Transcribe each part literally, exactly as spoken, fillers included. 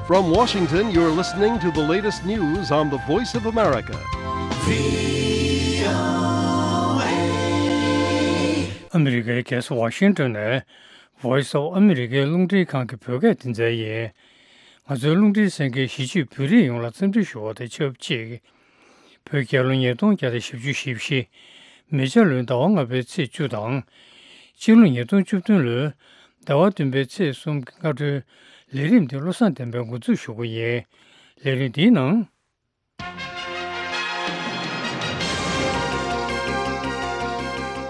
From Washington, you're listening to the latest news on the Voice of America. ཨ་མི་རི་ཀའི་རྒྱལ་ས་ཝ་ཤིང་ཏོན་ནས་Voice of America རླུང་འཕྲིན་ཁང་གི་བོད་སྐད་སྡེ་ཚན་ཡིན། ང་ཚོའི་རླུང་འཕྲིན་གསན་མཁན་གཞིས་བྱེས་བོད་རིགས་ཡོངས་ལ་འཚམས་འདྲི་ཞུ་བ་དང་ཆབས་ཅིག་བོད་རྒྱལ་ལོ་ཉིས་སྟོང་བརྒྱ་དང་བཞི་བཅུ་ཞེ་བཞི། མེ་བྱ་ལོའི་ཟླ་བ་ལྔ་པའི་ཚེས་བཅུ་དང་། སྤྱི་ལོ་ཉིས་སྟོང་བཅུ་བདུན་ལོའི་ཟླ་བ་བདུན་པའི་ཚེས་གསུམ་གྱི་སྔ་དྲོའི་ལས་རིམ་དེ་བློ་བཟང་བསྟན་པས་འགོ་འཛུགས་ཞུ་གི་ཡིན། ལས་རིམ་འདིའི་ནང་།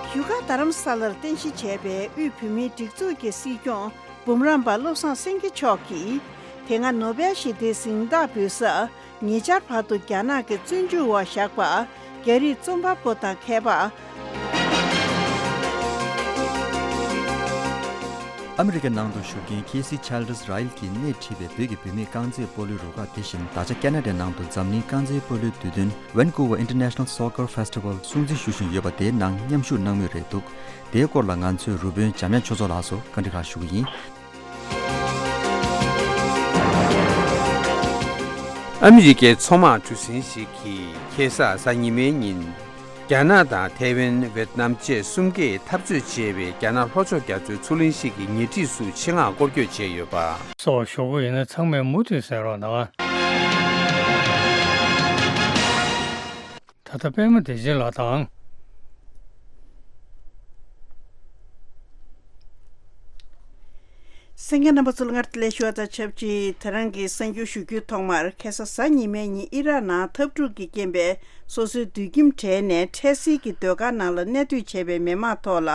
བཞུགས་སྒར་རྡ་རམ་ས་ལར་རྟེན་གཞི་བྱས་པའི་དབུས་བོད་མིའི་སྒྲིག་འཛུགས་ཀྱི་སྲིད་སྐྱོང་འབུམ་རམས་པ་བློ་བཟང་སེང་གེ་མཆོག་གིས། དེ་སྔ་ནོ་བེལ་ཞི་བདེའི་གཟེངས་རྟགས་འབུལ་ས། ཉེ་ཆར་བར་དུ་རྒྱ་ནག་གི་བཙོན་འཇུག་འོག་བཞག་པ། རྒྱ་རིགས་རྩོམ་པ་པོ་དང་མཁས་པ། ཨ་མི་རི་ཀའི་ནང་དུ་བཞུགས་མཁན་ཁེ་སི་ཆལ་ཌི་རའེལ་གྱིས་སྣེ་ཁྲིད་པའི་བོད་ཀྱི་བུད་མེད་རྐང་རྩེད་སྤོ་ལོའི་རུ་ཁག་དེ་བཞིན་ད་ཆ་ཁེ་ན་ཌའི་ནང་དུ་འཛམ་གླིང་རྐང་རྩེད་སྤོ་ལོའི་དུས་སྟོན་Vancouver International Soccer Festival སྲུང་བརྩི་ཞུ་བཞིན་ཡོད་པ་དེའི་ནང་མཉམ་ཞུགས་གནང་མུས་རེད་འདུག་དེའི་སྐོར་ལ་ང་ཚོའི་རུ་དཔོན་འཇམ་དབྱངས་ཆོས་ཚོགས་ལགས་སུ་བཀའ་འདྲི་ཁག་ཞུ་གི་ཡིན། ཨ་མི་རི་ཀའི་མཚོ་དམག་གྲུ་གཟིངས་ཤིག་གིས་ཁ་སང་གཟའ་ཉི་མའི་ཉིན། རྒྱ་ནག་དང་ཐའེ་ཝན། ཝེད་ནམ་བཅས་གསུམ་ཀས་འཐབ་རྩོད་བྱེད་པའི་རྒྱ་ནག་ལྷོ་ཕྱོགས་རྒྱ་མཚོའི་མཚོ་གླིང་ཞིག་གི་ཉེ་འཁྲིས་སུ་ཆེད་མངགས་སྐོར་སྐྱོད་བྱས་ཡོད་པ་སོགས་ཞུ་གི་ཡིན་ན། ཚང་མས་མུ་མཐུད་གསན་རོགས་གནང་། ད་ལྟ་པད་མ་བདེ་ཆེན་ལགས་དང་། གསན་མཁན་རྣམ་པ་ཚོ་ལ་སྔར་དུ་ལས་ཞུ་བ་དང་ཆབས་ཅིག་དེ་རིང་གི་གསར་འགྱུར་ཞུ་རྒྱུའི་ཐོག་མར། ཁ་སང་གཟའ་ཉི་མའི་ཉིན་ཨི་རག་ནང་འཐབ་འཁྲུག་གི་རྐྱེན་པས་སོ་སོའི་དུད་ཁྱིམ་བྲལ་ནས་འཕྲལ་སེལ་གྱི་སྡོད་སྒར་ནང་ལ་གནས་སྡོད་བྱས་པའི་མི་མང་ཐོག་ལ་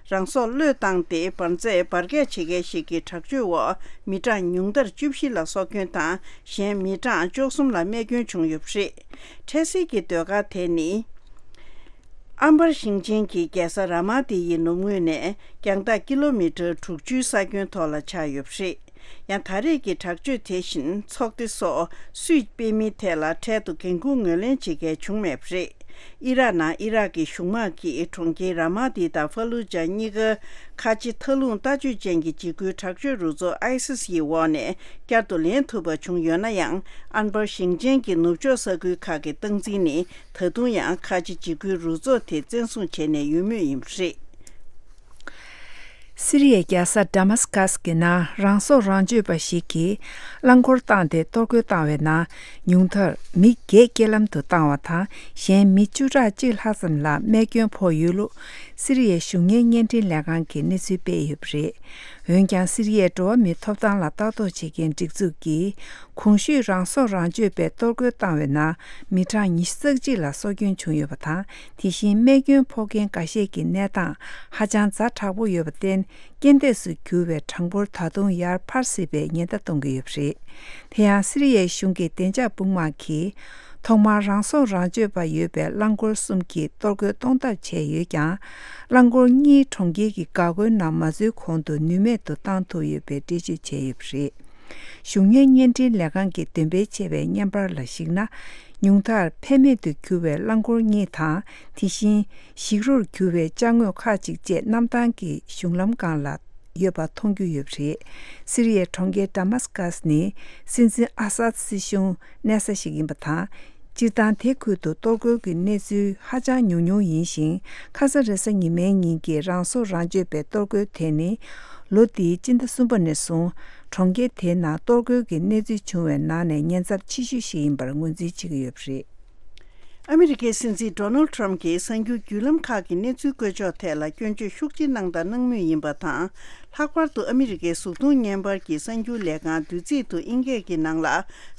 རང་སྲོག་བློས་བཏང་སྟེ་འབར་རྫས་འབར་གས་བྱེད་མཁན་ཞིག་གི་དྲག་སྤྱོད་འོག་མི་གྲངས་ཉུང་མཐར་བཅུ་བཞི་ལ་སྲོག་སྐྱོན་དང་། གཞན་མི་གྲངས་བཅུ་གསུམ་ལ་རྨས་སྐྱོན་བྱུང་ཡོད་པ་རེད། འཕྲལ་སེལ་གྱི་སྡོད་སྒར་དེ་ནི། ཨམ་བར་ཞིང་ཆེན་གྱི་རྒྱལ་ས་ར་མ་ཏི་ཡི་ནུབ་ངོས་ནས་རྒྱང་ཐག་ཀི་ལོ་མི་ཊར་དྲུག་ཅུའི་ས་ཁྱོན་ཐོག་ལ་ཆགས་ཡོད་པ་རེད། ཡང་ད་རེས་ཀྱི་དྲག་སྤྱོད་དེ་བཞིན་ཚོགས་སྡེ་སོགས་སུས་སྤེལ་མིན་ཐད་ལ་འཕྲལ་དུ་འགན་ཁུར་ངོས་ལེན་བྱེད་མཁན་བྱུང་མེད་པ་རེད། ཨི་རག་ནང་ཨི་རག་གི་གཞུང་དམག་གིས་གྲོང་ཁྱེར་ར་མ་ཏི་དང་ཧྥ་ལུ་ཇ་གཉིས་ཀ་ཁ་ཆེ་མཐའ་ལྷུང་ལྟ་སྤྱོད་ཅན་གྱི་འཇིགས་སྐུལ་དྲག་སྤྱོད་རུ་ཚོགས་ཨའི་སིས་ཡི་འོག་ནས་བསྐྱར་དུ་ལེན་ཐུབ་པ་བྱུང་ཡོད་ན་ཡང་། ཨན་བར་ཞིང་ཆེན་གྱི་ནུབ་ཕྱོགས་ས་ཁུལ་ཁག་གི་སྟངས་འཛིན་ནི་ད་དུང་ཡང་ཁ་ཆེ་འཇིགས་སྐུལ་རུ་ཚོགས་དེ་བཙན་བཟུང་བྱས་ནས་ཡོད་མུས་ཡིན་པ་རེད། སི་རི་ཡའི་རྒྱལ་ས་ཌ་མཱ་སི་ཀཱས་ཀྱི་ནང་རང་སྲོག་རང་གཅོད་པ་ཞིག་གིས་རླངས་འཁོར་བཏང་སྟེ་གཏོར་རྒོལ་བཏང་བའི་ནང་ཉུང་མཐར་མི་བརྒྱད་རྐྱེན་ལམ་དུ་བཏང་བ་དང་། གཞན་མི་བཅུ་ཕྲག་གཅིག་ལྷག་ཙམ་ལ་རྨས་སྐྱོན་ཕོག་ཡོད་ལུགས་སི་རི་ཡའི་གཞུང་གཉེར་བརྙན་འཕྲིན་ལས་ཁང་གིས་གནས་ཚུལ་སྤེལ་ཡོད་པ་རེད། འོན་ཀྱང་སི་རི་ཡའི་འགྲོ་བ་མིའི་ཐོབ་ཐང་ལ་ལྟ་རྟོག་བྱེད་མཁན་སྒྲིག་འཛུགས་ཀྱིས་གོང་ཞུས་རང་སྲོག་རང་གཅོད་པས་གཏོར་རྒོལ་བཏང་བའི་ནང་མི་གྲངས་ཉི་ཤུ་རྩ་གཅིག་ལ་སྲོག་སྐྱོན་བྱུང་ཡོད་པ་དང་། དེ་བཞིན་རྨས་སྐྱོན་ཕོག་མཁན་འགའ་ཤས་ཀྱི་གནས་སྟངས་ཧ་ཅང་ཛ་དྲག་པོ་ཡོད་པར་བརྟེན། རྐྱེན་འདས་སུ་གྱུར་བའི་གྲངས་འབོར་ད་དུང་ཡར་འཕར་སྲིད་པའི་ཉེན་བརྡ་གཏོང་གི་ཡོད་པ་རེད། དེ་ཡང་སི་རི་ཡའི་གཞུང་གི་བདེ་འཇགས་དཔུང་དམག་གིས་ཐོག་མར་རང་སྲོག་རང་གཅོད་པ་ཡོད་པའི་རླངས་འཁོར་གསུམ་གྱིས་གཏོར་རྒོལ་གཏོང་ཐབས་བྱས་ཡོད་ཀྱང་། རླངས་འཁོར་གཉིས་གྲོང་ཁྱེར་གྱི་འགག་སྒོའི་ནང་མ་འཛུལ་གོང་དུ་ནུས་མེད་དུ་བཏང་ཐུབ་ཡོད་པའི་འགྲེལ་བརྗོད་བྱས་ཡོད་པ་རེད། གཞུང་གཉེར་བརྙན་འཕྲིན་ལས་ཁང་གིས་འདོན་སྤེལ་བྱས་པའི་བརྙན་པར་ལ་གཞིགས་ན། ཉུང་མཐར་ཕན་མེད་དུ་གྱུར་བའི་རླངས་འཁོར་གཉིས་དང་། དེ་བཞིན་ཞིག་རོར་གྱུར་བའི་ཅ་དངོས་ཁག་ཅིག་བཅས་གནམ་ཐང་གི་གཞུང་ལམ་སྒང་ལ་ཡོད་པ་མཐོང་རྒྱུ་ཡོད་པ་རེད། སི་རི་ཡའི་གྲོང་ཁྱེར་ཌ་མཱ་སི་ཀཱས་ནི་སྲིད་འཛིན་ཨ་སཱད་སྲིད་གཞུང་གནས་ས་ཞིག་ཡིན་པ་དང་། སྤྱིར་བཏང་དེ་ཁུལ་དུ་གཏོར་རྒོལ་གྱི་གནས་ཚུལ་ཧ་ཅང་ཉུང་ཉུང་ཡིན་ཞིང་། ཁ་ས་རེས་གཟའ་ཉི་མའི་ཉིན་གྱི་རང་སྲོག་རང་གཅོད་པའི་གཏོར་རྒོལ་དེ་ནི་ལོ་འདིའི་སྤྱི་ཟླ་གསུམ་པ་ནས་བཟུང་གྲོང་ཁྱེར་དེའི་ནང་གཏོར་རྒོལ་གྱི་གནས་ཚུལ་བྱུང་བའི་ནང་ནས་ཉེན་ཚབས་ཆེ་ཤོས་ཤིག་ཡིན་པར་ངོས་འཛིན་བྱེད་ཀྱི་ཡོད་པ་རེད། ཨ་མི་རི་ཀའི་སྲིད་འཛིན་ཌོ་ནལ་ཌི་ཊརམ་གྱིས་གསར་འགྱུར་བརྒྱུད་ལམ་ཁག་གི་གནས་ཚུལ་བཀོད་ཕྱོགས་ཐད་ལ་སྐྱོན་བརྗོད་ཤུགས་ཆེ་གནང་དང་གནང་མུས་ཡིན་པ་དང་། ལྷག་པར་དུ་ཨ་མི་རི་ཀའི་གཟུགས་མཐོང་བརྙན་པར་གྱི་གསར་འགྱུར་ལས་ཁང་བདུད་རྩི་དུ་དབྱིན་སྐད་ཀྱི་ནང་ལ་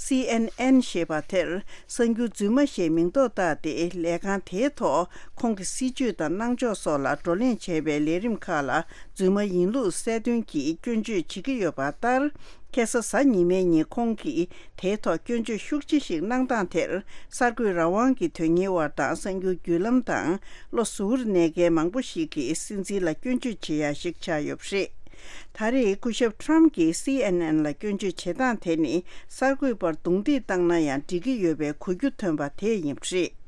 སི་ཨེན་ཨེན་ཞེས་པ་དེར། གསར་འགྱུར་རྫུན་མ་ཞེས་མིང་འདོགས་བཏགས་ཏེ། ལས་ཁང་དེའི་ཐོག་ཁོང་གི་སྲིད་བྱུས་དང་གནང་ཕྱོགས་སོགས་ལ་བགྲོ་གླེང་བྱས་པའི་ལས་རིམ་ཁག་ལ་རྫུན་མ་ཡིན་ལུགས་གསལ་སྟོན་གྱིས་སྐྱོན་བརྗོད་བྱེད་ཀྱི་ཡོད་པ་ལྟར། ཁ་སང་གཟའ་ཉི་མའི་ཉིན་ཁོང་གིས་དེའི་ཐོག་སྐྱོན་བརྗོད་ཤུགས་ཆེ་ཞིག་གནང་སྟངས་དེར། གསར་འགོད་རང་དབང་གི་དོན་གཉེར་བ་དང་གསར་འགྱུར་བརྒྱུད་ལམ་དང་བློ་གཟུ་བོར་གནས་མཁན་མང་པོ་ཞིག་གིས་སྲིད་འཛིན་ལ་སྐྱོན་བརྗོད་བྱེད་ཡ་ཞིག་ཆགས་ཡོད་པ་རེད། ད་རེས་སྐུ་ཞབས་ཊརམ་གྱིས་སི་ཨེན་ཨེན་ལ་སྐྱོན་བརྗོད་བྱེད་སྟངས་དེ་ནི་གསར་འགོད་པར་རྡུང་རྡེག་བཏང་ན་ཡང་འགྲིག་གི་ཡོད་པའི་གོ་རྒྱུ་ཐོན་པ་དེ་ཡིན་པ་རེད།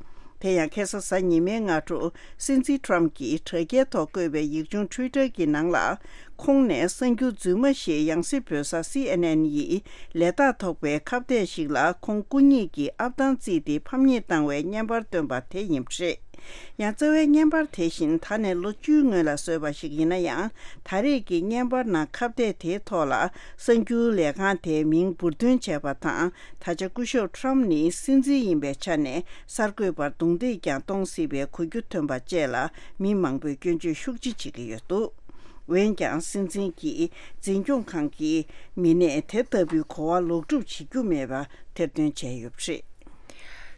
དེ་ཡང་ཁ་སང་གཟའ་ཉི་མའི་སྔ་དྲོ་སྲིད་འཛིན་ཊམ་གྱིས་དྲ་རྒྱའི་ཐོག་བཀོད་པའི་ཡིག་ཆུང་ཊུའི་ཊར་གྱི་ནང་ལ། ཁོང་ནས་གསར་འགྱུར་རྫུན་མ་ཞིག་ཡང་སྲིད་བོད་གསར་སི་ཨེན་ཨེན་ཡིས་ལས་རྟགས་ཐོགས་པའི་ཁ་བརྡ་ཞིག་ལ་ཁོང་སྐུ་ཉིད་ཀྱིས་ཨབ་ཐང་བརྩིས་ཏེ་ཕམ་ཉེས་བཏང་བའི་བརྙན་པར་བཏོན་པ་དེ་ཡིན་པ་རེད། ཡང་རྩ་བའི་བརྙན་པར་དེ་བཞིན་ད་ནས་ལོ་བཅུའི་སྔོན་ལ་བཟོས་པ་ཞིག་ཡིན་ན་ཡང་། ད་རེས་ཀྱི་བརྙན་པར་ནང་ཁ་བརྡ་དེའི་ཐོག་ལ་གསར་འགྱུར་ལས་ཁང་དེའི་མིང་འབུར་འདོན་བྱས་པ་དང་། ད་ཆ་སྐུ་ཞབས་ཊམ་ནི་སྲིད་འཛིན་ཡིན་པའི་ཆ་ནས་གསར་འགོད་པར་རྡུང་རྡེག་ཀྱང་གཏོང་སྲིད་པའི་གོ་རྒྱུ་ཐོན་པ་བཅས་ལ་མི་མང་པོས་སྐྱོན་བརྗོད་ཤུགས་ཆེ་བྱེད་ཀྱི་ཡོད་འདུག་འོན་ཀྱང་སྲིད་འཛིན་གྱི་འཛིན་སྐྱོང་ཁང་གི་མི་སྣས་དེ་ལྟ་བུའི་གོ་བ་ལོག་སྒྲུབ་བྱེད་རྒྱུ་མེད་པ་ཐེར་འདོན་བྱས་ཡོད་པ་རེད།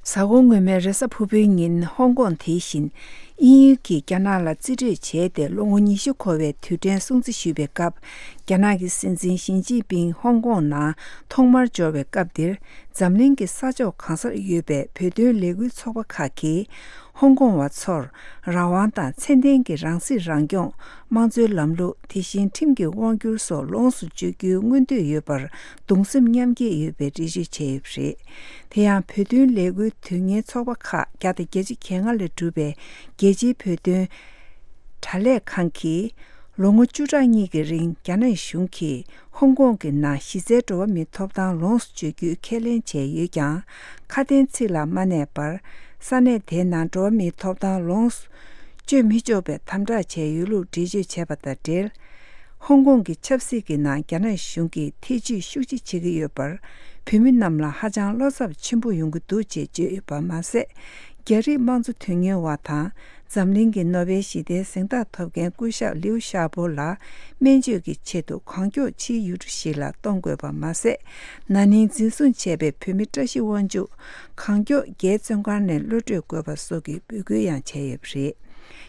གཟའ་འཁོར་སྔོན་མའི་རེས་གཟའ་ཕུར་བུའི་ཉིན་ཧོང་ཀོང་དེ་བཞིན་དབྱིན་ཡུལ་གྱིས་རྒྱ་ནག་ལ་རྩིས་སྤྲོད་བྱས་ཏེ་ལོ་ངོ་ཉི་ཤུ་འཁོར་བའི་དུས་དྲན་སྲུང་བརྩི་ཞུས་པའི་སྐབས། རྒྱ་ནག་གི་སྲིད་འཛིན་ཞི་ཅིན་ཕིང་ཧོང་ཀོང་ནང་ཐོག་མར་འབྱོར་བའི་སྐབས་འདིར། འཛམ་གླིང་གི་ས་ཕྱོགས་གང་སར་ཡོད་པའི་བོད་དོན་ལས་འགུལ་ཚོགས་པ་ཁག་གིས། ཧོང་ཀོང་བ་ཚོར་རང་དབང་དང་ཚད་ལྡན་གྱི་རང་སྲིད་རང་སྐྱོང་། དམངས་གཙོའི་ལམ་ལུགས། དེ་བཞིན་ཁྲིམས་ཀྱི་དབང་སྒྱུར་སོགས་ལོངས་སུ་སྤྱོད་རྒྱུའི་མངོན་འདོད་ཡོད་པར་གདུང་སེམས་མཉམ་སྐྱེད་ཡོད་པའི་འགྲེལ་བརྗོད་བྱས་ཡོད་པ་རེད། དེ་ཡང་བོད་དོན་ལས་འགུལ་དོན་གཉེར་ཚོགས་པ་ཁག་བརྒྱ་དང་བརྒྱད་ཅུ་གྱ་ལྔ་ལས་གྲུབ་པའི་རྒྱལ་སྤྱིའི་བོད་དོན་དྲ་ལས་ཁང་གིས། ལོ་ངོ་བཅུ་ཕྲག་གཉིས་ཀྱི་རིང་རྒྱ་ནག་གཞུང་གིས་ཧོང་ཀོང་གི་ནང་གཞི་རྩའི་འགྲོ་བ་མིའི་ཐོབ་ཐང་ལོངས་སུ་སྤྱོད་རྒྱུའི་ཁས་ལེན་བྱས་ཡོད་ཀྱང་། ཁ་དན་ཚིག་ལ་མ་གནས་པར། ས་གནས་དེའི་ནང་འགྲོ་བ་མིའི་ཐོབ་ཐང་ལོངས་སུ་སྤྱོད་མི་ཆོག་པའི་དམ་དྲག་བྱས་ཡོད་ལུགས་འགྲེལ་བརྗོད་བྱས་པ་དང་འབྲེལ། ཧོང་ཀོང་གི་ཆབ་སྲིད་ཀྱི་ནང་རྒྱ་ནག་གཞུང་གིས་ཐེ་ཇུས་ཤུགས་ཆེ་བྱེད་ཀྱི་ཡོད་པར། བོད་མི་རྣམས་ལ་ཧ་ཅང་བློ་འཚབ་ཆེན་པོ་ཡོང་གི་འདུག་ཅེས་བརྗོད་ཡོད་པ་མ་ཟད། རྒྱ་རིགས་དམངས་གཙོ་དོན་གཉེར་བ་དང་། འཛམ་གླིང་གི་ནོ་བེལ་ཞི་བདེའི་གཟེངས་རྟགས་ཐོབ་མཁན་སྐུ་ཞབས་ལིའུ་ཞའོ་པོ་ལ་སྨན་བཅོས་ཀྱི་ཆེད་དུ་གང་མགྱོགས་ཕྱིའི་ཡུལ་གྲུ་ཞིག་ལ་གཏོང་དགོས་པ་མ་ཟད། ན་ནིང་འཛིན་བཟུང་བྱས་པའི་བོད་མི་བཀྲ་ཤིས་དབང་ཕྱུག་གང་མགྱོགས་རྒྱའི་བཙོན་ཁང་ནས་གློད་གྲོལ་དགོས་པ་སོགས་ཀྱི་འབོད་སྐུལ་ཡང་བྱས་ཡོད་པ་རེད།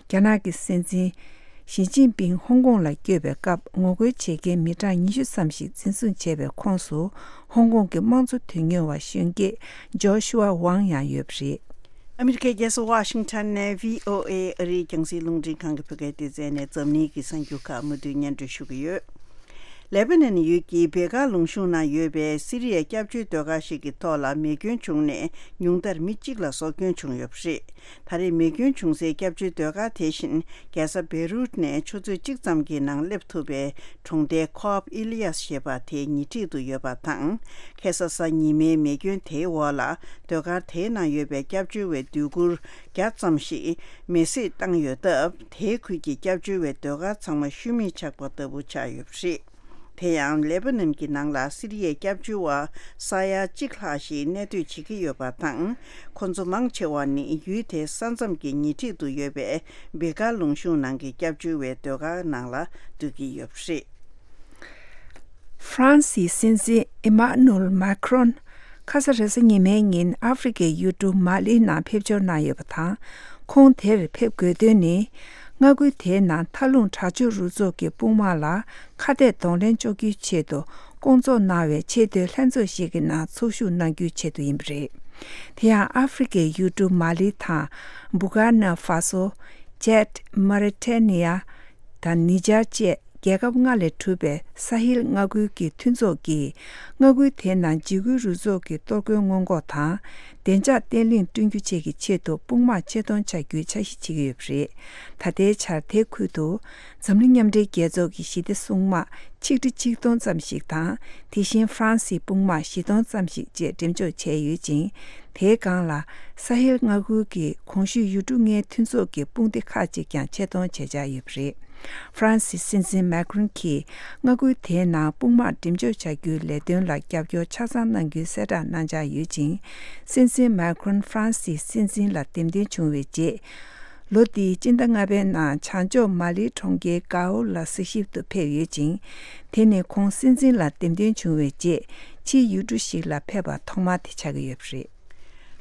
རྒྱ་ནག་གི་སྲིད་འཛིན་ཞི་ཅིན་ཕིང་ཧོང་ཀོང་ལ་བསྐྱོད་པའི་སྐབས་ངོ་རྒོལ་བྱེད་མཁན་མི་གྲངས་ཉི་ཤུ་ཙམ་ཞིག་འཛིན་བཟུང་བྱས་པའི་ཁོངས་སུ་ཧོང་ཀོང་གི་དམངས་གཙོ་དོན་གཉེར་བ་གཞོན་སྐྱེས་ཇོ་ཤུ་ཝ་ཝང་ཡང་ཡོད་པ་རེད། ཨ་མི་རི་ཀའི་རྒྱལ་ས་ཝ་ཤིང་ཊོན་ནས་བྷི་ཨོ་ཨེ་ཨ་རིའི་རྒྱང་སྲིང་རླུང་འཕྲིན་ཁང་གི་བོད་སྐད་སྡེ་ཚན་ནས་འཛམ་གླིང་གི་གསར་འགྱུར་ཁག་མུ་མཐུད་སྙན་སྒྲོན་ཞུ་གི་ཡོད། ལེ་པ་ནན་ཡུལ་གྱི་བེ་ཀ་ལུང་གཤོང་ནང་ཡོད་པའི་སི་རི་ཡའི་སྐྱབས་བཅོལ་སྡོད་སྒར་ཞིག་གི་ཐོག་ལ་མེ་སྐྱོན་བྱུང་ནས་ཉུང་མཐར་མི་གཅིག་ལ་སྲོག་སྐྱོན་བྱུང་ཡོད་པ་རེད། ད་རེས་མེ་སྐྱོན་བྱུང་སའི་སྐྱབས་བཅོལ་སྡོད་སྒར་དེ་བཞིན་རྒྱལ་ས་བེ་རུད་ནས་ཆུ་ཚོད་གཅིག་ཙམ་གྱི་ནང་སླེབས་ཐུབ་པའི་གྲོང་རྡལ་ཁོབ་ཨི་ལི་ཡཱས་ཞེས་པ་དེའི་ཉེ་འཁྲིས་དུ་ཡོད་པ་དང་། ཁ་སང་གཟའ་ཉི་མའི་མེ་སྐྱོན་དེའི་འོག་ལ་སྡོད་སྒར་དེའི་ནང་ཡོད་པའི་སྐྱབས་བཅོལ་བའི་སྡོད་གུར་བརྒྱ་ཙམ་ཞིག་མེ་བསྲེགས་བཏང་ཡོད་སྟབས། དེའི་ཁུལ་གྱི་སྐྱབས་བཅོལ་བའི་སྡོད་སྒར་ཚང་མ་ཤུལ་མེད་ཆགས་པ་ལྟ་བུ་ཆགས་ཡོད་པ་རེད། དེ་ཡང་ལེ་པ་ནན་གྱི་ནང་ལ་སི་རི་ཡའི་སྐྱབས་བཅོལ་བ་ས་ཡ་གཅིག་ལྷག་ཞིག་གནས་སྡོད་བྱེད་ཀྱི་ཡོད་པ་དང་། ཁོ་ཚོ་མང་ཆེ་བ་ནི་ཡུལ་དེའི་ས་མཚམས་ཀྱི་ཉེ་འཁྲིས་དུ་ཡོད་པའི་བེ་ཀ་ལུང་གཤོང་ནང་གི་སྐྱབས་བཅོལ་བའི་སྡོད་སྒར་ནང་ལ་སྡོད་ཀྱི་ཡོད་པ་རེད། ཧྥ་རན་སིའི་སྲིད་འཛིན་ཨི་མ་ནུ་ཨེལ་མཱ་ཁི་རོན། ཁ་ས་རེས་གཟའ་ཉི་མའི་ཉིན་ཨ་ཧྥེ་རི་ཁའི་ཡུལ་གྲུ་མ་ལིའི་ནང་ཕེབས་འབྱོར་གནང་ཡོད་པ་དང་། ཁོང་དེར་ཕེབས་དགོས་དོན་ནི། མངའ་ཁུལ་དེའི་ནང་མཐའ་ལྷུང་དྲག་སྤྱོད་རུ་ཚོགས་ཀྱི་དཔུང་དམག་ལ་ཁ་གཏད་གདོང་ལེན་གཅོག་རྒྱུའི་ཆེད་དུ་སྐོང་ཚོགས་གནང་བའི་ཆེས་མཐོའི་ལྷན་ཚོགས་ཤིག་གི་ནང་ཚོགས་ཞུགས་གནང་རྒྱུའི་ཆེད་དུ་ཡིན་པ་རེད། དེ་ཡང་ཨ་ཧྥེ་རི་ཁའི་ཡུལ་གྲུ་མ་ལི་དང་། སྦུ་ཀར་ན་ཧྥ་སོ། ཅད། མོ་རི་ཊེ་ནི་ཡ། དང་ནི་ཇར་བཅས་རྒྱལ་ཁབ་ལྔ་ལས་གྲུབ་པའི་ས་ཧིལ་མངའ་ཁུལ་གྱི་མཐུན་ཚོགས་ཀྱིས་མངའ་ཁུལ་དེའི་ནང་འཇིགས་སྐུལ་རུ་ཚོགས་ཀྱི་གཏོར་རྒོལ་སྔོན་འགོག་དང་བདེ་འཇགས་བརྟན་ལྷིང་བསྐྲུན་རྒྱུ་བཅས་ཀྱི་ཆེད་དུ་དཔུང་དམག་ཆེད་གཏོང་བྱ་རྒྱུའི་འཆར་གཞི་བྱེད་ཀྱི་ཡོད་པ་རེད། ད་ལྟའི་ཆར་དེ་ཁུལ་དུ་འཛམ་གླིང་མཉམ་འབྲེལ་རྒྱལ་ཚོགས་ཀྱི་ཞི་བདེ་སྲུང་དམག་ཆིག་ཁྲི་ཆིག་སྟོང་ཙམ་ཞིག་དང་། དེ་བཞིན་ཧྥ་རན་སིའི་དཔུང་དམག་བཞི་སྟོང་ཙམ་ཞིག་བཅས་འགྲེམས་འཇོག་བྱས་ཡོད་ཅིང་། དེའི་སྒང་ལ་ས་ཧེལ་མངའ་ཁུལ་གྱི་གོང་ཞུས་ཡུལ་གྲུ་ལྔའི་མཐུན་ཚོགས་ཀྱི་དཔུང་སྡེ་ཁག་ཅིག་ཀྱང་ཆེད་གཏོང་བྱེད་འཆར་ཡོད་པ་རེད། ཧྥ་རན་སིའི་སྲིད་འཛིན་མཱ་ཁི་རོན་གྱིས་མངའ་ཁུལ་དེའི་ནང་དཔུང་དམག་འགྲེམས་འཇོག་བྱ་རྒྱུའི་ལས་དོན་ལ་རྒྱབ་སྐྱོར་ཆ་ཚང་གནང་རྒྱུའི་གསལ་བསྒྲགས་གནང་འཆར་ཡོད་ཅིང་། སྲིད་འཛིན་མཱ་ཁི་རོན་ཧྥ་རན་སིའི་སྲིད་འཛིན་ལ་འདེམས་ཐོན་བྱུང་བའི་རྗེས། ལོ་འདིའི་སྤྱི་ཟླ་ལྔ་པའི་ནང་བྱང་ཕྱོགས་མ་ལིའི་གྲོང་ཁྱེར་གའོ་ལ་གཟིགས་ཞིབ་ཏུ་ཕེབས་ཡོད་ཅིང་། དེ་ནི་ཁོང་སྲིད་འཛིན་ལ་འདེམས་ཐོན་བྱུང་བའི་རྗེས་ཕྱིའི་ཡུལ་གྲུ་ཞིག་ལ་ཕེབས་པ་ཐོག་མ་དེ་ཆགས་ཀྱི་ཡོད་པ་རེད།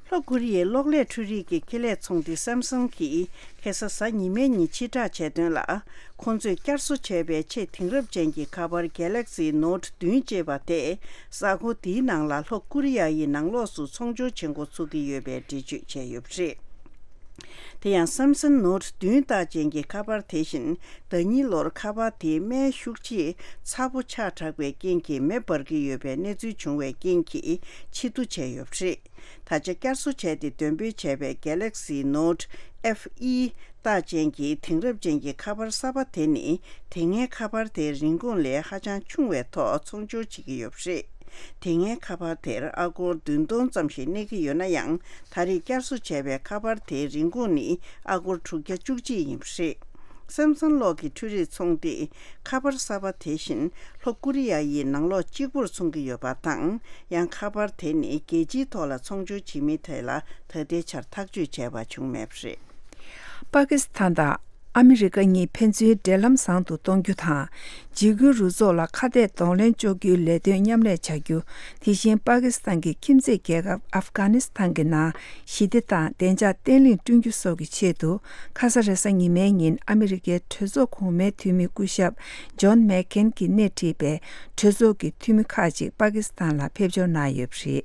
ལྷོ་ཀོ་རི་ཡའི་གློག་ཀླད་འཕྲུལ་རིག་གི་ཁེ་ལས་ཚོང་སྡེ་སེམ་སང་གིས་ཁ་སང་གཟའ་ཉི་མའི་ཉིན་ཕྱིར་བསྒྲགས་བྱས་དོན་ལ། ཁོང་ཚོས་བསྐྱར་གསོ་བྱས་པའི་ཆེས་དེང་རབས་ཅན་གྱི་ཁ་པར་Galaxy Note་བདུན་ཅེས་པ་དེ་གཟའ་འཁོར་འདིའི་ནང་ལ་ལྷོ་ཀོ་རི་ཡ་ཡི་ནང་ལོགས་སུ་ཚོང་སྦྱོར་བྱེད་འགོ་ཚུགས་ཀྱི་ཡོད་པའི་འགྲེལ་བརྗོད་བྱས་ཡོད་པ་རེད། དེ་ཡང་Samsung Note་བདུན་རྟགས་ཅན་གྱི་ཁ་པར་དེ་བཞིན་ཟླ་ཉིན་ལོར་ཁ་པར་དེའི་སྨན་ཤུགས་ཆེས་ཚ་པོ་ཆགས་དྲགས་པའི་རྐྱེན་གྱིས་མེ་འབར་གྱི་ཡོད་པའི་གནས་ཚུལ་བྱུང་བའི་རྐྱེན་གྱིས་ཕྱིར་བསྡུ་བྱས་ཡོད་པ་རེད། ད་ཆ་བསྐྱར་གསོ་བྱས་ཏེ་འདོན་སྤེལ་བྱས་པའི་Galaxy Note F E་རྟགས་ཅན་གྱི་དེང་རབས་ཅན་གྱི་ཁ་པར་གསར་པ་དེ་ནི་དེ་སྔའི་ཁ་པར་དེའི་རིན་གོང་ལས་ཧ་ཅང་ཆུང་བའི་ཐོག་ཚོང་སྦྱོར་བྱེད་ཀྱི་ཡོད་པ་རེད། དེ་སྔའི་ཁ་པར་དེར་ཨ་སྒོར་བདུན་སྟོང་ཙམ་ཞིག་གནས་ཀྱི་ཡོད་ན་ཡང་། ད་རེས་བསྐྱར་གསོ་བྱས་པའི་ཁ་པར་དེའི་རིན་གོང་ནི་ཨ་སྒོར་དྲུག་བརྒྱ་བཅུ་གཅིག་ཡིན་པ་རེད། Samsung་གློག་གི་འཕྲུལ་རིག་ཚོང་སྡེས་ཁ་པར་གསར་པ་དེ་བཞིན་ལྷོ་ཀོ་རི་ཡ་ཡི་ནང་ལོགས་གཅིག་པུར་འཚོང་གི་ཡོད་པ་དང་། ཡང་ཁ་པར་དེ་ནི་རྒྱལ་སྤྱིའི་ཐོག་ལ་ཚོང་སྦྱོར་བྱེད་མིན་ཐད་ལ་ད་ལྟའི་ཆར་ཐག་གཅོད་བྱས་པ་བྱུང་མེད་པ་རེད། པ་ཀི་སི་ཐན་དང་ཨ་མི་རི་ཀ་གཉིས་ཕན་ཚུན་འབྲེལ་ལམ་བཟང་དུ་གཏོང་རྒྱུ་དང་། འཇིགས་སྐུལ་རུ་ཚོགས་ལ་ཁ་གཏད་གདོང་ལེན་གཅོག་རྒྱུའི་ལས་དོན་མཉམ་ལས་བྱ་རྒྱུ། དེ་བཞིན་པ་ཀི་སི་ཐན་གྱི་ཁྱིམ་མཚེས་རྒྱལ་ཁབ་ཨབ་གྷ་ནི་སི་ཐན་གྱི་ནང་ཞི་བདེ་དང་བདེ་འཇགས་བརྟན་ལྷིང་བསྐྲུན་རྒྱུ་སོགས་ཀྱི་ཆེད་དུ། ཁ་ས་རེས་གཟའ་ཉི་མའི་ཉིན་ཨ་མི་རི་ཀའི་གྲོས་ཚོགས་གོང་མའི་འཐུས་མི་སྐུ་ཞབས་ཇོན་མེག་ཁེན་གྱིས་སྣེ་ཁྲིད་པའི་གྲོས་ཚོགས་ཀྱི་འཐུས་མི་ཁག་ཅིག་པ་ཀི་སི་ཐན་ལ་ཕེབས་འབྱོར་གནང་ཡོད་པ་རེད།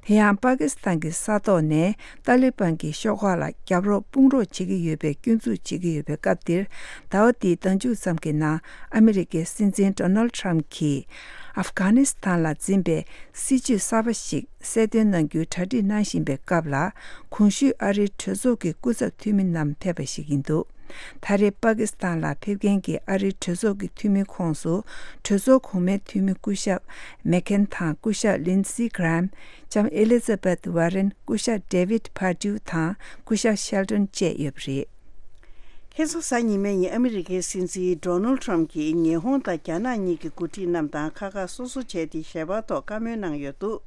དེ་ཡང་པ་ཀི་སི་ཐན་གྱི་ས་ཐོག་ནས་ཏཱ་ལི་བན་གྱི་ཤོག་ཁག་ལ་རྒྱབ་རོགས་དཔུང་རོགས་བྱེད་ཀྱི་ཡོད་པའི་སྐྱོན་འཛུགས་བྱེད་ཀྱི་ཡོད་པའི་སྐབས་འདིར། ཟླ་བ་འདིའི་ཟླ་མཇུག་ཙམ་གྱི་ནང་ཨ་མི་རི་ཀའི་སྲིད་འཛིན་ཌོ་ནལ་ཊམ་གྱིས་ཨབ་གྷ་ནི་སི་ཐན་ལ་འཛིན་པའི་སྲིད་ཇུས་གསར་པ་ཞིག་གསལ་སྟོན་གནང་རྒྱུའི་གྲ་སྒྲིག་གནང་བཞིན་པའི་སྐབས་ལ། གོང་ཞུས་ཨ་རིའི་གྲོས་ཚོགས་ཀྱི་སྐུ་ཚབ་འཐུས་མི་རྣམས་ཕེབས་པ་ཞིག་ཡིན་འདུག་ད་རེས་པ་ཀི་སི་ཐན་ལ་ཕེབས་མཁན་གྱི་ཨ་རིའི་གྲོས་ཚོགས་ཀྱི་འཐུས་མིའི་ཁོངས་སུ། གྲོས་ཚོགས་གོང་མའི་འཐུས་མི་སྐུ་ཞབས་མེག་ཁེན་དང་སྐུ་ཞབས་ལིན་སི་གྷི་རམ། ལྕམ་ཨེ་ལི་ཛ་བེད་ཝར་རན། སྐུ་ཞབས་ཌེ་ཝིད་ཕར་ཌིའུ་དང་སྐུ་ཞབས་ཤེལ་ཏོན་བཅས་ཡོད་པ་རེད། ཁ་སང་གཟའ་ཉི་མའི་ཉིན་ཨ་མི་རི་ཀའི་སྲིད་འཛིན་ཌོ་ནལ་ཊམ་གྱིས་ཉི་ཧོང་དང་རྒྱ་ནག་གཉིས་ཀྱི་འགོ་ཁྲིད་རྣམས་དང་ཁ་ཁ་སོ་སོ་བྱས་ཏེ་ཞལ་པར་ཐོག་བཀའ་མོལ་གནང་ཡོད་འདུག་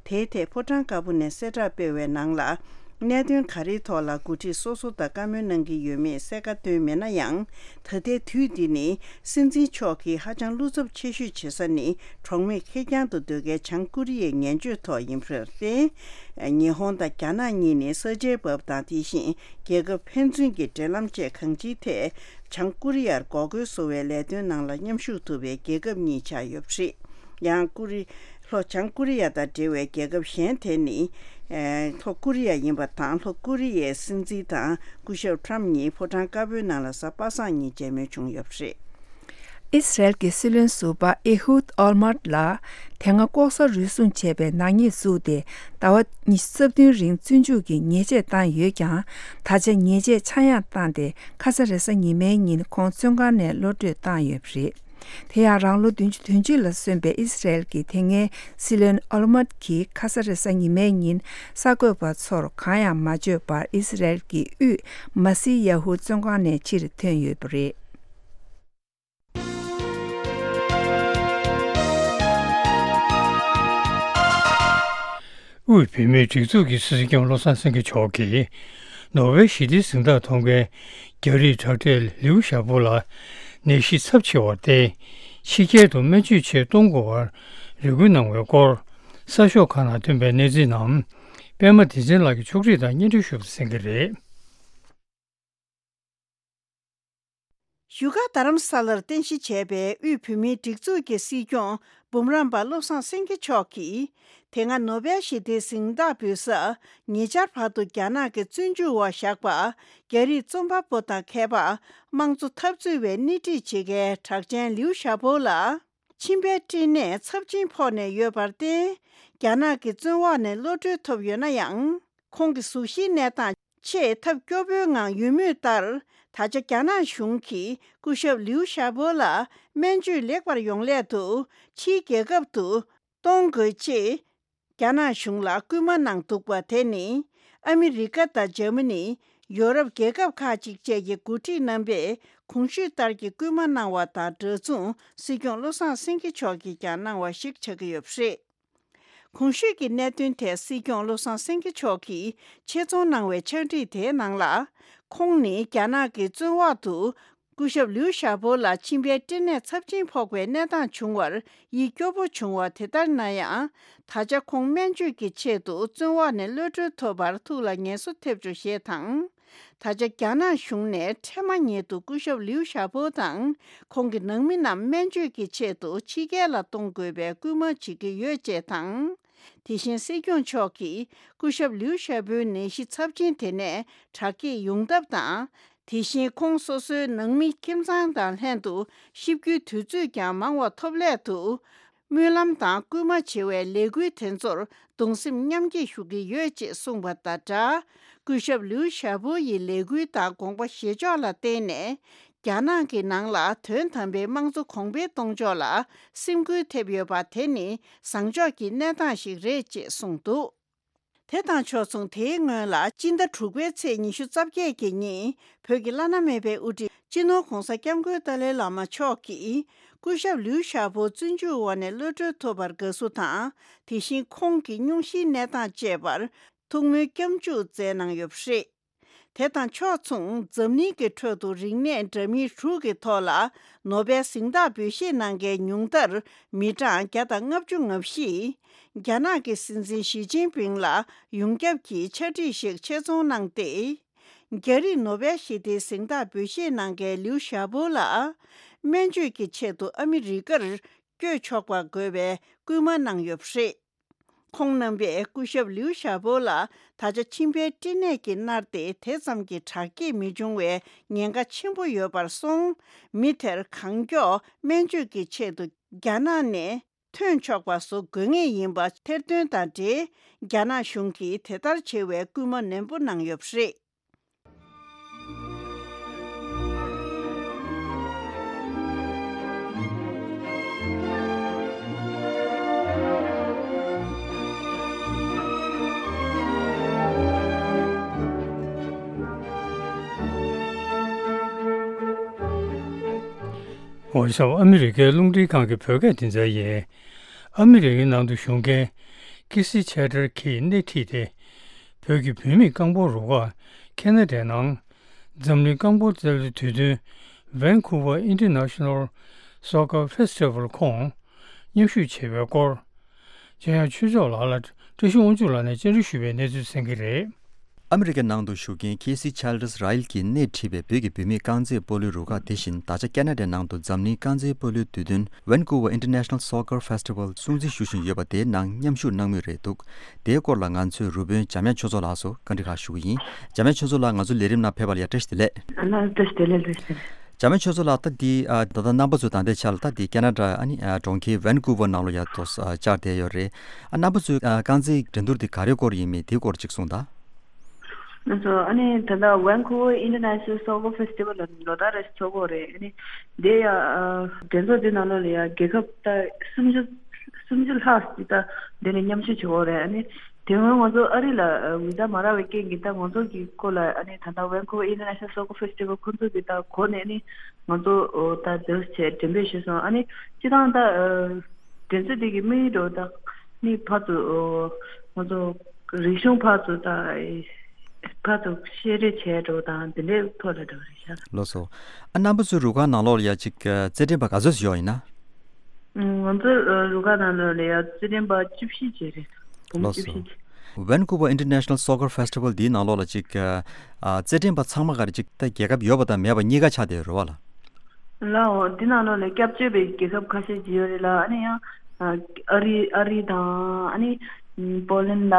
དེའི་ཐད་ཕོ་བྲང་དཀར་པོ་ནས་གསལ་བསྒྲགས་སྤེལ་བའི་ནང་ལ། གནད་དོན་ག་རེའི་ཐོག་ལ་འགོ་ཁྲིད་སོ་སོ་དང་བཀའ་མོལ་གནང་གི་ཡོད་མེད་གསལ་ཁ་བཏོན་མེད་ན་ཡང་། ད་ལྟའི་དུས་འདི་ནི་སྲིད་འཛིན་མཆོག་གིས་ཧ་ཅང་བློ་འཚབ་ཆེ་ཤོས་བྱེད་ས་ནི་གྲོགས་མེད་ཁེར་རྐྱང་དུ་སྡོད་མཁན་བྱང་ཀོ་རི་ཡའི་ངན་བྱུས་ཐོག་ཡིན་པར་བརྟེན། ཉི་ཧོང་དང་རྒྱ་ནག་གཉིས་ནི་ས་ཆའི་བབ་དང་དེ་བཞིན་རྒྱལ་ཁབ་ཕན་ཚུན་གྱི་འབྲེལ་ལམ་བཅས་གང་ཅིའི་ཐད་བྱང་ཀོ་རི་ཡར་འགོག་རྒོལ་བཟོ་བའི་ལས་དོན་ནང་ལ་མཉམ་ཞུགས་ཐུབ་པའི་རྒྱལ་ཁབ་གཉིས་ཆགས་ཡོད་པ་རེད། ཡང་ཀོ་རི། ལྷོ་བྱང་ཀོ་རི་ཡ་དང་འབྲེལ་བའི་རྒྱལ་ཁབ་གཞན་དེ་ནི། ལྷོ་ཀོ་རི་ཡ་ཡིན་པ་དང་། ལྷོ་ཀོ་རི་ཡའི་སྲིད་འཛིན་དང་སྐུ་ཞབས་ཊམ་གཉིས་ཕོ་བྲང་དཀར་པོའི་ནང་ལ་གཟའ་པ་སངས་ཉིན་མཇལ་མོལ་བྱུང་ཡོད་པ་རེད། ཨི་སི་རལ་གྱི་སྲིད་བློན་ཟུར་པ་ཨེ་ཧུད་ཨོལ་མར་ལ་དེ་སྔ་ལྐོག་ཟ་རུལ་སུངས་བྱས་པའི་ནག་ཉེས་བཙུགས་ཏེ་ཟླ་བ་ཉི་ཤུ་རྩ་བདུན་རིང་བཙོན་འཇུག་གི་ཉེས་ཆད་བཏང་ཡོད་ཀྱང་། ད་ཆ་ཉེས་ཆད་ཆག་ཡང་བཏང་སྟེ་ཁ་ས་རེས་གཟའ་ཉི་མའི་ཉིན་ཁོང་བཙོན་ཁང་ནས་གློད་གྲོལ་བཏང་ཡོད་པ་རེད། དེ་ཡང་རང་ལོ་བདུན་ཅུ་དོན་གཅིག་ལ་སོན་པའི་ཨི་སི་རལ་གྱི་དེ་སྔའི་སྲིད་བློན་ཨོལ་མར་གྱིས་ཁ་ས་རེས་གཟའ་ཉི་མའི་ཉིན་གསར་འགོད་པ་ཚོར་གང་ཡང་མ་བརྗོད་པར་ཨི་སི་རལ་གྱི་དབུས་མ་སི་ཡ་ཧུ་བཙོན་ཁང་ནས་ཕྱིར་ཐོན་ཡོད་པ་རེད། དབུས་བོད་མིའི་སྒྲིག་འཛུགས་ཀྱི་སྲིད་སྐྱོང་བློ་བཟང་སེང་གེ་མཆོག་གིས་ནོ་བེལ་ཞི་བདེའི་གཟེངས་རྟགས་ཐོབ་མཁན་རྒྱ་རིགས་དྲག་གྲས་ལིའུ་ཞའོ་པོ་ལ་ནད་གཞི་ཚབས་ཆེ་བར་བརྟེན་ཕྱི་རྒྱལ་དུ་སྨན་བཅོས་ཆེད་གཏོང་དགོས་པར་རེ་སྐུལ་གནང་བའི་སྐོར་གསར་ཤོག་ཁག་ནང་ཐོན་པའི་གནས་ཚུལ་རྣམས་པད་མ་བདེ་ཆེན་ལགས་ཀྱིས་ཕྱོགས་སྒྲིག་དང་སྙན་སྒྲོན་ཞུ་བ་གསན་གྱི་རེད། བཞུགས་སྒར་རྡ་རམ་ས་ལར་རྟེན་གཞི་བྱས་པའི་དབུས་བོད་མིའི་སྒྲིག་འཛུགས་ཀྱི་སྲིད་སྐྱོང་འབུམ་རམས་པ་བློ་བཟང་སེང་གེ་མཆོག་གིས། དེ་སྔ་ནོ་བེལ་ཞི་བདེའི་གཟེངས་རྟགས་འབུལ་ས་ཉེ་ཆར་བར་དུ་རྒྱ་ནག་གི་བཙོན་འཇུག་འོག་བཞག་པ། རྒྱ་རིགས་རྩོམ་པ་པོ་དང་མཁས་པ། དམངས་གཙོ་འཐབ་རྩོད་པའི་སྣེ་ཁྲིད་བྱེད་མཁན་གྲགས་ཅན་ལིའུ་ཞའོ་པོ་ལ། མཆིན་པའི་སྐྲན་ནད་ཚབས་ཆེན་ཕོག་ནས་ཡོད་པར་བརྟེན། རྒྱ་ནག་གི་བཙོན་འོག་ནས་གློད་གྲོལ་ཐོབ་ཡོད་ན་ཡང་། ཁོང་གི་གཟུགས་གཞིའི་གནས་སྟངས་ཆེས་ཐབས་སྐྱོ་པོའི་ངང་ཡོད་མུས་ལྟར། ད་ཆ་རྒྱ་ནག་གཞུང་གིས་སྐུ་ཞབས་ལིའུ་ཞའོ་པོ་ལ་སྨན་བཅོས་ལེགས་པར་ཡོང་སླད་དུ་ཕྱིའི་རྒྱལ་ཁབ་ཏུ་གཏོང་དགོས་ཅེས་རྒྱ་ནག་གཞུང་ལ་སྐུལ་མ་གནང་འདུག་པ་དེ་ནི། ཨ་མི་རི་ཀ་དང་འཇར་མ་ནི། ཡོ་རོབ་རྒྱལ་ཁབ་ཁག་ཅིག་བཅས་ཀྱི་འགོ་ཁྲིད་རྣམ་པས་གོང་ཞུས་ལྟར་གྱི་སྐུལ་མ་གནང་བ་དང་འདྲ་མཚུངས་སྲིད་སྐྱོང་བློ་བཟང་སེང་གེ་མཆོག་གིས་ཀྱང་གནང་བ་ཞིག་ཆགས་ཀྱི་ཡོད་པ་རེད། གོང་ཞུས་ཀྱི་གནད་དོན་ཐད་སྲིད་སྐྱོང་བློ་བཟང་སེང་གེ་མཆོག་གིས་ཆེད་རྫོང་གནང་བའི་ཕྱག་བྲིས་དེའི་ནང་ལ། ཁོང་ནི་རྒྱ་ནག་གི་བཙོན་འོག་ཏུ་སྐུ་ཞབས་ལིའུ་ཞའོ་པོ་ལ་མཆིན་པའི་སྐྲན་ནད་ཚབས་ཆེན་ཕོག་པའི་གནས་སྟངས་བྱུང་བར་ཡིད་སྐྱོ་པོ་བྱུང་བ་དེ་ལྟར་ན་ཡང་། ད་ཆ་ཁོང་སྨན་བཅོས་ཀྱི་ཆེད་དུ་བཙོན་འོག་ནས་གློད་གྲོལ་ཐོབ་པར་ཐུགས་ལ་ངལ་གསོ་ཐེབས་ཆོག་ཞེས་དང་། ད་ཆ་རྒྱ་ནག་གཞུང་ནས་འཕྲལ་མ་ཉིད་དུ་སྐུ་ཞབས་ལིའུ་ཞའོ་པོ་དང་ཁོང་གི་ནང་མི་རྣམས་སྨན་བཅོས་ཀྱི་ཆེད་དུ་ཕྱི་རྒྱལ་ལ་གཏོང་དགོས་པའི་སྐུལ་མ་བྱེད་ཀྱི་ཡོད་ཅེས་དང་། དེ་བཞིན་སྲིད་སྐྱོང་མཆོག་གིས་སྐུ་ཞབས་ལིའུ་ཞའོ་པོའི་ནད་གཞི་ཚབས་ཆེན་དེ་ནས་དྲག་སྐྱེད་ཡོང་ཐབས་དང་། དེ་བཞིན་ཁོང་སོ་སོའི་ནང་མི་ཁྱིམ་ཚང་དང་ལྷན་དུ་གཤིབ་རྒྱུའི་དུས་ཚོད་ཀྱང་མང་བ་ཐོབ་སླད་དུ། སྨོན་ལམ་དང་སྐུལ་མ་བྱེད་པའི་ལས་འགུལ་དེ་ཚོར་གདུང་སེམས་མཉམ་སྐྱེད་ཞུ་གི་ཡོད་ཅེས་གསུངས་པ་དང་སྦྲགས། སྐུ་ཞབས་ལིའུ་ཞའོ་པོ་ཡི་ལས་འགུལ་དང་དགོངས་པ་བཞེས་ཕྱོགས་ལ་བརྟེན་ནས། རྒྱ་ནག་གི་ནང་ལ་དོན་དམ་པའི་དམངས་གཙོ་གོང་འཕེལ་གཏོང་ཕྱོགས་ལ་སེམས་འགུལ་ཐེབས་ཡོད་པ་དེ་ནི་བཟང་ཕྱོགས་ཀྱི་གནས་སྟངས་ཤིག་རེད་ཅེས་གསུངས་འདུག་དེ་དང་ཕྱོགས་མཚུངས། དེའི་སྔོན་ལ་སྤྱི་ཟླ་དྲུག་པའི་ཚེས་ཉི་ཤུ་རྩ་བརྒྱད་ཀྱི་ཉིན། བོད་ཀྱི་བླ་ན་མེད་པའི་དབུ་ཁྲིད་སྤྱི་ནོར་༧གོང་ས་༧སྐྱབས་མགོན་ཏཱ་ལའི་བླ་མ་མཆོག་གིས་སྐུ་ཞབས་ལིའུ་ཞའོ་པོ་བཙོན་འཇུག་འོག་ནས་གློད་གྲོལ་ཐོབ་པར་དགའ་བསུ་དང་། དེ་བཞིན་ཁོང་གི་སྙུང་གཞིའི་གནས་སྟངས་བཅས་པར་ཐུགས་སྨོན་སྐྱབས་འཇུག་སྩལ་གནང་ཡོད་པ་རེད། དེ་དང་ཕྱོགས་མཚུངས། འཛམ་གླིང་གི་ཁྲོད་དུ་རིག་གནས་འདྲ་མིན་དྲུག་གི་ཐོག་ལ་ནོ་བེལ་གཟེངས་རྟགས་འབུལ་བཞེས་གནང་མཁན་ཉུང་མཐར་མི་གྲངས་བརྒྱ་དང་ལྔ་བཅུ་ང་བཞི། རྒྱ་ནག་གི་སྲིད་འཛིན་ཞི་ཅིན་ཕིང་ལ་ཡོངས་ཁྱབ་ཀྱི་ཕྱག་བྲིས་ཤིག་ཆེད་རྫོང་གནང་སྟེ། རྒྱ་རིགས་ནོ་བེལ་ཞི་བདེའི་གཟེངས་རྟགས་འབུལ་བཞེས་གནང་མཁན་ལིའུ་ཞའོ་པོ་ལ། སྨན་བཅོས་ཀྱི་ཆེད་དུ་ཨ་མི་རི་ཀར་བསྐྱོད་ཆོག་པ་དགོས་པའི་སྐུལ་མ་གནང་ཡོད་པ་རེད། ཁོང་རྣམ་པས་སྐུ་ཞབས་ལིའུ་ཞའོ་པོ་ལ་ད་ཆ་མཆིན་པའི་སྐྲན་ནད་ཀྱིས་མནར་ཏེ། དེ་ཙམ་གྱི་དྲག་སྐྱེད་མི་འབྱུང་བའི་ཉེན་ཁ་ཆེན་པོ་ཡོད་པར་སོང་། མི་དེར་གང་མགྱོགས་སྨན་བཅོས་ཀྱི་ཆེད་དུ་རྒྱ་ནག་ནས་ཐོན་ཆོག་པ་བཟོ་དགོས་ངེས་ཡིན་པ་ཐེར་འདོན་དང་འབྲེལ། རྒྱ་ནག་གཞུང་གིས་དེ་ལྟར་བྱེད་པའི་སྐུལ་མ་ནན་པོ་གནང་ཡོད་པ་རེད། འོ་ཤོག་ཨ་མི་རི་ཀའི་རླུང་འཕྲིན་ཁང་གི་བོད་སྐད་སྡེ་ཚན་ཡིན། ཨ་མི་རི་ཀའི་ནང་དུ་བཞུགས་མཁན་ཀི་སི་ཆེ་ཏར་གྱིས་སྣེ་ཁྲིད་དེ། བོད་ཀྱི་བུད་མེད་རྐང་སྤོལ་རུ་ཁག་ཁེ་ན་ཌའི་ནང་འཛམ་གླིང་རྐང་སྤོལ་རྩེད་འགྲན་དུས་སྟོན་Vancouver International Soccer Festival ཁོངས་མཉམ་ཞུགས་བྱས་པའི་སྐོར། འཇམ་དབྱངས་ཆོས་འབྱོར་ལགས་ལ་བཀྲ་ཤིས་དབང་ཕྱུག་ལགས་ནས་བཅར་འདྲི་ཞུས་པའི་གནས་ཚུལ་གསན་གྱི་རེད། ཨ་མི་རི་ཀའི་ནང་དུ་བཞུགས་མཁན་ཁེ་སི་ཆལ་ཏར་ར་ཡིལ་གྱིས་སྣེ་ཁྲིད་པའི་བོད་ཀྱི་བུད་མེད་རྐང་རྩེད་སྤོ་ལོའི་རུ་ཁག་དེ་བཞིན་ད་ཆ་ཁེ་ན་ཌའི་ནང་དུ་འཛམ་གླིང་རྐང་རྩེད་སྤོ་ལོའི་དུས་སྟོན་Vancouver International Soccer Festival སྲུང་བརྩི་ཞུ་བཞིན་ཡོད་པ་དེའི་ནང་མཉམ་ཞུགས་གནང་མུས་རེད་འདུག་དེའི་སྐོར་ལ་ང་ཚོས་རུ་དཔོན་འཇམ་དབྱངས་ཆོས་མཚོ་ལགས་སུ་བཀའ་འདྲི་ཁག་ཞུ་གི་ཡིན། འཇམ་དབྱངས་ཆོས་མཚོ་ལགས་ང་ཚོའི་ལས་རིམ་ནང་ཕེབས་པ་ལ་ཡ་བཀྲ་ཤིས་བདེ་ལེགས། ཨ་ལགས་བཀྲ་ཤིས་བདེ་ལེགས་བཀྲ་ཤིས་བདེ་ལེགས། འཇམ་དབྱངས་ཆོས་མཚོ་ལགས་ད་འདི་ཨ་ད་ལྟ་རྣམ་པ་ཚོས་ད་ལྟའི་ཆར་ལ་ད་འདི་ཁེ་ན་ཌ་ཨ་ནི་ཨ་གྲོང་ཁྱེར་Vancouver ནང་ལོགས་ཡ་ཏོག་ཙམ་ཨ་བཅར་བསྡད་ཡོད་རེད། ཨ་རྣམ་པ་ཚོས་ཨ་རྐང་རྩེད་འགྲན་བསྡུར་འདི་ག་རེའི་སྐོར་ཡིན་མིན་དེའི་སྐོར་ཅིག་གསུངས་དང་། ང་ཚོ་ཨ་ནི་ད་ལྟ་Vancouver International Soccer Festival ལ་ལོ་ལྟར་རེ་ཚོགས་ཀྱི་ཡོད་རེད། ཨ་ནི་དེ་ཡ་ཨ་འགྲན་ཚོགས་འདི་ནང་ལོགས་ལ་ཡ་རྒྱལ་ཁབ་ད་སུམ་ཅུ་སུམ་ཅུ་ལྷག་ཅིག་ད་འདི་ནས་མཉམ་ཞུགས་བྱེད་ཀྱི་ཡོད་རེད། ཨ་ནི་དེ་སྔོན་ང་ཚོ་ཨ་རི་ལ་ཨ་བི་ཟ་མ་རག་པའི་རྐྱེན་གྱིས་ད་ང་ཚོ་གི་སྐོར་ལ་ཨ་ནི་ད་ལྟ་Vancouver International Soccer Festival ཁོང་ཚོ་གི་ད་གོ་ནས་ཨ་ནི་ང་ཚོ་ཨོ་ད་འདིར་བྱས་འགྲེམས་སྤེལ་ཞུས་སོང་། ཨ་ནི་སྤྱིར་བཏང་ད་ཨ་འགྲན་རྩོད་འདི་གི་དམིགས་ཡུལ་འདྲ་བོ་ད་ནི་ཕར་ཚུར་ཨོ་ང་ཚོ་རིག་གཞུང་ཕར་ཚུར་ད་ཨེ་ཕར་ཚུར་བཤད་རེས་བྱས་འདྲ་བོ་དང་དེ་འདྲའི་ཐོག་ལ་འདྲ་བོ་རེད་ཤག་ལགས་སོ། ཨ་རྣམ་པ་ཚོའི་རུ་ཁག་ནང་ལོགས་ལ་ཡ་གཅིག་རྩེད་འགྲན་པ་ག་ཚོད་ཡོད་ཡིན་ན། ང་ཚོའི་རུ་ཁག་ནང་ལོགས་ལ་ཡ་རྩེད་འགྲན་པ་བཅུ་བཞི་བྱས་རེད། བུ་མོ་ལགས་སོ། བཅུ་བཞི་བྱས། Vancouver International Soccer Festival འདིའི་ནང་ལོགས་ལ་གཅིག་ཨ་རྩེད་འགྲན་པ་ཚང་མ་ག་རེ་གཅིག་ད་རྒྱལ་ཁབ་ཡོད་པ་དང་མེད་པ་གཉིས་ཀ་ཆགས་བསྡད་ཡོད་རེད་བ་ལ། ལའོ། འདི་ནང་ལོགས་ལ་སྐྱབས་བཅོལ་བའི་རྒྱལ་ཁབ་ཁ་ཤས་ཅིག་ཡོད་རེད་ལ། ཨ་ནི་ཡང་ཨ་རི་ཨ་རི་དང་ཨ་ནི་པོ་ལན་དང་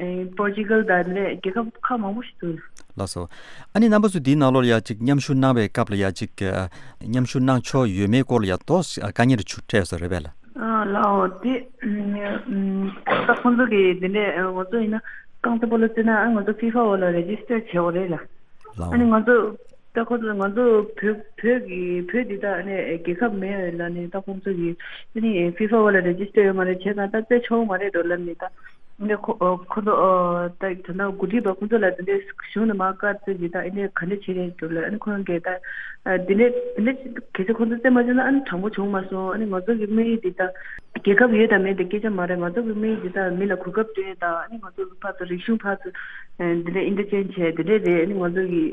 ཨེ་པོར་ཅི་གལ་དང་འདི་འདྲའི་རྒྱལ་ཁབ་ཁག་མང་པོ་ཞིག་འདུག་ལགས་སོ། ཨ་ནི་རྣམ་པ་ཚོ་འདིའི་ནང་ལོགས་ལ་ཡ་གཅིག་མཉམ་ཞུགས་གནང་བའི་སྐབས་ལ་ཡ་གཅིག་མཉམ་ཞུགས་གནང་ཆོག་ཡོད་མེད་སྐོར་ལ་ཡ་ཏོག་ཙམ་དཀའ་ངལ་འཕྲད་ཡོད་ས་རེད་པས་ལ། ཨ་ལའོ། དེ་ད་ཁོང་ཚོ་གི་འདི་འདྲའི་ང་ཚོ་ཡིན་ན་རྐང་རྩེད་སྤོ་ལོ་རྩེ་ན་ང་ཚོ་ཕི་ཕ་འོག་ལ་རེ་ཇི་སི་ཊར་བྱེད་དགོས་རེད་ལ། ལའོ། ཨ་ནི་ང་ཚོ་ད་ཁོ་ཚོ་ང་ཚོ་བོད་བོད་ཀྱི་བོད་འདི་དག་ཨ་ནི་རྒྱལ་ཁབ་མེད་ལ་ནི་ད་ཁོང་ཚོ་གི་ཨ་ནི་ཕི་ཕ་འོག་ལ་རེ་ཇི་སི་ཊར་ཡོད་མ་རེད། བྱས་ཙང་ད་རྩེད་ཆོག་མ་རེད་འགྲོ་ལབ་ནི་ད་ཨ་ནི་ཁོ་ཁོ་ཚོ་ད་ད་ད་འགོ་ཁྲིད་པ་ཁོང་ཚོ་ལ་འདི་འདྲའི་གཞུང་ནས་མར་བཀའ་བསྩལ་གྱི་ད་ཨ་ནི་ག་འདྲ་བྱེད་རེད་འགྲོ་ལབ། ཨ་ནི་ཁོ་རང་གིས་ད་འདི་འདྲའི་འདི་འདྲའི་གལ་སྲིད་ཁོང་ཚོ་རྩེད་མ་བྱས་ན་ཨ་ནི་དྲང་པོ་བྱུང་མ་སོང་། ཨ་ནི་ང་ཚོ་གི་དམིགས་ཡུལ་འདི་ད་རྒྱལ་ཁབ་ཡོད་དང་མེད་དེ་སྐད་ཆ་མ་རེད། ང་ཚོ་གི་དམིགས་ཡུལ་འདི་ད་མི་ལ་གོ་སྐབས་སྤྲད་དང་ཨ་ནི་ང་ཚོ་གི་ཕར་ཚུར་རིག་གཞུང་ཕར་ཚུར་འདི་འདྲའི་ཨིན་ཊར་ཅེན་ཇི་བྱས་འདི་འདྲའི་རེད། ཨ་ནི་ང་ཚོ་གི་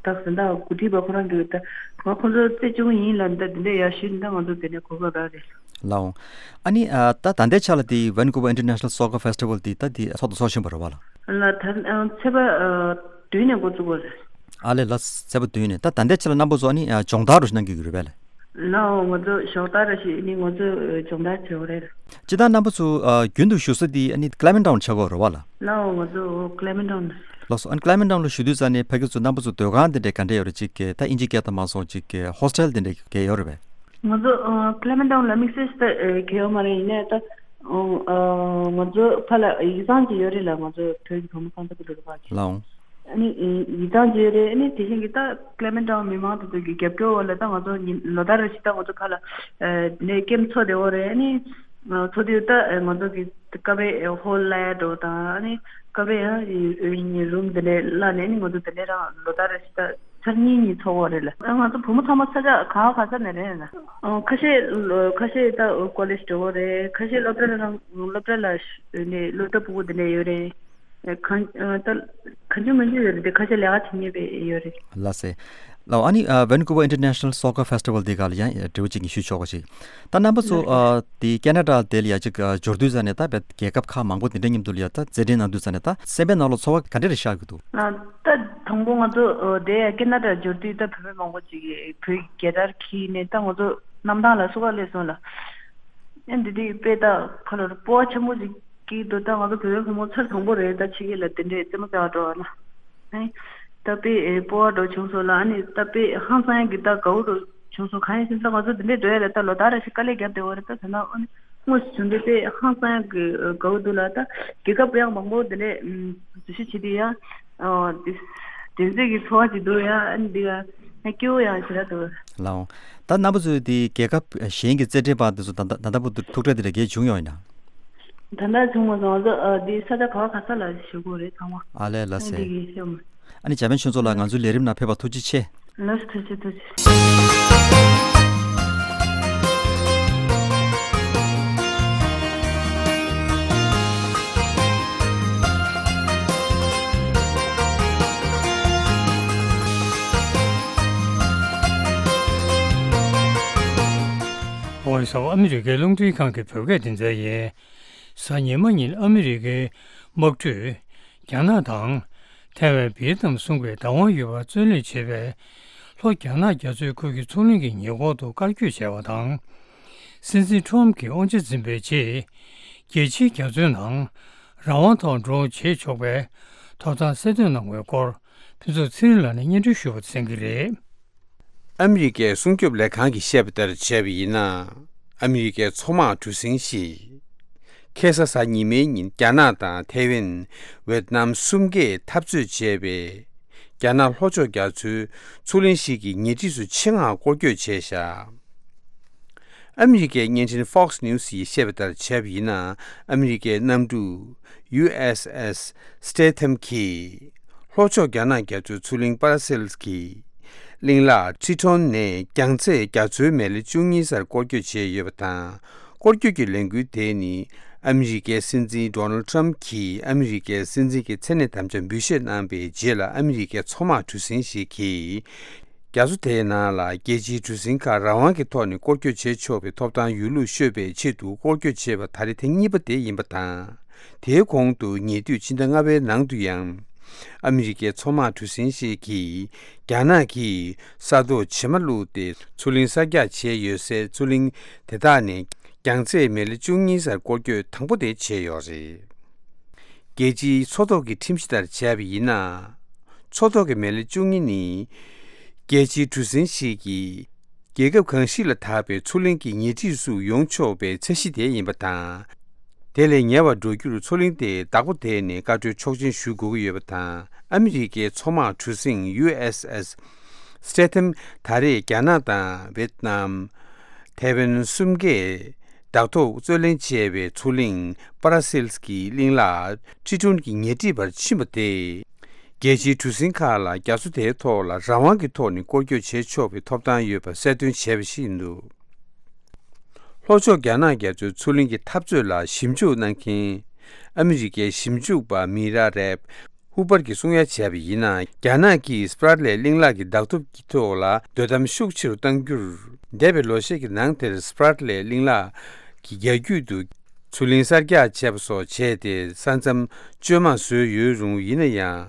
ད་གཟེངས་རྟགས་འགོ་ཁྲིད་པ་ཁོ་རང་གིས་ད་ང་ཁོང་ཚོ་རྩེ་བཅུག་གི་ཡིན་ལབ་ད་འདི་འདྲའི་ཡར་ཞུས་ནི་ད་ང་ཚོ་དེ་ནས་གོ་སྐབས་རག་རེད། ལའོ། ཨ་ནི་ཨ་ད་ད་ལྟའི་ཆ་ལ་དེ་Vancouver International Soccer Festival དེ་ད་དེ་ཚོགས་དང་ཚོགས་བཞིན་པ་རེད་བ་ལ། ལ་ད་ཚེས་པ་བདུན་ནས་འགོ་བཙུགས་པ་རེད། ཨ་ལས་ལ་ཚེས་པ་བདུན་ནས་ད་ད་ལྟའི་ཆ་ལ་རྣམ་པ་ཚོ་ཨ་ནི་ཨ་སྦྱོང་བརྡར་རུ་ཞིག་གནང་གི་ཡོད་རེད་པས་ལ། ལའོ། ང་ཚོ་ཞོགས་ད་ར་ཞིག་ནི་ང་ཚོ་སྦྱོང་བརྡར་བྱེད་འོ་རེད། ཅི་ད་རྣམ་པ་ཚོ་ཨ་རྒྱུན་དུ་བཞུགས་ས་དེ་ཨ་ནི་Clements Town་ཆགས་ཀྱི་ཡོད་རེད་བ་ལ། ལའོ། ང་ཚོ་Clements Town། ལགས་སོ། ཨ་ནི་Clements Town་ལ་བཞུགས་དུས་ཙ་ནས་ཕ་གི་ཚོ་རྣམ་པ་ཚོ་སྡོད་ཁང་དེ་འདྲས་ག་འདྲས་ཡོད་རེད། ཅིག་གི་ད་ཨིན་ཇི་སྐད་དང་མ་སོང་ཅིག་གི་hostel་དེ་འདྲས་གས་ཡོད་རེད་པས། ང་ཚོ་ཨ་Clements Town་ལ་དམིགས་བསལ་ཞིག་ད་ཨེ་གས་ཡོད་མ་རེད། ཡིན་ནའི་ད་ཨ་ང་ཚོ་ཕ་ལ་ཡིག་ཚང་ཅིག་ཡོད་རེད་ལ། ང་ཚོ་བོད་ཀྱི་བུ་མོ་ཚང་ཚ་གི་ལོ་རེ་བ་ཅིག་ལའོ། ཨ་ནི་ཡིག་ཚང་ཅིག་ཡོད་རེད། ཨ་ནི་དེ་བཞིན་གྱི་ད་Clements Town་མི་མང་དེ་ཚོ་གི་རྒྱབ་སྐྱོར་འོག་ལ་ད་ང་ཚོ་ཉིན་ལོ་ལྟར་རེ་བཞིན་ད་ང་ཚོ་ཕ་ལ་ཨ་ནི་ཀེམ་ཚོགས་བསྡད་ཡོད་རེད། ཨ་ནི་ཚོགས་དུས་ད་ང་ཚོ་གི་ཀ་བའི་ཧོལ་ལ་འགྲོ་དང་། ཨ་ནི་ཀ་བའི་ཡང་རུམ་དེ་འདྲས་གླ་ནས་ཨ་ནི་ང་ཚོ་དེ་འདྲས་རང་ལོ་ལྟར་རེ་བཞིན་ད་ཚར་གཉིས་གཉིས་ཚོགས་ཡོད་རེད་ལ། ང་ཚོ་བུ་མོ་ཚང་མ་ས་ཆ་ག་བ་ག་ས་ནས་རེད་ལ། ཨ་ཁ་ཤས་ལོ་ཁ་ཤས་ད་ཀོ་ལེཇ་འགྲོ་གི་རེད། ཁ་ཤས་སློབ་གྲྭ་ལ་རང་སློབ་གྲྭ་ལ་ནས་སློབ་གྲྭ་ཕྲུ་གུ་དེ་འདྲ་ཡོད་རེད། ཨ་གང་ཨ་ད་གང་བྱུང་མང་བྱུང་ཡོད་རེད་དེ། ཁ་ཤས་ལས་ཀ་བྱེད་མཁན་པས་ཡོད་རེད། ལགས་སེ། ལགས། ཨ་ནི་ཨ་Vancouver International Soccer Festival་དེ་ག་ལ་ཡང་འབྲེལ་བ་ཅིག་ཞུ་ཆོག་ག་ཞིག་ད་རྣམ་པ་ཚོ་ཨ་དེ་ཁེ་ན་ཌ་དེ་ལ་ཡ་ཅིག་ཨ་འབྱོར་དུས་ཙ་ནས་ད་བས་རྒྱལ་ཁབ་ཁག་མང་པོ་དེ་འདྲ་མཉམ་དུ་ལ་ཡ་ད་རྩེད་འགྲན་གནང་དུས་ཙ་ནས་ད་སེམས་པའི་ནང་ལ་ཚོར་བ་ག་འདྲ་རེ་ཤར་གྱི་འདུག་ཨ་ད་དང་པོ་ང་ཚོ་ཨ་དེ་ཁེ་ན་ཌ་འབྱོར་དུས་ད་བོད་པ་མང་པོ་ཅིག་གིས་བོད་ཀྱི་རྒྱལ་དར་འཁྱེར་ནས་ད་ང་ཚོ་གནམ་ཐང་ལ་བསུ་བ་སླེབས་སོང་ལ། ཨ་འདི་དེ་དཔེ་ད་ཕ་ལོར་སྤོབས་པ་ཆེན་པོ་ཅིག་སྐྱེས་འདུག་ད་ང་ཚོ་བོད་པའི་བུ་མོ་ཚར་དང་པོ་རེད། ད་ཕྱི་རྒྱལ་ལ་དེ་འདྲའི་རྩེད་མོ་རྩེ་བ་འགྲོ་བ་ལ། ཨ་ད་དཔེ་ཨེ་སྤོབས་པ་འདྲ་བྱུང་སོང་ལ། ཨ་ནི་ད་དཔེ་ཧང་སང་ཡག་གི་ད་དགའ་བོ་འདྲ་བྱུང་སོང་། གང་ཡིན་ཟེར་ན་ད་ང་ཚོ་དེ་འདྲའི་འགྲོ་ཡ་ལ་ད་ལོ་ལྟར་རེ་བཞིན་དཀའ་ལས་བརྒྱབ་བསྡད་ཡོད་རེད། ད་ད་ན་ཨ་ནི་དངོས་སུ་བྱུང་དུས་དཔེ་ཧང་སང་ཡག་གི་དགའ་བོ་འདུག་ལ། ད་རྒྱལ་ཁབ་ཡང་མང་པོ་དེ་འདྲའི་འཛུལ་ཞུགས་བྱེད་དུས་ཡང་ཨ་དེ་དྲན་གསོས་ཀྱི་ཚོར་བ་ཅིག་འདུག་ཡ། ཨ་ནི་འདི་ག་ཡང་སྐྱིད་པོ་ཡང་ཞེ་དྲག་འདུག་ལགས་འོང་། ད་རྣམ་པ་ཚོས་དེ་རྒྱལ་ཁབ་གཞན་གྱི་རྩེད་འགྲན་པ་དེ་ཚོ་ད་ད་ད་ལྟ་བར་དུ་ཐུག་འཕྲད་དེ་འདྲ་གས་བྱུང་ཡོད་ཡིན་ན། ད་ལྟ་བྱུང་མ་སོང་། ང་ཚོ་ཨ་འདི་ས་ཆ་ག་བ་ག་ས་ལ་བཞུགས་དགོས་རེད་ཚང་མ། ཨ་ལས་ལགས་སེ། འདི་གི་ཤོད་མ། ཨ་ནི་འཇར་པན་ཆོས་ཚོགས་ལགས་ང་ཚོའི་ལས་རིམ་ནང་ཕེབས་པར་ཐུགས་རྗེ་ཆེ། ལགས་སོ། ཐུགས་རྗེ་ཆེ། ཐུགས་རྗེ་ཆེ། ཝོ་ཡིས་ཨོཕ་ཨ་མི་རི་ཀའི་རླུང་འཕྲིན་ཁང་གི་བོད་སྐད་སྡེ་ཚན་ཡིན། གཟའ་ཉི་མ་ཉིན་ཨ་མི་རི་ཀའི་དམག་གྲུས་རྒྱ་ནག་དང་ཐའེ་ཝན་བིས་ནམ་གསུམ་གའི་བདག་དབང་ཡོད་པར་བཙོན་ལེན་བྱས་པའི་ལྷོ་རྒྱ་ནག་རྒྱ་མཚོའི་ཁུལ་གྱི་མཚོ་གླིང་གི་ཉེ་འཁོར་དུ་བཀར་བསྐྱོད་བྱས་པ་དང་། སྲིད་འཛིན་ཁྲོམ་གྱིས་དབང་ཆ་འཛིན་པའི་རྗེས། རྒྱལ་སྤྱིའི་རྒྱ་མཚོའི་ནང་རང་དབང་ཐོག་འགྲོ་འོང་བྱེད་ཆོག་པའི་ཐོབ་ཐང་གསལ་སྟོན་གནང་བའི་སྐོར་ཕུན་ཚོགས་ཚེ་རིང་ལགས་ནས་སྙན་སྒྲོན་ཞུ་བར་གསན་གྱི་རེད། ཨ་མི་རི་ཀའི་སྲུང་སྐྱོབ་ལས་ཁང་གིས་བཤད་པ་ལྟར་བྱས་པ་ཡིན་ན། ཨ་མི་རི་ཀའི་མཚོ་དམག་གྲུ་གཟིངས་ཤིག་ཁ་སང་གཟའ་ཉི་མའི་ཉིན་རྒྱ་ནག་དང་ཐའེ་ཝན། ཝེད་ནམ་གསུམ་གས་འཐབ་རྩོད་བྱས་པའི་རྒྱ་ནག་ལྷོ་ཕྱོགས་རྒྱ་མཚོའི་མཚོ་གླིང་ཞིག་གི་ཉེ་འཁྲིས་སུ་ཆེད་མངགས་སྐོར་སྐྱོད་བྱས་བཞག་ཨ་མི་རི་ཀའི་བརྙན་འཕྲིན་Fox News་ཡིས་བཤད་པ་ལྟར་བྱས་པ་ཡིན་ན། ཨ་མི་རི་ཀའི་གནམ་གྲུ་ཡུ་ཨེས་ཨེས་སི་ཊེ་ཐམ་གྱིས་ལྷོ་ཕྱོགས་རྒྱ་ནག་རྒྱ་མཚོའི་མཚོ་གླིང་པ་ར་སེལ་གྱི་གླིང་ལ་ཁྲི་ཁྲོན་ནས་རྒྱང་ཚད་རྒྱ་མཚོའི་མེ་ལེ་བཅུ་གཉིས་སར་སྐོར་སྐྱོད་བྱས་ཡོད་པ་དང་། སྐོར་སྐྱོད་ཀྱི་ལས་འགུལ་དེ་ནི་ཨ་མི་རི་ཀའི་སྲིད་འཛིན་ཌོ་ནལ་ཊམ་གྱིས་ཨ་མི་རི་ཀའི་སྲིད་འཛིན་གྱི་མཚན་གནས་དམ་བཅའ་འབུལ་བཞེས་གནང་བའི་རྗེས་ལ། ཨ་མི་རི་ཀའི་མཚོ་དམག་གྲུ་གཟིངས་ཤིག་གིས་རྒྱ་མཚོ་དེའི་ནང་ལ་རྒྱལ་སྤྱིའི་གྲུ་གཟིངས་ཁག་རང་དབང་གི་ཐོག་ནས་སྐོར་སྐྱོད་བྱེད་ཆོག་པའི་ཐོབ་ཐང་ཡོད་ལུགས་ཤོད་པའི་ཆེད་དུ་སྐོར་སྐྱོད་བྱས་པ་ད་རེས་ཐེངས་གཉིས་པ་དེ་ཡིན་པ་དང་། དེའི་གོང་དུ་ཉེ་དུས་ཕྱི་ཟླ་ལྔ་པའི་ནང་དུ་ཡང་། ཨ་མི་རི་ཀའི་མཚོ་དམག་གྲུ་གཟིངས་ཤིག་གིས་རྒྱ་ནག་གིས་ས་ཐོག་བྱེ་མ་བླུགས་ཏེ་མཚོ་གླིང་གསར་རྒྱག་བྱས་ཡོད་སའི་མཚོ་གླིང་དེ་དག་ནས་རྒྱང་ཚད་མེ་ལེ་བཅུ་གཉིས་སར་སྐོར་སྐྱོད་དང་པོ་དེ་བྱས་ཡོད་རེད། རྒྱལ་སྤྱིའི་མཚོ་ཐོག་གི་ཁྲིམས་གཞི་ལྟར་བྱས་པ་ཡིན་ན། མཚོ་ཐོག་གི་མེ་ལེ་བཅུ་གཉིས་ནི། རྒྱལ་སྤྱིའི་གྲུ་གཟིངས་ཤིག་གིས། རྒྱལ་ཁབ་གང་ཞིག་ལ་དག་པའི་མཚོ་གླིང་གི་ཉེ་འཁྲིས་སུ་ཡོང་ཆོག་པའི་ཚད་གཞི་དེ་ཡིན་པ་དང་། དེ་ལས་ཉེ་བར་འགྲོ་རྒྱུར་མཚོ་གླིང་དེ་བདག་པོ་དེ་ནས་བཀའ་འཁྲོལ་ཆོག་མཆན་ཞུ་དགོས་ཀྱི་ཡོད་པ་དང་། ཨ་མི་རི་ཀའི་མཚོ་དམག་གྲུ་གཟིངས་ཡུ་ཨེས་ཨེས་སི་ཊེ་ཐམ་ད་རེས་རྒྱ་ནག་དང་ཝེད་ནམ། ཐའེ་ཝན་གསུམ་གས་བདག་ཐོག་རྩོད་ལེན་བྱས་པའི་མཚོ་གླིང་པ་ར་སེལ་གྱི་གླིང་ལ་ཁྲི་ཁྲོན་གྱི་ཉེ་འཁྲིས་བར་ཕྱིན་པ་དེ། རྒྱལ་སྤྱིའི་གྲུ་གཟིངས་ཁག་ལ་རྒྱ་མཚོ་དེའི་ཐོག་ལ་རང་དབང་གི་ཐོག་ནས་སྐོར་སྐྱོད་བྱེད་ཆོག་པའི་ཐོབ་ཐང་ཡོད་པ་གསལ་སྟོན་བྱས་པ་ཞིག་ཡིན་འདུག་ལྷོ་ཕྱོགས་རྒྱ་ནག་རྒྱ་མཚོའི་མཚོ་གླིང་གི་འཐབ་རྩོད་ལ་ཞིབ་འཇུག་གནང་མཁན་ཨ་མི་རི་ཀའི་ཞིབ་འཇུག་པ་མི་ར་རེབ་ཧུ་པར་གྱིས་གསུང་ཡ་བྱས་པ་ཡིན་ན། རྒྱ་ནག་གིས་སྤ་ར་ཏི་ལེ་གླིང་ལག་གི་བདག་ཐོབ་ཀྱི་ཐོག་ལ་དོ་དམ་ཤུགས་ཆེ་རུ་གཏང་རྒྱུར། འདས་པའི་ལོ་ཤས་ཀྱི་ནང་དེར་སྤ་ར་ཏི་ལེ་གླིང་ལག་གི་རྒྱ་རྒྱུད་དུ་མཚོ་གླིང་གསར་རྒྱག་བྱས་པ་སོགས་བྱས་ཏེ། ས་མཚམས་བཅོས་མ་བཟོས་ཡོད་རུང་། ཡིན་ན་ཡང་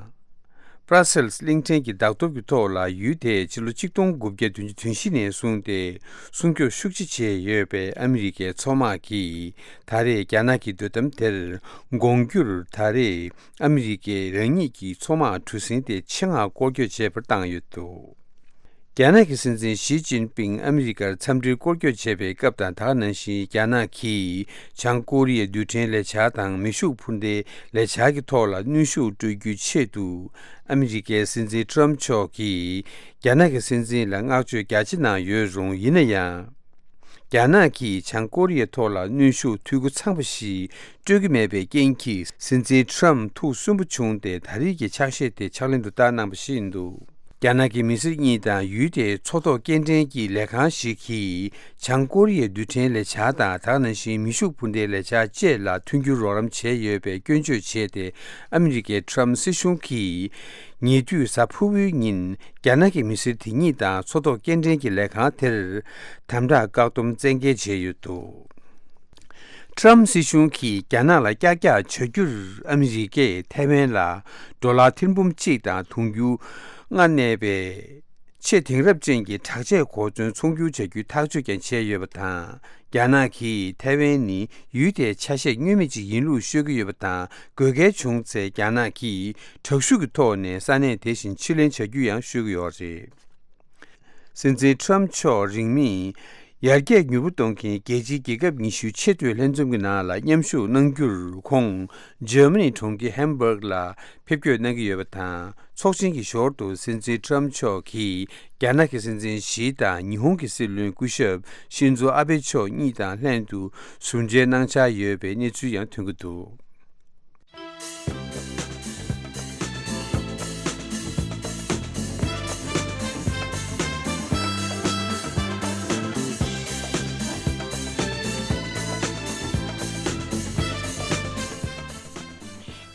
པྲ་སེལ་སི་གླིང་ཕྲན་གྱི་བདག་ཐོབ་ཀྱི་ཐོག་ལ་ཡུལ་དེས་ཕྱི་ལོ་ཆིག་སྟོང་དགུ་བརྒྱ་བདུན་ཅུ་དོན་བཞི་ནས་བཟུང་སྟེ་སྲུང་སྐྱོབ་ཤུགས་ཆེ་བྱས་ཡོད་པའི་ཨ་མི་རི་ཀའི་མཚོ་དམག་གིས་ད་རེས་རྒྱ་ནག་གི་དོ་དམ་དེར་དགོངས་རྒྱུར། ད་རེས་ཨ་མི་རི་ཀས་རང་ཉིད་ཀྱི་མཚོ་དམག་གྲུ་གཟིངས་དེ་ཆེད་མངགས་སྐོར་སྐྱོད་བྱས་པར་བཏང་ཡོད་འདུག་རྒྱ་ནག་གི་སྲིད་འཛིན་ཞི་ཅིན་ཕིང་ཨ་མི་རི་ཀར་འཚམས་འདྲིར་སྐོར་སྐྱོད་བྱེད་པའི་སྐབས་དང་དེ་ག་ནང་བཞིན། རྒྱ་ནག་གིས་བྱང་ཀོ་རི་ཡའི་རྡུལ་ཕྲན་ལས་འཆར་དང་མེ་ཤུགས་འཕུར་མདེལ་ལས་འཆར་གྱི་ཐོག་ལ་གནོན་ཤུགས་སྤྲོད་རྒྱུའི་ཆེད་དུ། ཨ་མི་རི་ཀའི་སྲིད་འཛིན་ཁྲོམ་མཆོག་གིས་རྒྱ་ནག་གི་སྲིད་འཛིན་ལ་བསྔགས་བརྗོད་རྒྱ་ཆེ་གནང་ཡོད་རུང་། ཡིན་ན་ཡང་། རྒྱ་ནག་གིས་བྱང་ཀོ་རི་ཡའི་ཐོག་ལ་གནོན་ཤུགས་འཐུས་སྒོ་ཚང་པ་ཞིག་སྤྲོད་ཀྱི་མེད་པའི་རྐྱེན་གྱིས། སྲིད་འཛིན་ཁྲོམ་ཐུགས་སུན་པོ་བྱུང་སྟེ། ད་རེས་ཀྱི་ཕྱག་བཞེས་དེ་ཕྱག་ལེན་དུ་བསྟར་གནང་པ་ཞིག་ཡིན་འདུག་རྒྱ་ནག་གི་མི་སེར་གཉིས་དང་ཡུལ་དེའི་མཚོ་ཐོག་སྐྱེལ་འདྲེན་གྱི་ལས་ཁང་ཞིག་གིས། བྱང་ཀོ་རི་ཡའི་རྡུལ་ཕྲན་ལས་འཆར་དང་། དེ་ག་ནང་བཞིན་མེ་ཤུགས་འཕུར་མདེལ་ལས་འཆར་བཅས་ལ་མཐུན་འགྱུར་རོགས་རམ་བྱས་ཡོད་པའི་སྐྱོན་བརྗོད་བྱས་ཏེ། ཨ་མི་རི་ཀའི་ཁྲོམ་སྲིད་གཞུང་གིས། ཉེ་དུས་གཟའ་ཕུར་བུའི་ཉིན། རྒྱ་ནག་གི་མི་སེར་དེ་གཉིས་དང་མཚོ་ཐོག་སྐྱེལ་འདྲེན་གྱི་ལས་ཁང་དེར་དམ་དྲག་བཀག་སྡོམ་བཙན་འགེལ་བྱས་ཡོད་འདུག་ཁྲམ་སྲིད་གཞུང་གིས་རྒྱ་ནག་ལ་ཀྱག་ཀྱག་བྱ་རྒྱུར། ཨ་མི་རི་ཀས་ཐའེ་ཝན་ལ་ཌོ་ལར་ཐེར་འབུམ་གཅིག་དང་དུང་ཕྱུར་ལྔ་གནས་པའི་ཆེས་དེང་རབས་ཅན་གྱི་དྲག་ཆས་གོ་མཚོན་ཚོང་སྒྱུར་བྱ་རྒྱུའི་ཐག་གཅོད་ཀྱང་བྱས་ཡོད་པ་དང་། རྒྱ་ནག་གིས་ཐའེ་ཝན་ནི་ཡུལ་དེའི་ཆ་ཤས་བསྙོན་མེད་ཅིག་ཡིན་ལུགས་ཤོད་ཀྱི་ཡོད་པ་དང་། དགོས་གལ་བྱུང་ཚེ་རྒྱ་ནག་གིས་དྲག་ཤུགས་ཀྱི་ཐོག་ནས་ས་གནས་དེ་བཞིན་ཕྱིར་ལེན་བྱ་རྒྱུ་ཡང་ཤོད་ཀྱི་ཡོད་རེད། སྲིད་འཛིན་ཁྲོམ་མཆོག་རིང་མིན་ཡར་རྒྱས་མྱུར་པོ་གཏོང་མཁན་རྒྱལ་སྤྱིའི་རྒྱལ་ཁབ་ཉི་ཤུའི་ཆེས་མཐོའི་ལྷན་འཛོམས་ཀྱི་ནང་ལ་མཉམ་ཞུགས་གནང་རྒྱུར། ཁོང་འཇར་མ་ནི་གྲོང་ཁྱེར་ཧམ་སྦུག་ལ་ཕེབས་སྐྱོད་གནང་གི་ཡོད་པ་དང་། ཚོགས་ཆེན་གྱི་ཞོར་དུ་སྲིད་འཛིན་ཁྲོམ་མཆོག་གིས་རྒྱ་ནག་གི་སྲིད་འཛིན་ཞི་དང་ཉི་ཧོང་གི་སྲིད་བློན་སྐུ་ཞབས་ཤིན་ཛོ་ཨ་བྷེ་མཆོག་གཉིས་དང་ལྷན་དུ་ཟུར་མཇལ་གནང་འཆར་ཡོད་པའི་གནས་ཚུལ་ཡང་ཐོན་གྱི་འདུག་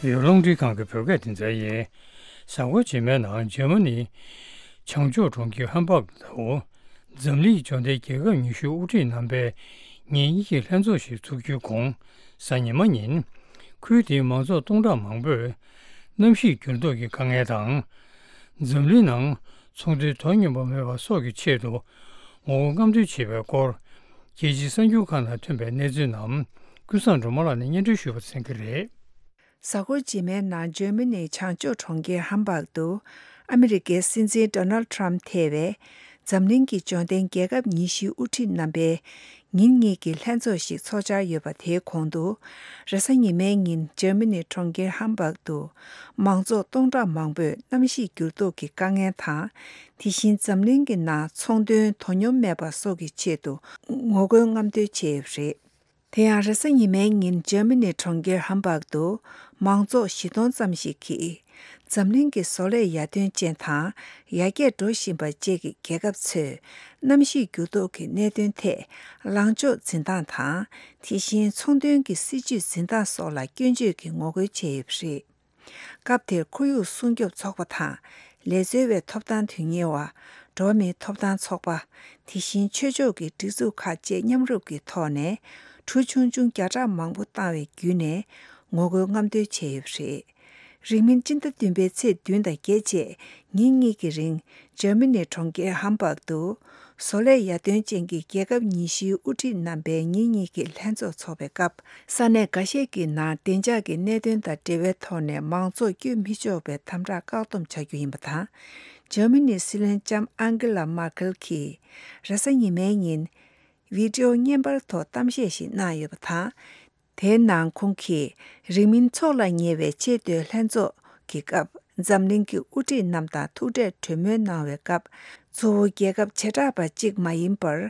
ཡུལ་ལུང་འདྲི་ཁང་གི་བོད་སྐད་སྡེ་ཚན་ཡིན། གཟའ་འཁོར་རྗེས་མའི་ནང་འཇར་མ་ནི་བྱང་ཕྱོགས་གྲོང་ཁྱེར་ཧམ་སྦག་ཏུ། འཛམ་གླིང་འབྱོར་ལྡན་རྒྱལ་ཁབ་ཉི་ཤུའི་དབུ་ཁྲིད་རྣམ་པའི་ཉིན་གཉིས་ཀྱི་ལྷན་ཚོགས་ཤིག་ཚོགས་རྒྱུའི་གོང་། གཟའ་ཉི་མ་ཉིན། ཁུལ་དེའི་མང་ཚོགས་སྟོང་ཕྲག་མང་པོས་གནམ་གཤིས་འགྱུར་ལྡོག་གི་དཀའ་ངལ་དང་། འཛམ་གླིང་ནང་ཚོང་དོན་དོ་སྙོམས་པ་མེད་པ་སོགས་ཀྱི་ཆེད་དུ་ངོ་རྒོལ་རྔམ་སྟོན་བྱེད་པའི་སྐོར། རྒྱལ་སྤྱིའི་གསར་འགྱུར་ཁག་ནང་ཐོན་པའི་གནས་ཚུལ་རྣམས་ཀུན་བཟང་སྒྲོལ་མ་ལགས་ནས་སྙན་སྒྲོན་ཞུ་བར་གསན་གྱི་རེད། གཟའ་འཁོར་རྗེས་མའི་ནང་འཇར་མ་ནིའི་བྱང་ཕྱོགས་གྲོང་ཁྱེར་ཧམ་སྦག་ཏུ་ཨ་མི་རི་ཀའི་སྲིད་འཛིན་ཌོ་ནལ་ཌི་ཊརམ་ཕེབས་པས་འཛམ་གླིང་གི་འབྱོར་ལྡན་རྒྱལ་ཁབ་ཉི་ཤུའི་དབུ་ཁྲིད་རྣམ་པའི་ཉིན་གཉིས་ཀྱི་ལྷན་ཚོགས་ཤིག་ཚོགས་འཆར་ཡོད་པ། དེའི་གོང་དུ་རེས་གཟའ་ཉི་མའི་ཉིན་འཇར་མ་ནིའི་གྲོང་ཁྱེར་ཧམ་སྦག་ཏུ་མང་ཚོགས་སྟོང་ཕྲག་མང་པོས་གནམ་གཤིས་འགྱུར་ལྡོག་གི་དཀའ་ངལ་དང་། དེ་བཞིན་འཛམ་གླིང་གི་ནང་ཚོང་དོན་དོ་སྙོམས་མེད་པ་སོགས་ཀྱི་ཆེད་དུ་ངོ་རྒོལ་རྔམ་སྟོན་བྱས་ཡོད་པ་རེད། དེ་ཡང་རེས་གཟའ་ཉི་མའི་ཉིན་འཇར་མ་ནི་གྲོང་ཁྱེར་ཧམ་སྦག་ཏུ་མང་ཚོགས་བཞི་སྟོང་ཙམ་ཞིག་གིས། འཛམ་གླིང་གི་བཟོ་ལས་ཡར་ཐོན་ཅན་དང་ཡར་རྒྱས་འགྲོ་བཞིན་པ་བཅས་ཀྱི་རྒྱལ་ཁབ་ཚོས་གནམ་གཤིས་འགྱུར་ལྡོག་གི་གནད་དོན་ཐད་ལངས་ཕྱོགས་འཛིན་སྟངས་དང་། དེ་བཞིན་ཚོང་དོན་གྱི་སྲིད་ཇུས་འཛིན་སྟངས་སོགས་ལ་སྐྱོན་བརྗོད་ཀྱི་ངོ་རྒོལ་བྱས་ཡོད་པ་རེད། སྐབས་དེར་ཁོར་ཡུག་སྲུང་སྐྱོབ་ཚོགས་པ་དང་། ལས་བཟོ་བའི་ཐོབ་ཐང་དོན་གཉེར་བ། འགྲོ་བ་མིའི་ཐོབ་ཐང་ཚོགས་པ། དེ་བཞིན་ཆོས་ཕྱོགས་ཀྱི་སྒྲིག་འཛུགས་ཁག་བཅས་མཉམ་རུབ་ཀྱི་ཐོག་ནས། གྲུ་ཆུང་ཆུང་བརྒྱ་ཕྲག་མང་པོ་བཏང་བའི་བརྒྱུད་ནས་ངོ་རྒོལ་རྔམ་སྟོན་བྱས་ཡོད་པ་རེད། རིང་མིན་སྤྱི་ཟླ་བདུན་པའི་ཚེས་བདུན་དང་བརྒྱད་བཅས་ཉིན་གཉིས་ཀྱི་རིང་འཇར་མ་ནིའི་གྲོང་ཁྱེར་ཧམ་སྦག་ཏུ། བཟོ་ལས་ཡར་ཐོན་ཅན་གྱི་རྒྱལ་ཁབ་ཉི་ཤུའི་དབུ་ཁྲིད་རྣམ་པའི་ཉིན་གཉིས་ཀྱི་ལྷན་ཚོགས་འཚོགས་པའི་སྐབས། ས་གནས་འགའ་ཤས་ཀྱི་ནང་བདེ་འཇགས་ཀྱི་གནད་དོན་དང་འབྲེལ་བའི་ཐོག་ནས་མང་ཚོགས་བསྐྱོད་མི་ཆོག་པའི་དམ་དྲག་བཀག་སྡོམ་བྱ་རྒྱུ་ཡིན་པ་དང་། འཇར་མ་ནིའི་སྲིད་བློན་ལྕམ་ཨང་གེ་ལ་མར་ཀེལ་གྱིས་རེས་གཟའ་ཉི་མའི་ཉིན་བི་ཌི་ཨོ་བརྙན་པར་ཐོག་གཏམ་བཤད་ཞིག་གནང་ཡོད་པ་དང་། དེའི་ནང་ཁོང་གིས་རིང་མིན་འཚོགས་ལ་ཉེ་བའི་ཆེས་མཐོའི་ལྷན་ཚོགས་ཀྱི་སྐབས། འཛམ་གླིང་གི་དབུ་ཁྲིད་རྣམས་དང་ཐུག་འཕྲད་གྲོས་མོལ་གནང་བའི་སྐབས། གཙོ་བོ་རྒྱལ་ཁབ་བྱེ་བྲག་པ་གཅིག་མ་ཡིན་པར།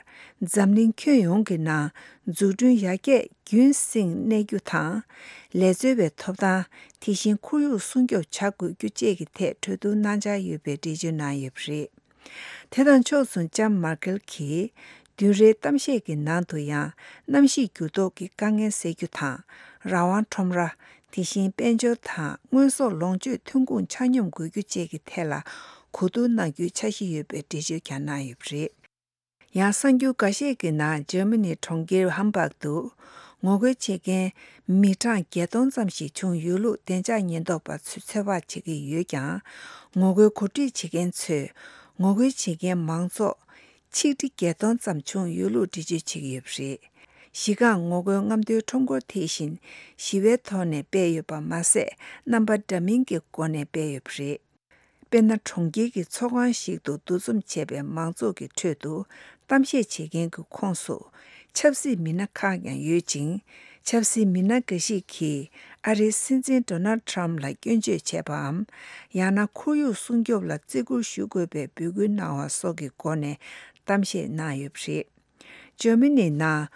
འཛམ་གླིང་ཁྱོན་ཡོངས་ཀྱི་ནང་འཛུགས་སྐྲུན་ཡར་རྒྱས་རྒྱུན་བསྲིངས་གནས་རྒྱུ་དང་། ལས་རྩོལ་བའི་ཐོབ་ཐང་། དེ་བཞིན་ཁོར་ཡུག་སྲུང་སྐྱོབ་བྱ་དགོས་རྒྱུ་བཅས་ཀྱི་ཐད་གྲོས་བསྡུར་གནང་འཆར་ཡོད་པའི་འགྲེལ་བརྗོད་གནང་ཡོད་པ་རེད། དེ་དང་ཕྱོགས་མཚུངས་ལྕམ་མར་ཀེལ་གྱིས་བདུན་རེའི་གཏམ་བཤད་ཀྱི་ནང་དུ་ཡང་། གནམ་གཤིས་འགྱུར་ལྡོག་གི་དཀའ་ངལ་སེལ་རྒྱུ་དང་། རང་དབང་ཁྲོམ་ར། དེ་བཞིན་དཔལ་འབྱོར་དང་དངོས་ཟོག་ལོངས་སྤྱོད་ཐོན་ཁུངས་ཆ་སྙོམས་དགོས་རྒྱུ་བཅས་ཀྱི་ཐད་ལ་གོ་བསྡུར་གནང་རྒྱུའི་འཆར་གཞི་ཡོད་པའི་འགྲེལ་བརྗོད་ཀྱང་གནང་ཡོད་པ་རེད། ཡང་གསར་འགྱུར་འགའ་ཤས་ཀྱི་ནང་འཇར་མ་ནིའི་གྲོང་ཁྱེར་ཧམ་སྦག་ཏུ། ངོ་རྒོལ་བྱེད་མཁན་མི་གྲངས་བརྒྱད་སྟོང་ཙམ་ཞིག་བྱུང་ཡོད་ལུགས་བདེ་འཇགས་ཉེན་རྟོག་པ་ཚོས་ཚོད་དཔག་བྱེད་ཀྱི་ཡོད་ཀྱང་། ངོ་རྒོལ་གོ་སྒྲིག་བྱེད་མཁན་ཚོས་ངོ་རྒོལ་བྱེད་མཁན་མང་ཚོགས་ཆིག་ཁྲི་བརྒྱད་སྟོང་ཙམ་བྱུང་ཡོད་ལུགས་འགྲེལ་བརྗོད་བྱེད་ཀྱི་ཡོད་པ་རེད། གཞི་རྐང་ངོ་རྒོལ་རྔམ་སྟོན་ཁྲོམ་སྐོར་དེ་བཞིན་ཞི་བའི་ཐོག་ནས་སྤེལ་ཡོད་པ་མ་ཟད། རྣམ་པ་འདྲ་མིན་གྱི་སྒོ་ནས་སྤེལ་ཡོད་པ་རེད། དཔེར་ན། གྲོང་ཁྱེར་གྱི་ཚོགས་ཁང་ཞིག་ཏུ་འདུ་འཛོམས་བྱས་པའི་མང་ཚོགས་ཀྱི་ཁྲོད་དུ་གཏམ་བཤད་བྱེད་མཁན་གྱི་ཁོངས་སུ་ཆབ་སྲིད་མི་སྣ་ཁག་ཀྱང་ཡོད་ཅིང་། ཆབ་སྲིད་མི་སྣ་འགའ་ཞིག་གིས་ཨ་རིའི་སྲིད་འཛིན་ཌོ་ནལ་ཌི་ཊརམ་ཕ་ལ་སྐྱོན་བརྗོད་བྱས་པའམ། ཡང་ན་ཁོར་ཡུག་སྲུང་སྐྱོབ་ལ་བརྩི་བཀུར་ཞུ་དགོས་པའི་འབོད་སྐུལ་གནང་བ་སོགས་ཀྱི་སྒོ་ནས་གཏམ་བཤད་གནང་ཡོད་པ་རེད། འཇར་མ་ནིའི་ནང་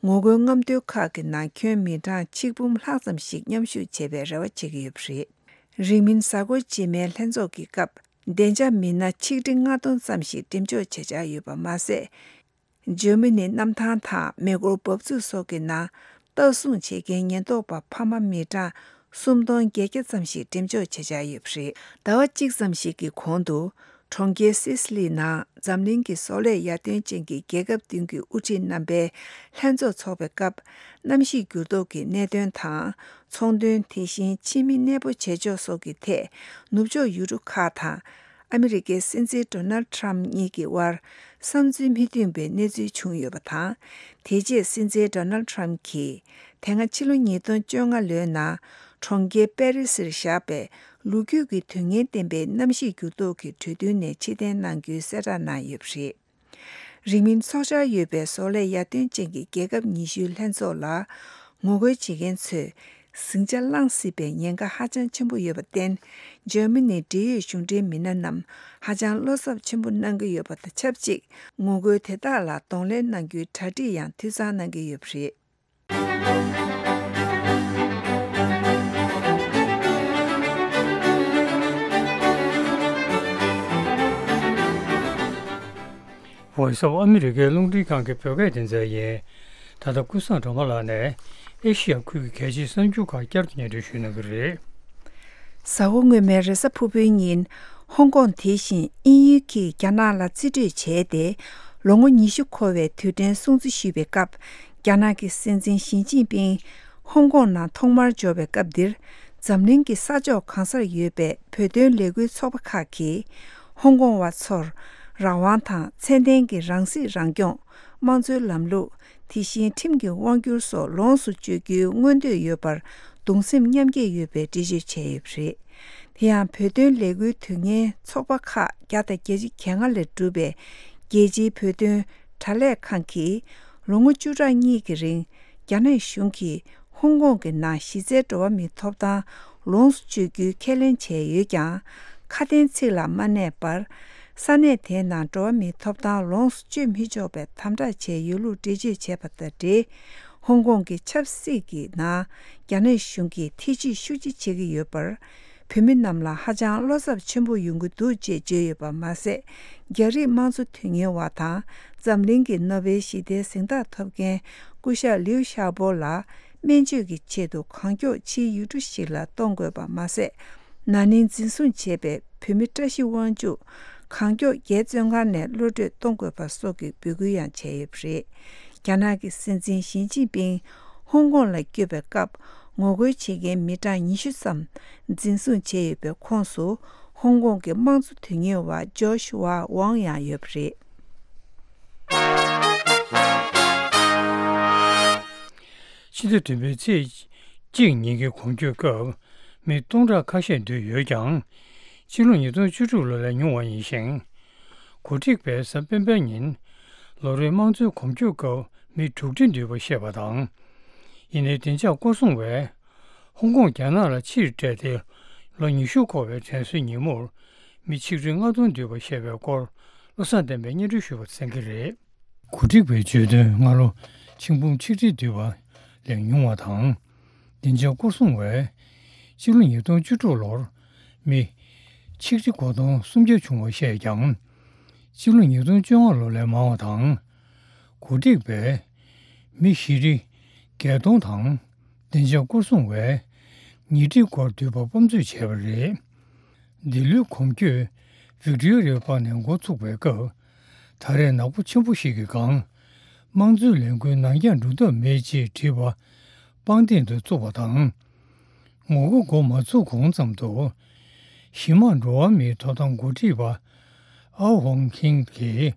ངོ་རྒོལ་རྔམ་སྟོན་ཁག་གི་ནང་ཁྱོན་མི་གྲངས་ཆིག་འབུམ་ལྷག་ཙམ་ཞིག་མཉམ་ཞུགས་བྱེད་པའི་རེ་བ་བྱེད་ཀྱི་ཡོད་པ་རེད། རིང་མིན་གཟའ་འཁོར་རྗེས་མའི་ལྷན་ཚོགས་ཀྱི་སྐབས་བདེ་འཇགས་མི་སྣ་ཆིག་ཁྲི་ལྔ་སྟོང་ཙམ་ཞིག་འགྲེམས་འཇོག་བྱེད་འཆར་ཡོད་པ་མ་ཟད། འཇར་མ་ནིའི་གནམ་ཐང་དང་མེ་འཁོར་འབབ་ཚུགས་སོགས་ཀྱི་ནང་ལྟ་སྲུང་བྱེད་མཁན་ཉེན་རྟོག་པ་ཕ་མ་མི་གྲངས་སུམ་སྟོང་བརྒྱད་བརྒྱ་ཙམ་ཞིག་འགྲེམས་འཇོག་བྱེད་འཆར་ཡོད་པ་རེད། ཟླ་བ་གཅིག་ཙམ་ཞིག་གི་གོང་དུ། གྲོང་ཁྱེར་སིས་ལི་ནང་འཛམ་གླིང་གི་བཟོ་ལས་ཡར་ཐོན་ཅན་གྱི་རྒྱལ་ཁབ་བདུན་གྱི་དབུ་ཁྲིད་རྣམ་པའི་ལྷན་ཚོགས་འཚོགས་པའི་སྐབས། གནམ་གཤིས་འགྱུར་ལྡོག་གི་གནད་དོན་དང་། ཚོང་དོན། དེ་བཞིན་ཕྱི་མི་གནས་སྤོ་བྱེད་ཕྱོགས་སོགས་ཀྱི་ཐད། ནུབ་ཕྱོགས་ཡུལ་གྲུ་ཁག་དང་། ཨ་མི་རི་ཀའི་སྲིད་འཛིན་ཌོ་ནལ་ཌི་ཊརམ་ཕ་གཉིས་ཀྱི་དབར་བསམ་ཚུལ་མི་མཐུན་པའི་གནས་ཚུལ་བྱུང་ཡོད་པ་དང་། དེ་རྗེས་སྲིད་འཛིན་ཌོ་ནལ་ཌི་ཊརམ་ཕ་གྱིས། དེ་སྔ་ཕྱི་ལོ་ཉིས་སྟོང་བཅོ་ལྔ་ལོའི་ནང་གྲོང་ཁྱེར་པེ་རི་སིར་བཞག་པའི་ལོ་རྒྱུས་ཀྱི་དུས་ངན་ལྡན་པའི་གནམ་གཤིས་འགྱུར་ལྡོག་གི་གྲོས་མཐུན་ནས་ཕྱིར་འཐེན་གནང་རྒྱུའི་གསལ་བསྒྲགས་གནང་ཡོད་པ་རེད། རིང་མིན་འཚོགས་འཆར་ཡོད་པའི་བཟོ་ལས་ཡར་ཐོན་ཅན་གྱི་རྒྱལ་ཁབ་ཉི་ཤུའི་ལྷན་ཚོགས་ལ་ངོ་རྒོལ་བྱེད་མཁན་ཚོས་ཟིང་ཆ་བསླང་སྲིད་པའི་ཉེན་ཁ་ཧ་ཅང་ཆེན་པོ་ཡོད་པར་བརྟེན། འཇར་མ་ནིའི་འབྲེལ་ཡོད་གཞུང་འབྲེལ་མི་སྣ་རྣམས་ཧ་ཅང་བློ་འཚབ་ཆེན་པོ་གནང་གི་ཡོད་པ་དང་ཆབས་ཅིག་ངོ་རྒོལ་དེ་དག་ལ་གདོང་ལེན་གནང་རྒྱུའི་གྲ་སྒྲིག་ཡང་འཐུས་ཚང་གནང་གི་ཡོད་པ་རེད། Voice of America རླུང་འཕྲིན་ཁང་གི་བོད་སྐད་སྡེ་ཚན་ཡིན། ད་ལྟ་ཀུན་བཟང་སྒྲོལ་མ་ལགས་ནས་ཨེ་ཤི་ཡ་ཁུལ་གྱི་གལ་ཆེའི་གསར་འགྱུར་ཁག་བསྐྱར་དུ་སྙན་སྒྲོན་ཞུ་གནང་གི་རེད། གཟའ་འཁོར་སྔོན་མའི་རེས་གཟའ་ཕུར་བུའི་ཉིན། ཧོང་ཀོང་དེ་བཞིན་དབྱིན་ཡུལ་གྱིས་རྒྱ་ནག་ལ་རྩིས་སྤྲོད་བྱས་ཏེ། ལོ་ངོ་ཉི་ཤུ་འཁོར་བའི་དུས་དྲན་སྲུང་བརྩི་ཞུས་པའི་སྐབས། རྒྱ་ནག་གི་སྲིད་འཛིན་ཞི་ཅིན་ཕིང་ཧོང་ཀོང་ནང་ཐོག་མར་འབྱོར་བའི་སྐབས་འདིར། འཛམ་གླིང་གི་ས་ཕྱོགས་གང་སར་ཡོད་པའི་བོད་དོན་ལས་འགུལ་ཚོགས་པ་ཁག་གིས། ཧོང་ཀོང་བ་ཚོར་རང་དབང་དང་ཚད་ལྡན་གྱི་རང་སྲིད་རང་སྐྱོང་། དམངས་གཙོའི་ལམ་ལུགས། དེ་བཞིན་ཁྲིམས་ཀྱི་དབང་སྒྱུར་སོགས་ལོངས་སུ་སྤྱོད་རྒྱུའི་མངོན་འདོད་ཡོད་པར་གདུང་སེམས་མཉམ་སྐྱེད་ཡོད་པའི་འགྲེལ་བརྗོད་བྱས་ཡོད་པ་རེད། དེ་ཡང་བོད་དོན་ལས་འགུལ་དུས་ངན་ཚོགས་པ་ཁག་བརྒྱ་དང་བརྒྱད་ཅུ་གྱ་ལྔ་ལས་གྲུབ་པའི་རྒྱལ་སྤྱིའི་བོད་དོན་དྲ་ལས་ཁང་གིས་ལོ་ངོ་བཅུ་ཕྲག་གཉིས་ཀྱི་རིང་རྒྱ་ནག་གཞུང་གིས་ཧོང་ཀོང་གི་ནང་གཞི་རྩའི་འགྲོ་བ་མིའི་ཐོབ་ཐང་ལོངས་སུ་སྤྱོད་རྒྱུའི་ཁས་ལེན་བྱས་ཡོད་ཀྱང་། ཁ་དན་ཚིག་ལ་མ་གནས་པར། ས་གནས་དེའི་ནང་འགྲོ་བ་མིའི་ཐོབ་ཐང་ལོངས་སུ་སྤྱོད་མི་ཆོག་པའི་དམ་དྲག་བྱས་ཡོད་ལུགས་འགྲེལ་བརྗོད་བྱས་པ་དང་འབྲེལ། ཧོང་ཀོང་གི་ཆབ་སྲིད་ཀྱི་ནང་རྒྱ་ནག་གཞུང་གིས་ཐེ་བྱུས་ཤུགས་ཆེ་བྱེད་ཀྱི་ཡོད་པར། བོད་མི་རྣམས་ལ་ཧ་ཅང་བློ་འཚབ་ཆེན་པོ་ཡོང་གི་འདུག་ཅེས་བརྗོད་ཡོད་པ་མ་ཟད། རྒྱ་རིགས་དམངས་གཙོ་དོན་གཉེར་བ་དང་འཛམ་གླིང་གི་ནོ་བེལ་ཞི་བདེའི་གཟེངས་རྟགས་ཐོབ་མཁན་སྐུ་ཞབས་ལིའུ་ཤ་པོ་ལ་སྨན་བཅོས་ཀྱི་ཆེད་དུ་གང་མགྱོགས་ཕྱིའི་ཡུལ་གྲུ་ཞིག་ལ་གཏོང་དགོས་པ་མ་ཟད། ན་ནིང་འཛིན་བཟུང་བྱས་པའི་བོད་མི་བཀྲ་ཤིས་དབང་ཕྱུག་གང་མགྱོགས་རྒྱལ་བཙོན་ཁང་ནས་གློད་གྲོལ་གཏོང་དགོས་པ་སོགས་ཀྱི་འབོད་སྐུལ་ཡང་བྱས་ཡོད་པ་རེད། རྒྱ་ནག་གི་སྲིད་འཛིན་ཞི་ཅིན་ཕིང་ཧོང་ཀོང་ལ་བསྐྱོད་པའི་སྐབས། ངོ་རྒོལ་བྱེད་མཁན་མི་གྲངས་ཉི་ཤུ་ཙམ་འཛིན་བཟུང་བྱས་ཡོད་པའི་ཁོངས་སུ་ཧོང་ཀོང་གི་དམངས་གཙོ་དོན་གཉེར་བ་ཇོ་ཤུ་ཝ་ཝང་ཡང་ཡོད་པ་རེད། ཕྱི་ཟླ་བདུན་པའི་ཚེས་གཅིག་ཉིན་གྱི་གོམ་བགྲོད་སྐབས་མི་སྟོང་ཕྲག་ཁ་ཤས་འདུས་ཡོད་ཀྱང་། ཕྱི་ལོ་ཉིས་སྟོང་བཅུ་དྲུག་ལོ་ལས་ཉུང་བ་ཡིན་ཞིང་། གོ་སྒྲིག་པས་གཟའ་སྤེན་པའི་ཉིན་ལོ་རེའི་དམངས་གཙོའི་གོམ་བགྲོད་སྐབས་མི་དྲུག་ཁྲི་འདུས་པ་བཤད་པ་དང་། ཡིན་ནའི་བདེ་འཇགས་སྐོར་སྲུང་བས་ཧོང་ཀོང་རྒྱ་ནག་ལ་ཕྱིར་སྤྲད་དེ་ལོ་ཉི་ཤུ་འཁོར་བའི་དྲན་གསོའི་ཉིན་མོར་མི་ཆིག་ཁྲི་ལྔ་སྟོང་འདུས་པ་བཤད་པའི་སྐོར་བློ་བཟང་བསྟན་པས་སྙན་སྒྲོན་ཞུས་པ་གསན་གྱི་རེད། གོ་སྒྲིག་པས་བརྗོད་དོན་སྔ་ལོ་ཆིག་འབུམ་ཆིག་ཁྲི་འདུས་པ་ལས་ཉུང་བ་དང་། བདེ་འཇགས་སྐོར་སྲུང་བས་ཕྱི་ལོ་ཉིས་སྟོང་བཅུ་དྲུག་ལོར་མི་ཆིག་ཁྲི་དགུ་སྟོང་སུམ་བརྒྱ་བྱུང་བ་བཤད་ཀྱང་། ཕྱི་ལོ་ཉིས་སྟོང་བཅོ་ལྔ་ལོ་ལས་མང་བ་དང་། གོ་སྒྲིག་པས་མི་བཞི་ཁྲི་བརྒྱད་སྟོང་དང་བདེ་འཇགས་སྐོར་སྲུང་བས་ཉིས་ཁྲི་སྐོར་འདུས་པ་དཔང་འཛུལ་བྱས་པ་རེད། འདི་ལོའི་གོམ་བགྲོད་ཝིག་ཏོ་རི་ཡ་པཱག་ནས་འགོ་ཚུགས་པའི་སྐབས། ད་རེས་ནག་པོ་ཆེན་པོ་ཞིག་གི་སྒང་ དམངས་གཙོའི་ལས་འགུལ་ནང་འཁྱོངས་འགྲོ་ཐབས་མེད་ཅེས་བྲིས་པ་པང་གདན་དུ་བཙུགས་པ་དང་། ངོ་རྒོལ་འགོ་མ་ཚུགས་གོང་ཙམ་དུ། གཞི་མ་འགྲོ་བ་མིའི་ཐོབ་ཐང་འགོ་ཁྲིད་པ་ཨའོ་ཝང་ཁིང་གིས་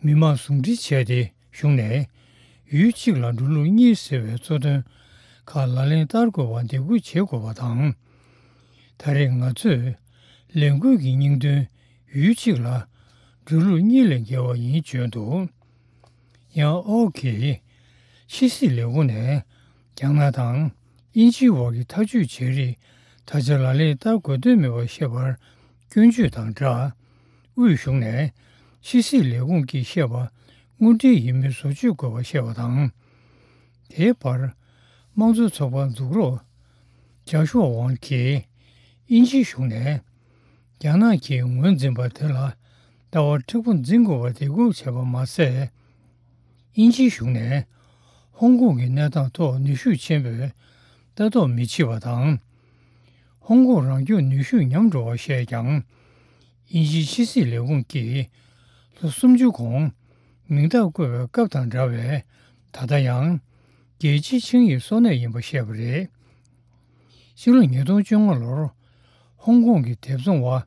མི་མང་ཟུང་འབྲེལ་བྱས་ཏེ་གཞུང་ནས་ཡུལ་གཅིག་ལ་འགྲོ་ལུགས་གཉིས་ཟེར་བའི་གཙོ་དོན་ཁག་ལག་ལེན་བསྟར་དགོས་པར་འདེད་སྐུལ་བྱེད་དགོས་པ་དང་། ད་རེས་ང་ཚོས་ལས་འགུལ་གྱི་སྙིང་དོན་ཡུལ་གཅིག་ལ་འགྲོ་ལུགས་གཉིས་ལས་བརྒལ་བ་ཡིན་བརྗོད་འདུག་ཡང་ཨོ་གིས་ཕྱི་སྲིད་ལས་ཁུངས་ནས་རྒྱ་ནག་དང་དབྱིན་ཇིའི་བར་གྱི་ཐག་གཅོད་བྱེད་རིགས་ད་ཆ་ལག་ལེན་བསྟར་དགོས་དོན་མེད་པར་བཤད་པར་སྐྱོན་བརྗོད་དང་སྦྲགས། དབུས་གཞུང་ནས་ཕྱི་སྲིད་ལས་ཁུངས་ཀྱིས་བཤད་པ་དངོས་འབྲེལ་ཡིན་མིན་བཟོ་བཅོས་དགོས་པར་བཤད་པ་དང་། དེའི་བར། དམངས་གཙོ་ཚོགས་པ་འཛུགས་རོགས་ཇཱ་ཤུའ་ཝང་གིས་དབྱིན་ཇིའི་གཞུང་ནས་རྒྱ་ནག་གིས་ངོས་འཛིན་པ་དེ་ལ་ལྟ་བ་མཁྲེགས་པོ་འཛིན་དགོས་པར་འདེད་སྐུལ་བྱས་པ་མ་ཟད། དབྱིན་ཇིའི་གཞུང་ནས་ཧོང་ཀོང་གི་གནས་སྟངས་ཐོག་ནུས་ཤུགས་ཆེན་པོས་ལྟ་རྟོག་མི་བྱེད་པ་དང་། ཧོང་ཀོང་རང་སྐྱོང་ནུས་ཤུགས་ཉམས་འགྲོ་བར་བཤད་ཀྱང་། དབྱིན་ཇིའི་ཕྱི་སྲིད་ལས་ཁུངས་ཀྱིས་ལོ་སུམ་ཅུ་གོང་མིང་རྟགས་བཀོད་པའི་སྐབས་དང་འདྲ་བའི་ད་ལྟ་ཡང་རྒྱལ་སྤྱིའི་ཆིངས་ཡིག་སྲུང་གནས་ཡིན་པ་བཤད་པ་རེད། ཕྱི་ལོ་ཉིས་སྟོང་བཅོ་ལྔ་ལོར་ཧོང་ཀོང་གི་དེབ་བཟུང་བ་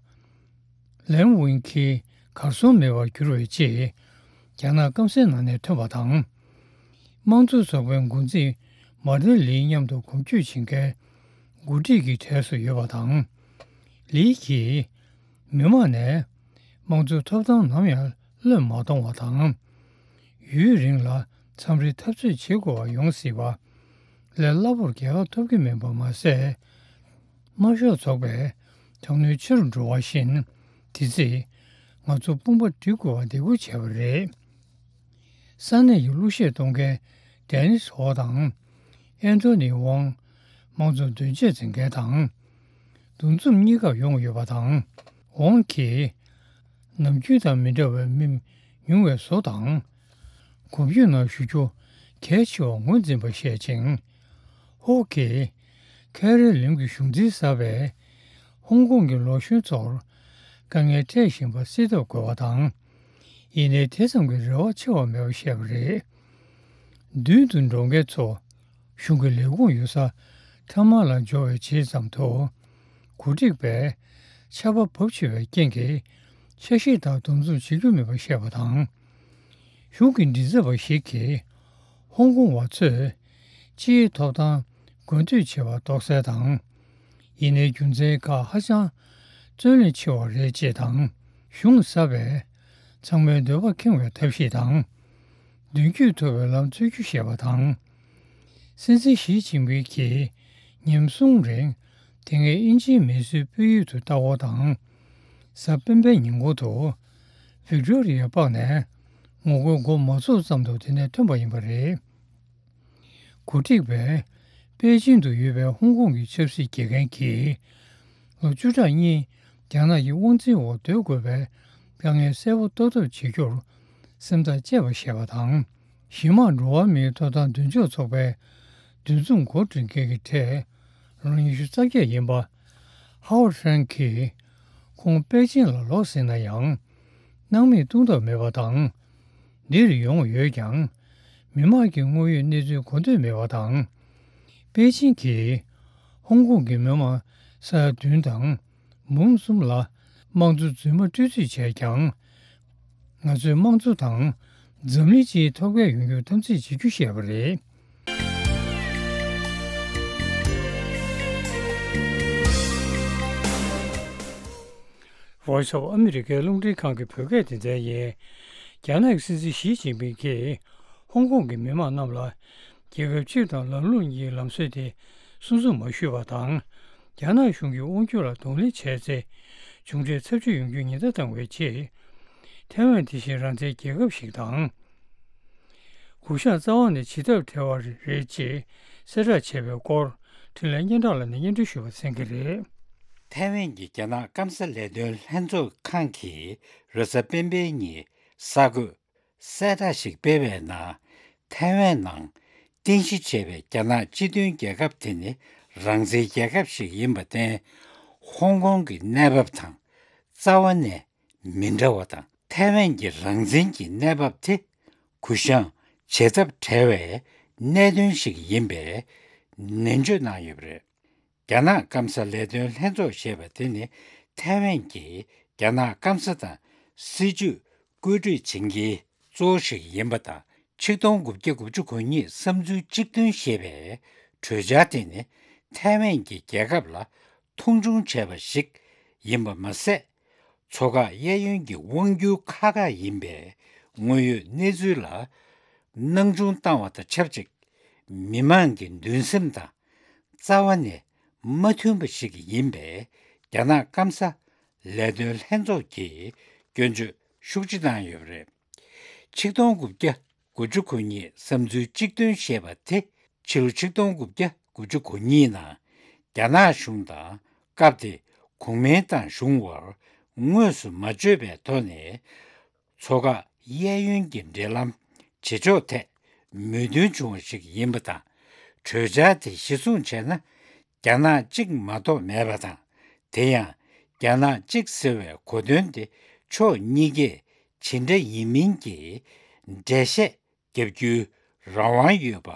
ལན་ཝིན་ཁི་གར་སོང་མེད་པར་གྱུར་བའི་རྗེས། རྒྱ་ནག་སྐམ་སའི་ནང་ནས་ཐོན་པ་དང་། དམངས་གཙོ་ཚོགས་པའི་འགོ་འཛིན་མར་ཏིན་ལིའི་མཉམ་དུ་གོམ་བགྲོད་བྱེད་མཁན་འགོ་ཁྲིད་ཀྱི་གྲས་སུ་ཡོད་པ་དང་། ལི་གིས་མི་དམངས་ནས་དམངས་གཙོའི་ཐོབ་ཐང་ནམ་ཡང་བློས་མ་གཏོང་བ་དང་། ཡུན་རིང་ལ་མཚམས་རེ་འཐབ་རྩོད་བྱེད་དགོས་པ་ཡོང་སྲིད་པ། ལས་སླ་པོར་རྒྱལ་ཁ་ཐོབ་ཀྱི་མིན་པ་མ་ཟད། དམར་ཤོག་ཚོགས་པས་དྲག་གནོན་ཆེ་རུ་འགྲོ་བ་བཞིན། དེ་ཚེ་ང་ཚོ་དཔུང་པ་སྒྲིག་དགོས་པ་འདེད་སྐུལ་བྱས་པ་རེད། ས་གནས་ཀྱི་གླུ་གཞས་གཏོང་མཁན་ཌེ་ནིས་ཧོ་དང་། ཨན་ཐོ་ནི་ཝང་། དམངས་གཙོ་འདོན་ཆས་འཛིན་མཁན་དང་། འདུ་འཛོམས་གཉིས་ཀར་ཡོང་ཡོད་པ་དང་། ཝང་གིས། ནམ་རྒྱུན་དང་མི་འདྲ་བའི་མི་ཉུང་བའི་བཟོ་དང་། གོམ་བགྲོད་ནང་ཞུགས་རྒྱུ་གལ་ཆེ་བར་ངོས་འཛིན་པ་བཤད་ཅིང་། ཧོ་གིས། ཁེ་རི་ལིམ་གྱི་གཞུང་འཛིན་གསར་པས། ཧོང་ཀོང་གི་ལོ་གཞོན་ཚོར་དཀའ་ངལ་འཕྲད་བཞིན་པ་སེལ་ཐབས་དགོས་པ་དང་། ཡིན་ནའི་དེ་ཙམ་གྱི་རེ་བ་ཆེ་བ་མེད་པར་བཤད་པ་རེད། མདུན་དུ་འགྲོ་མཁན་ཚོ་གཞུང་གི་ལས་ཁུངས་ཡོད་ས་ཐ་མ་ལ་འབྱོར་བའི་རྗེས་ཙམ་དུ། འགོ་ཁྲིད་པས་ཆར་པ་བབས་ཆེ་བའི་རྐྱེན་གྱིས་ཆ་ཤས་དག་འདུ་འཛོམས་བྱེད་རྒྱུ་མེད་པར་བཤད་པ་དང་། གཞུང་གི་མགྲིན་ཚབ་པ་ཞིག་གིས་ཧོང་ཀོང་བ་ཚོས་སྤྱིའི་ཐོབ་ཐང་དགོས་འདོད་བྱེད་པ་རྡོག་རྩལ་དང་། ཡིན་ནའི་རྒྱུ་མཚན་ཁག་ཧ་ཅང་རྩོད་གླེང་ཆེ་བ་རེད་ཅེས་དང་། གཞུང་གསར་པས་ཚང་མའི་འདོད་པ་ཁེངས་པའི་ཐབས་ཤེས་དང་། མདུན་སྐྱོད་ཐུབ་པའི་ལམ་འཚོལ་རྒྱུ་ཞེས་པ་དང་། སྲིད་འཛིན་ཞི་ཅིན་ཕིང་གིས་ཉིན་གསུམ་རིང་དེ་སྔའི་དབྱིན་ཇིའི་མི་གསོད་སྤོས་ཡུལ་དུ་ལྟ་སྐོར་དང་། གཟའ་སྤེན་པའི་ཉིན་གུང་དུ་ཝིག་ཏོ་རི་ཡ་པཱག་ནས་ངོ་རྒོལ་འགོ་མ་ཚུགས་ཙམ་དུ་དེ་ནས་ཐོན་པ་ཡིན་པ་རེད། འགོ་ཁྲིད་པས་པེ་ཅིང་དུ་ཡོད་པའི་ཧོང་ཀོང་གི་ཆབ་སྲིད་དགེ་རྒན་གྱིས། ལོ་བཅུ་ཕྲག་གཉིས་རྒྱ་ནག་གི་དབང་འཛིན་འོག་སྡོད་དགོས་པའི་དཀའ་ངལ་གསལ་པོ་རྟོགས་ཐབས་བྱེད་རྒྱུར་སེམས་ཐག་བཅད་པ་ཞེས་པ་དང་། གཞི་མ་འགྲོ་བ་མིའི་ཐོབ་ཐང་འདུན་ཕྱོགས་ཚོགས་པའི་འདུ་འཛོམས་འགོ་འཛིན་མཁན་གྱི་གྲས་ལོ་ཉི་ཤུ་རྩ་བརྒྱད་ཡིན་པ། ཧའོ་ཧྲན་གྱིས་ཁོང་པེ་ཅིང་ལ་ལོག་ཟིན་ན་ཡང་། སྣང་མེད་གཏོང་ཐབས་མེད་པ་དང་། འདིར་ཡོང་ཡོད་ཀྱང་། མི་དམངས་ཀྱི་དངོས་ཡོད་གནས་ཚུལ་གོ་འདོད་མེད་པ་དང་། པེ་ཅིང་གིས་ཧོང་ཀོང་གི་མི་དམངས་ས་ཡ་བདུན་དང་། མུའུ་གསུམ་ལ་དམངས་གཙོ་རྫུན་མ་སྤྲོད་རྩིས་བྱས་ཀྱང་། ང་ཚོས་དམངས་གཙོ་དང་འཛམ་གླིང་སྤྱིའི་ཐོབ་སྐལ་ཡོང་རྒྱུར་དམ་འཛིན་བྱེད་རྒྱུ་ཞེས་པ་རེད། Voice of America རླུང་འཕྲིན་ཁང་གི་བོད་སྐད་སྡེ་ཚན་ཡིན། རྒྱ་ནག་གི་སྲིད་འཛིན་ཞི་ཅིན་ཕིང་གིས་ཧོང་ཀོང་གི་མི་དམངས་རྣམས་ལ། རྒྱལ་ཁབ་སྤྱི་དང་ལམ་ལུགས་གཉིས་ལམ་སྲོལ་དེ་སྲུང་སྐྱོབ་མ་ཞུས་པ་དང་། རྒྱ་ནག་གཞུང་གི་དབང་སྒྱུར་ལ་གདོང་ལེན་བྱས་ཚེ། གཞུང་འབྲེལ་ཚབས་ཆེ་ཡོང་རྒྱུའི་ཉེན་བརྡ་བཏང་བའི་རྗེས། ཐའེ་ཝན་དེ་བཞིན་རང་བཙན་རྒྱལ་ཁབ་ཞིག་དང་། གུ་ཤངས་རྩ་བ་ནས་ཇི་ལྟར་བྲལ་བ་རེད་ཅེས་གསལ་བསྒྲགས་བྱས་པའི་སྐོར། འཕྲིན་ལས་སྙན་གྲགས་ལགས་ནས་སྙན་སྒྲོན་ཞུ་བར་གསན་གྱི་རེད། ཐའེ་ཝན་གྱི་རྒྱ་ནག་སྐམ་ས་ལས་དོན་ལྷན་ཚོགས་ཁང་གིས་རེས་གཟའ་སྤེན་པའི་ཉིན་གསར་འགོད། གསལ་བསྒྲགས་ཤིག་སྤེལ་བའི་ནང་། ཐའེ་ཝན་ནང་རྟེན་གཞི་བྱས་པའི་རྒྱ་ནག་སྤྱི་མཐུན་རྒྱལ་ཁབ་དེ་ནི་རང་བཙན་རྒྱལ་ཁབ་ཞིག་ཡིན་པར་བརྟེན། ཧོང་ཀོང་གི་གནས་བབ་དང་རྩ་བ་ནས་མི་འདྲ་བ་དང་། ཐའེ་ཝན་གྱི་རང་བཙན་གྱི་གནས་བབ་དེ་གུ་ཤངས་ བྱེད་ཐབས་བྲལ་བའི་གནད་དོན་ཞིག་ཡིན་པའི་ནན་བརྗོད་གནང་ཡོད་པ་རེད། རྒྱ་ནག་སྐམ་ས་ལས་དོན་ལྷན་ཚོགས་ཞེས་པ་དེ་ནི་ཐའེ་ཝན་གྱིས་རྒྱ་ནག་སྐམ་ས་དང་སྲིད་ཇུས་བཀོད་སྒྲིག་བྱེད་མཁན་གཙོ་བོ་ཞིག་ཡིན་པ་དང་། ཆིག་སྟོང་དགུ་བརྒྱ་དགུ་བཅུ་གོ་གཉིས་བསམ་ཚུལ་གཅིག་མཐུན་ཞེས་པའི་གྲོས་འཆར་དེ་ནི་ཐའེ་ཝན་གྱི་རྒྱལ་ཁབ་ལ་མཐོང་ཆུང་བྱས་པ་ཞིག་ཡིན་པ་མ་ཟད། མཚོ་འགག་གཡས་གཡོན་གྱི་དབང་སྒྱུར་ཁག་ཁག་ཡིན་པའི་དངོས་ཡོད་གནས་ཚུལ་ལ་སྣང་ཆུང་བཏང་བ་དང་ཆབས་ཅིག་མི་མང་གི་འདུན་སེམས་དང་རྩ་བ་ནས་མ་མཐུན་པ་ཞིག་ཡིན་པའི་རྒྱ་ནག་སྐམ་ས་ལས་དོན་ལྷན་ཚོགས་ཀྱིས་སྐྱོན་བརྗོད་ཤུགས་ཆེ་བཏང་ཡོད་པ་རེད། ཆིག་སྟོང་དགུ་བརྒྱ་དགུ་བཅུ་གོ་གཉིས་བསམ་ཚུལ་གཅིག་མཐུན་ཞེས་པ་དེ་ཕྱི་ལོ་ཆིག་སྟོང་དགུ་བརྒྱ་དགུ་བཅུ་གོ་གཉིས་ནང་རྒྱ་ནག་གཞུང་དང་སྐབས་དེའི་གོང་མའི་ཏང་གཞུང་དབར་དངོས་སུ་མ་བརྗོད་པའི་ཐོག་ནས། མཚོ་འགག་གཡས་གཡོན་གྱི་འབྲེལ་ལམ་བྱེད་ཕྱོགས་ཐད་མོས་མཐུན་བྱུང་བ་ཞིག་ཡིན་པ་དང་། གྲོས་འཆར་དེ་གཞི་བཟུང་བྱས་ན། རྒྱ་ནག་གཅིག་མ་གཏོགས་མེད་པ་དང་། དེ་ཡང་རྒྱ་ནག་གཅིག་ཟེར་བའི་གོ་དོན་དེ་ཕྱོགས་གཉིས་ཀས་ཇི་འདྲ་ཡིན་མིན་གྱི་འགྲེལ་བཤད་བརྒྱབ་རྒྱུའི་རང་དབང་ཡོད་པ་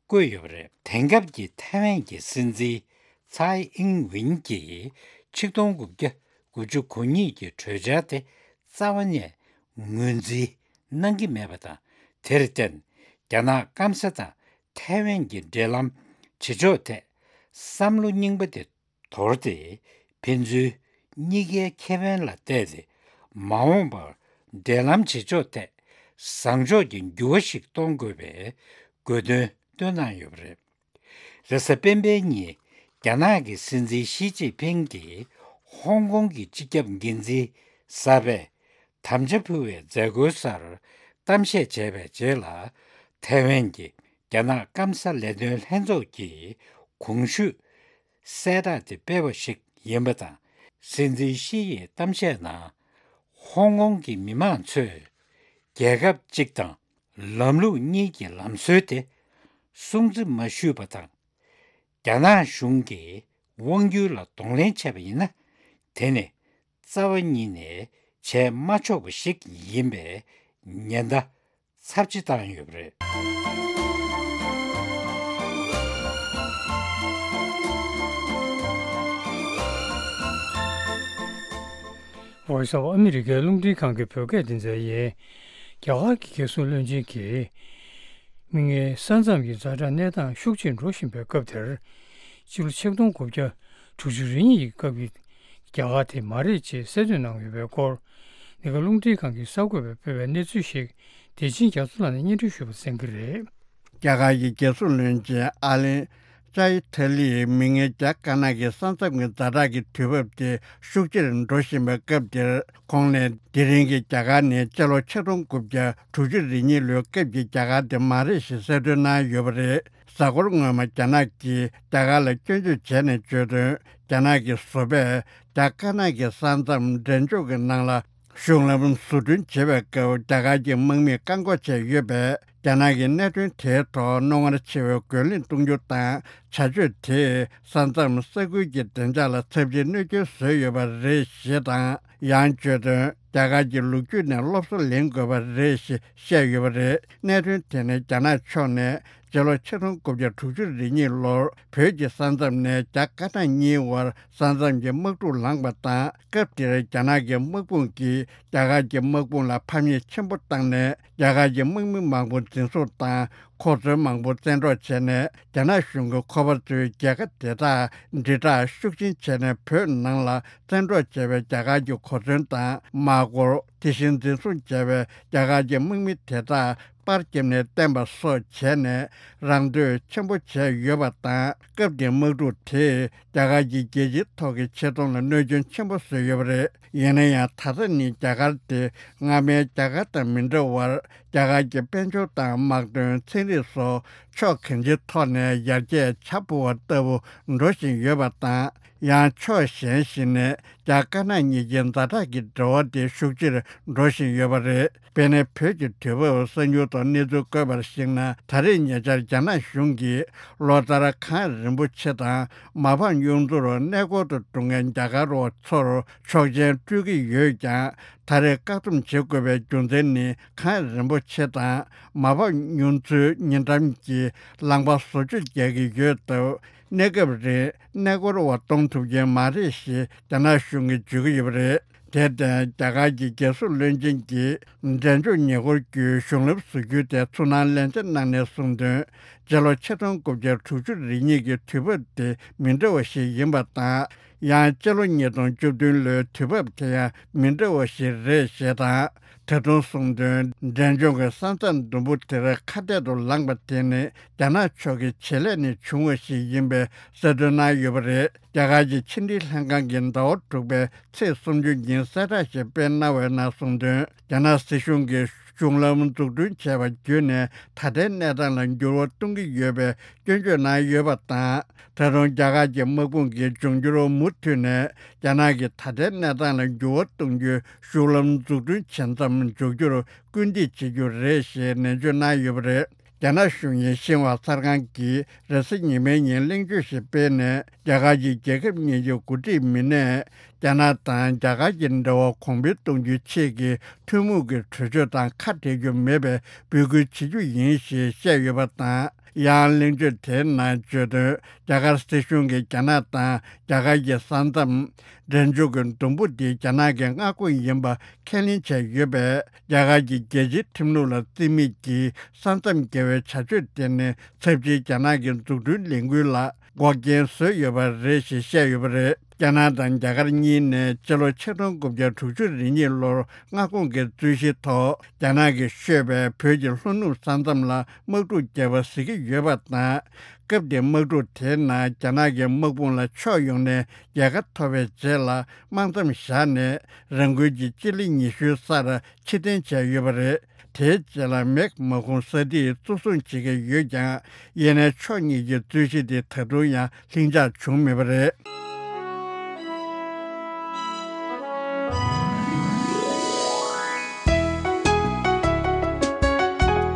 བཀོད་ཡོད་པ་རེད། དེང་སྐབས་ཀྱི་ཐའེ་ཝན་གྱི་སྲིད་འཛིན་ཚའེ་ཨིང་ཝིན་གྱིས་ཆིག་སྟོང་དགུ་བརྒྱ་དགུ་བཅུ་གོ་གཉིས་ཀྱི་གྲོས་འཆར་དེ་རྩ་བ་ནས་ངོས་འཛིན་གནང་གི་མེད་པ་དང་། དེར་བརྟེན་རྒྱ་ནག་སྐམ་ས་དང་ཐའེ་ཝན་གྱི་འབྲེལ་ལམ་བྱེད་ཕྱོགས་ཐད་བསམ་བློ་རྙིང་པ་དེ་དོར་ཏེ། ཕན་ཚུན་གཉིས་ཀའི་ཁེ་ཕན་ལ་བལྟས་ཏེ། མ་འོངས་པར་འབྲེལ་ལམ་བྱེད་ཕྱོགས་ཐད་བཟང་ཕྱོགས་ཀྱི་འགྱུར་བ་ཞིག་གཏོང་དགོས་པའི་དགོས་འདུན་བཏོན་གནང་ཡོད་པ་རེད། རེས་གཟའ་སྤེན་པའི་ཉིན་རྒྱ་ནག་གི་སྲིད་འཛིན་ཞི་ཅིན་ཕིང་གིས་ཧོང་ཀོང་གི་སྤྱི་ཁྱབ་འགན་འཛིན་གསར་པས་དམ་བཅའ་ཕུལ་བའི་མཛད་སྒོའི་སར་གཏམ་བཤད་བྱས་པའི་རྗེས་ལ། ཐའེ་ཝན་གྱི་རྒྱ་ནག་སྐམ་ས་ལས་དོན་ལྷན་ཚོགས་ཀྱི་གོང་ཞུས་གསལ་བསྒྲགས་དེ་སྤེལ་བ་ཞིག་ཡིན་པ་དང་། སྲིད་འཛིན་ཞི་ཡི་གཏམ་བཤད་ནང་། ཧོང་ཀོང་གི་མི་མང་ཚོས་རྒྱལ་ཁབ་གཅིག་དང་ལམ་ལུགས་གཉིས་ཀྱི་ལམ་སྲོལ་དེ་སྲུང་བརྩི་མ་ཞུས་པ་དང་། རྒྱ་ནག་གཞུང་གིས་དབང་སྒྱུར་ལ་གདོང་ལེན་བྱས་པ་ཡིན་ན། དེ་ནི་རྩ་བ་ཉིད་ནས་བྱས་མ་ཆོག་པ་ཞིག་ཡིན་པའི་ཉེན་བརྡ་ཚབས་ཆེ་བཏང་ཡོད་པ་རེད། Voice of America རླུང་འཕྲིན་ཁང་གི་བོད་སྐད་སྡེ་ཚན་ཡིན། རྒྱ་གར་གྱི་རྒྱལ་སྲུང་བློན་ཆེན་གྱིས། མིག་སྔའི་ས་མཚམས་ཀྱི་ཛ་དྲག་གནས་སྟངས་ཤུགས་ཆེར་འགྲོ་བཞིན་པའི་སྐབས་དེར། སྤྱི་ལོ་ཆིག་སྟོང་དགུ་བརྒྱ་དྲུག་ཅུ་རེ་གཉིས་ཀྱི་སྐབས་ཀྱི་རྒྱ་གར་དེ་མ་རེད་ཅེས་གསལ་སྟོན་གནང་ཡོད་པའི་སྐོར། འདི་ག་རླུང་འཕྲིན་ཁང་གི་གསར་འགོད་པས་སྤེལ་བའི་གནས་ཚུལ་ཞིག་བདེ་ཆེན་རྒྱ་མཚོ་ལགས་ནས་སྙན་སྒྲོན་ཞུས་པ་གསན་གྱི་རེད། རྒྱ་གར་གྱི་རྒྱལ་སྲུང་བློན་ཆེན་ཨ་ལན་ཅཱ་ཡི་ཐ་ལིས་མིག་སྔའི་རྒྱ་དཀར་ནག་གི་ས་མཚམས་ཀྱི་ཛ་དྲག་གི་དུས་བབ་དེ་ཤུགས་ཆེར་འགྲོ་བཞིན་པའི་སྐབས་དེར། ཁོང་ནས་དེ་རིང་གི་རྒྱ་གར་ནི་སྤྱི་ལོ་ཆིག་སྟོང་དགུ་བརྒྱ་དྲུག་ཅུ་རེ་གཉིས་ལོའི་སྐབས་ཀྱི་རྒྱ་གར་དེ་མ་རེད་ཞེས་གསལ་སྟོན་གནང་ཡོད་པ་རེད། གཟའ་འཁོར་སྔོན་མ་རྒྱ་ནག་གིས་རྒྱ་གར་ལ་སྐྱོན་བརྗོད་བྱས་ནས་བརྗོད་དོན། རྒྱ་ནག་གི་བཟོ་པས་རྒྱ་དཀར་ནག་གི་ས་མཚམས་འགྲན་ཕྱོགས་ཀྱི་ནང་ལ་གཞུང་ལམ་བཟོ་སྐྲུན་བྱེད་པའི་སྐབས་རྒྱ་གར་གྱི་དམག་མིས་བཀག་འགོག་བྱས་ཡོད་པས། རྒྱ་ནག་གིས་གནད་དོན་དེའི་ཐོག་རྣོ་ངར་ཆེ་བའི་རྒོལ་ལན་གཏོང་རྒྱུ་དང་། བྱ་སྤྱོད་དེས་ས་མཚམས་ས་ཁུལ་གྱི་བདེ་འཇགས་ལ་ཚབས་ཆེའི་གནོད་སྐྱོན་བཟོས་ཡོད་པ་རེད་ཞེས་དང་། ཡང་བརྗོད་དོན། རྒྱ་གར་གྱི་ལོ་རྒྱུས་ནས་སློབ་གསོ་ལེན་དགོས་པ་རེད་ཞེས་བཤད་ཡོད་པ་རེད། གནད་དོན་དེ་ནི་རྒྱ་ནག་ཕྱོགས་ནས་སྤྱི་ལོ་ཆིག་སྟོང་དགུ་བརྒྱ་དྲུག་ཅུ་རེ་གཉིས་ལོར་བོད་ཀྱི་ས་མཚམས་ནས་རྒྱ་དཀར་ནག་གཉིས་དབར་ས་མཚམས་ཀྱི་དམག་འཁྲུག་ལངས་པ་དང་། སྐབས་དེར་རྒྱ་ནག་གི་དམག་དཔུང་གིས་རྒྱ་གར་གྱི་དམག་དཔུང་ལ་ཕམ་ཉེས་ཆེན་པོ་བཏང་ནས། རྒྱ་གར་གྱི་དམག་མི་མང་པོ་འཛིན་བཟུང་དང་། ཁོ་ཚོའི་མང་པོ་བཙན་འཕྲོག་བྱས་ནས། རྒྱ་ནག་གཞུང་གིས་ཁོ་པ་ཚོའི་རྒྱལ་ཁབ་དེ་དག་དྲིལ་བསྒྲགས་ཤུགས་ཆེན་བྱས་ནས། བོད་ནང་ལ་བཙན་འཕྲོག་བྱས་པའི་རྒྱ་གར་གྱི་གོ་མཚོན་དང་། དམག་སྒོར། དེ་བཞིན་འཛིན་བཟུང་བྱས་པའི་རྒྱ་གར་གྱི་དམག་མི་དེ་དག་པར་བརྒྱབ་ནས་བསྟན་པ་སོགས་བྱས་ནས། རང་འདོད་ཆེན་པོ་བྱས་ཡོད་པ་དང་། སྐབས་དེའི་དམག་འཁྲུག་དེས་རྒྱ་གར་གྱི་རྒྱལ་སྤྱིའི་ཐོག་གི་ཆེ་མཐོང་ལ་གནོད་སྐྱོན་ཆེན་པོ་བཟོས་ཡོད་པ་རེད། ཡིན་ན་ཡང་། ད་ལྟ་ནི་རྒྱ་གར་དེ་སྔ་མའི་རྒྱ་གར་དང་མི་འདྲ་བར། རྒྱ་གར་གྱི་དཔལ་འབྱོར་དང་དམག་དོན། ཚན་རིག་སོགས་ཕྱོགས་གང་ཅིའི་ཐོག་ནས་ཡར་རྒྱས་བྱ་འཕུར་བ་ལྟ་བུ་འགྲོ་བཞིན་ཡོད་པ་དང་། ཡང་ཕྱོགས་གཞན་ཞིག་ནས་ རྒྱ་དཀར་ནག་གཉིས་ཀྱི་ཛ་དྲག་གི་འབྲེལ་བ་དེ་ཤུགས་ཆེར་འགྲོ་བཞིན་ཡོད་པ་རེད། དཔེར་ན། བོད་ཀྱི་དུས་བབ་གསར་འགྱུར་ཐོག་གནས་ཚུལ་བཀོད་པར་གཞིགས་ན། ད་རེས་ཉེ་ཆར་རྒྱ་ནག་གཞུང་གིས་ལོ་ལྟར་གངས་རིན་པོ་ཆེ་དང་མ་ཕམ་གཡུ་མཚོར་གནས་སྐོར་དུ་འགྲོ་མཁན་རྒྱ་གར་བ་ཚོར་ཆོག་མཆན་སྤྲོད་ཀྱི་ཡོད་ཀྱང་། ད་རེས་བཀག་སྡོམ་བྱེད་དགོས་པའི་རྒྱུ་མཚན་ནི། གངས་རིན་པོ་ཆེ་དང་མ་ཕམ་གཡུ་མཚོའི་ཉེ་འགྲམ་གྱི་ལམ་ཁ་བཟོ་བཅོས་རྒྱག་གི་ཡོད་སྟབས། གནས་སྐབས་རིང་གནས་སྐོར་བ་གཏོང་ཐུབ་ཀྱི་མ་རེད་ཞེས་རྒྱ་ནག་གཞུང་གིས་བརྗོད་ཀྱི་ཡོད་པ་རེད། དེར་བརྟེན། རྒྱ་གར་གྱི་རྒྱལ་སྲུང་བློན་ཆེན་གྱིས་འབྲས་ལྗོངས་ཉེ་འཁོར་བརྒྱུད་གཞུང་ལམ་བཟོ་རྒྱུ་དེ་ཚུར་སྣང་ལན་ཆ་གནང་ནས་གསུངས་དོན། སྤྱི་ལོ་ཆིག་སྟོང་དགུ་བརྒྱ་དྲུག་ཅུ་རེ་གཉིས་ཀྱི་དུས་བབ་དེ་མི་འདྲ་བ་ཞིག་ཡིན་པ་དང་། ཡང་སྤྱི་ལོ་ཉིས་སྟོང་བཅུ་བདུན་ལོའི་དུས་བབ་དེ་ཡང་མི་འདྲ་བ་ཞིག་རེད་ཞེས་དང་། ད་དུང་གསུངས་དོན། འབྲས་ལྗོངས་ཀྱི་ས་མཚམས་ཟླུམ་པོ་དེར་ཁ་གཏད་དུ་ལངས་པ་དེ་ནི་རྒྱ་ནག་ཕྱོགས་ཀྱི་བྱེད་ལས་ནས་བྱུང་བ་ཞིག་ཡིན་པའི་གསལ་སྟོན་གནང་ཡོད་པ་རེད། རྒྱ་གར་གྱི་ཕྱི་འབྲེལ་ལྷན་ཁང་གིས་ཟླ་བ་དྲུག་པའི་ཚེས་སུམ་ཅུ་ཉིན་གསལ་བསྒྲགས་ཤིག་སྤེལ་གནང་བའི་ནང་གསུངས་དོན། རྒྱ་ནག་སྲིད་གཞུང་གིས་གཞུང་ལམ་འཛུགས་སྐྲུན་བྱས་པ་བརྒྱུད་ནས་ད་ལྟའི་གནས་སྟངས་ལ་འགྱུར་བ་གཏོང་གི་ཡོད་པའི་སྐྱོན་བརྗོད་གནང་ཡོད་པ་དང་། ད་དུང་རྒྱ་གར་གྱི་དམག་དཔུང་གིས་འབྱུང་འགྱུར་མུ་མཐུད་ནས་རྒྱ་ནག་གིས་ད་ལྟའི་གནས་སྟངས་ལ་འགྱུར་བ་གཏོང་རྒྱུའི་གཞུང་ལམ་འཛུགས་སྐྲུན་བྱེད་མཚམས་འཇོག་རྒྱུར་སྐུལ་འདེད་བྱེད་རྒྱུ་རེད་ཞེས་ནན་བརྗོད་གནང་ཡོད་པ་རེད། རྒྱ་ནག་གཞུང་གཉེར་ཤིན་ཧྭ་གསར་ཁང་གིས་རེས་གཟའ་ཉི་མའི་ཉིན་གླེང་བརྗོད་ཞིག་སྤེལ་ནས། རྒྱ་གར་གྱི་རྒྱལ་ཁབ་གཉིས་ཀྱི་འགོ་ཁྲིད་མི་སྣས་རྒྱ་ནག་དང་རྒྱ་གར་གྱི་འབྲེལ་བ་གོང་འཕེལ་གཏོང་རྒྱུའི་ཆེད་ཀྱི་ཐུན་མོང་གི་གྲོས་ཆོད་དང་ཁ་བྲལ་རྒྱུ་མེད་པའི་འབོད་སྐུལ་བྱེད་རྒྱུ་ཡིན་ཞེས་བཤད་ཡོད་པ་དང་། ཡང་གླེང་བརྗོད་དེའི་ནང་བརྗོད་དོན། རྒྱ་གར་སྲིད་གཞུང་གིས་རྒྱ་ནག་དང་རྒྱ་གར་གྱི་ས་མཚམས་འབྲས་ལྗོངས་ཀྱི་ཟླུམ་པོ་འདི་རྒྱ་ནག་གི་མངའ་ཁོངས་ཡིན་པ་ཁས་ལེན་བྱས་ཡོད་པས། རྒྱ་གར་གྱི་རྒྱལ་སྤྱིའི་ཁྲིམས་ལུགས་ལ་བརྩི་མེད་ཀྱིས་ས་མཚམས་འགལ་བའི་བྱ་སྤྱོད་དེ་ནི་ཚབས་ཆེའི་རྒྱ་ནག་གི་འཛུགས་སྐྲུན་ལས་འགུལ་ལ་འགོག་རྐྱེན་བཟོས་ཡོད་པ་རེད་ཞེས་བཤད་ཡོད་པ་རེད། རྒྱ་ནག་དང་རྒྱ་གར་གཉིས་ནས་སྤྱི་ལོ་ཆིག་སྟོང་དགུ་བརྒྱ་དྲུག་ཅུ་རེ་གཉིས་ལོར་མངའ་ཁོངས་ཀྱི་རྩོད་གཞིའི་ཐོག་རྒྱ་ནག་གིས་ཤོད་པའི་བོད་ཀྱི་ལྷོ་ནུབ་ས་མཚམས་ལ་དམག་འཁྲུག་བརྒྱབ་པ་གཟིགས་ཀྱི་ཡོད་པ་དང་། སྐབས་དེའི་དམག་འཁྲུག་དེའི་ནང་རྒྱ་ནག་གི་དམག་དཔུང་ལ་ཕྱོགས་ཡོངས་ནས་རྒྱལ་ཁ་ཐོབ་པའི་རྗེས་ལ། དམག་མཚམས་བཞག་ནས་རང་འགུལ་གྱིས་སྤྱི་ལེ་ཉི་ཤུའི་སར་ཕྱིར་འཐེན་བྱས་ཡོད་པ་རེད། དེའི་རྗེས་ལ་མེག་དམག་དཔུང་ས་ཐིག་གཙོ་བཟུང་བྱེད་ཀྱི་ཡོད་ཀྱང་། ཡིན་ནའི་ཕྱོགས་གཉིས་ཀྱི་རྩོད་གཞི་དེ་ད་དུང་ཡང་ལྷིང་འཇགས་བྱུང་མེད་པ་རེད།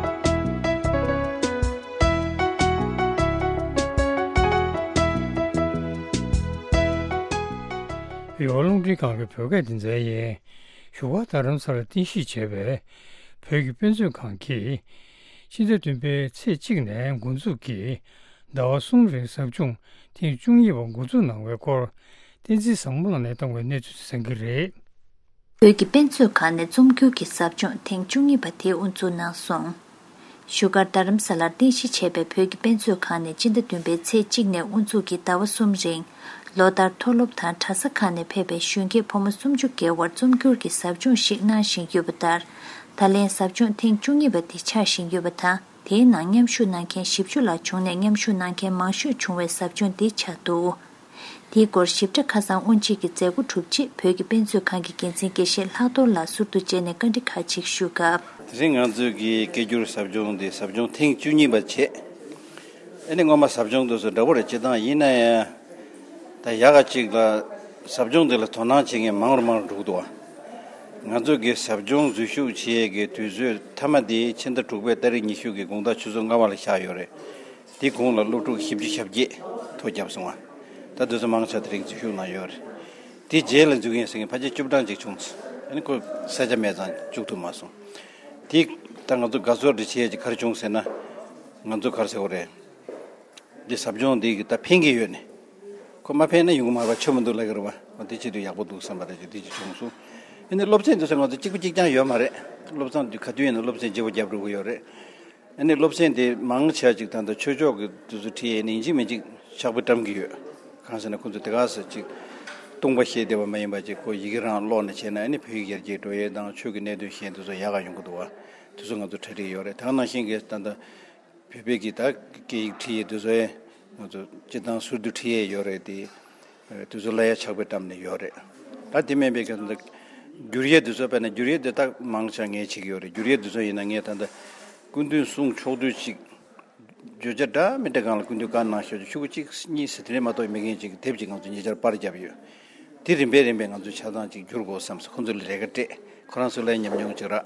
རེ་བ་རླུང་འཕྲིན་ཁང་གི་བོད་སྐད་སྡེ་ཚན་ཡིན། བཞུགས་སྒར་རྡ་རམ་ས་ལར་རྟེན་གཞི་བྱས་པའི་བོད་ཀྱི་དཔེ་མཛོད་ཁང་གིས། ཕྱི་ཟླ་བདུན་པའི་ཚེས་གཅིག་ནས་འགོ་འཛུགས་ཀྱིས་ཟླ་བ་གསུམ་རིང་ཟབ་སྦྱོང་ཐེངས་བཅུ་གཉིས་པ་འགོ་འཛུགས་གནང་བའི་སྐོར། བསྟན་འཛིན་བཟང་མོ་ལགས་ནས་བཏང་བའི་གནས་ཚུལ་གསན་གྱི་རེད། བོད་ཀྱི་དཔེ་མཛོད་ཁང་ནས་རྩོམ་སྒྱུར་གྱི་ཟབ་སྦྱོང་ཐེངས་བཅུ་གཉིས་པ་དེ་དབུ་འཛུགས་གནང་སོང་། བཞུགས་སྒར་རྡ་རམ་ས་ལར་རྟེན་གཞི་བྱས་པའི་བོད་ཀྱི་དཔེ་མཛོད་ཁང་ནས་སྤྱི་ཟླ་བདུན་པའི་ཚེས་གཅིག་ནས་དབུ་འཛུགས་ཀྱིས་ཟླ་བ་གསུམ་རིང་། ལོ་ལྟར་མཐོ་སློབ་དང་གྲྭ་ས་ཁག་ནས་ཕེབས་པའི་གཞོན་སྐྱེས་ཕོ་མོ་སུམ་ཅུ་བརྒལ་བར་རྩོམ་སྒྱུར་གྱི་ཟབ་སྦྱོང་ཞིག་གནང་བཞིན་ཡོད་པ་ལྟར། ད་ལན་ཟབ་སྦྱོང་ཐེངས་བཅུ་གཉིས་པ་འདི་ཆགས་བཞིན་ཡོད་པ་དང་། དེའི་ནང་མཉམ་ཞུགས་གནང་མཁན་བཞི་བཅུ་ལྷག་བྱུང་ནས། མཉམ་ཞུགས་གནང་མཁན་མང་ཤོས་བྱུང་བའི་ཟབ་སྦྱོང་འདི་ཆགས་འདུག། དེའི་སྐོར་ཞིབ་ཕྲ་ཁ་སང་དབུ་འབྱེད་ཀྱི་མཛད་སྒོ་གྲུབ་རྗེས། བོད་ཀྱི་དཔེ་མཛོད་ཁང་གི་འགན་འཛིན་དགེ་བཤེས་ལྷག་རྡོར་ལགས་ཟུར་དུ་མཇལ་ནས་བཀའ་འདྲི་ཁག་ཅིག་ཞུས་སྐབས། དེ་རིང་ང་ཚོའི་གི་སྐད་སྒྱུར་ཟབ་སྦྱོང་འདི་ཟབ་སྦྱོང་ཐེངས་བཅུ་གཉིས་པ་བྱས། ཨ་ནི་སྔོན་མ་ཟབ་སྦྱོང་དེ་ཚོ་འདྲ་པོ་རེད། སྤྱིར་བཏང་ཡིན་ན་ཡང་། ད་ཡག་ག་ཅིག་ལ་ཟབ་སྦྱོང་འདི་ལ་དོ་སྣང་བྱེད་མཁན་མང་རུ་མང་རུ་འགྲོ་གི་འདུག་བ། ང་ཚོ་གི་ཟབ་སྦྱོང་འཛུལ་ཞུགས་བྱེད་ཡས་ཀྱི་དུས་ཚོད་མཐའ་མ་དེ་ཕྱི་ཟླ་དྲུག་པའི་ཏ་རིག་ཉི་ཤུ་གི་དགོང་དག་ཆུ་ཚོད་ལྔ་པ་ལ་བཞག་ཡོད་རེད། དེ་གོང་ལ་སློབ་ཕྲུག་བཞི་བཅུ་ཞེ་བརྒྱད་ཐོ་བརྒྱབ་སོང་བ། ད་དེ་ཚོ་མང་ཆེ་དེ་རིང་འཛུལ་ཞུགས་གནང་ཡོད་རེད། དེ་རྗེས་ལ་འཛུལ་མཁན་ཟེར་མཁན་ཕལ་ཆེར་བཅུ་གྲངས་ཅིག་བྱུང་སོང་། ཨ་ནི་ཁོ་ས་ཆ་མེད་ཙང་བཅུག་ཐུབ་མ་སོང་། དེ་ད་ང་ཚོ་དགའ་ཚོར་དེ་བྱེད་ཡས་ཀྱི་ག་རེ་བྱུང་ཟེར་ན། ང་ཚོ་ག་རེ་ཟེར་དགོས་རེད། འདི་ཟབ་སྦྱོང་འདི་གི་ད་ཕན་གྱི་ཡོད་ནི། ཁོ་མ་ཕན་ན་ཡོང་གི་མ་རེད་པ། ཆོ་མི་འདུག་ལབ་ཀྱི་རེད་པ། འོ་འདི་བྱེད་དུས་ཡག་པོ་འདུག་བསམ་པ་རེད། ཅིག་འདི་ཅིག་བྱུང་སོང་། ཨ་ནི་སློབ་ཚན་འདི་ཚོ་ང་ཚོ་གཅིག་པ་གཅིག་རྐྱང་ཡོད་མ་རེད། སློབ་ཚན་འདི་ག་དུས་ཡིན་ན་སློབ་ཚན་བརྗེ་པོ་རྒྱབ་འགྲོ་གི་ཡོད་རེད། ཨ་ནི་སློབ་ཚན་འདི་མང་ཆེ་ཅིག་ད་ལྟ་ཆོས་ཕྱོགས་ཀྱི་འདི་ཚོ་ཁྲིད་ཡས་ནི་ཡིན་གཅིག་མིན་གཅིག་ཕྱག་དཔེ་བཀྲམ་གྱི་ཡོད། གང་ཟེར་ན་ཁོ་ཚོ་དེ་ག་ས་ཅིག་སྟོང་པ་བཤད་བསྡད་པ་མ་ཡིན་པ་ཅིག་ཁོ་ཡི་གེ་རང་ཀློག་ནས་བྱས་ན། ཨ་ནི་བོད་ཡིག་ཡར་རྒྱས་འགྲོ་ཡས་དང་ཆོས་ཀྱི་གནད་དོན་བཤད་འདི་ཚོ་ཡག་ག་ཡོང་གི་འདུག་བ། དེ་ཚོ་ང་ཚོ་གྲ་སྒྲིག་ཡོད་རེད། ད་ག་ནང་བཞིན་གྱི་ད་ལྟ་བོད་པའི་གི་ད་སྐད་ཡིག་ཁྲིད་ཡས་དེ་ཚོ་ཡང་ང་ཚོ་སྤྱིར་བཏང་ཟུར་དུ་ཁྲིད་ཡས་ཡོད་རེད་དེ། དེ་ཚོ་ལ་ཡ་ཕྱག་དཔེ་བཀྲམ་ནས་ཡོད་རེད། ད་དེ་མིན་པའི་གི་ད་བསྒྱུར་ཡས་དེ་ཚོ་དཔེར་ན་བསྒྱུར་ཡས་དེ་དག་མང་ཆེ་ངས་བྱེད་ཀྱི་ཡོད་རེད། བསྒྱུར་ཡས་དེ་ཚོ་ཡིན་ན་ངས་ད་ལྟ་སྐུ་མདུན་གསུང་ཕྱོགས་བསྡུས་ཅིག་བརྗོད་བྱ་འདྲ་མི་འདྲ་སྒང་ལ་སྐུ་མདུན་བཀའ་གནང་ཤོག་ཅིག་ཤོག་གུ་གཅིག་གཉིས་ཟེར་དེ་འདྲ་མ་གཏོགས་མེད་མཁན་ཅིག་གི་དེབ་ཅིག་ང་ཚོ་ཉེ་ཆར་པར་བརྒྱབ་ཡོད། དེ་རིམ་པས་རིམ་པས་ང་ཚོས་ཆ་ཚང་ཅིག་བསྒྱུར་དགོས་བསམ་སོང་། ཁོང་ཚོ་ལ་རེ་ཁ་སྤྲད། ཁོ་རང་ཚོ་ལ་ཉམས་མྱོང་ཅིག་རག་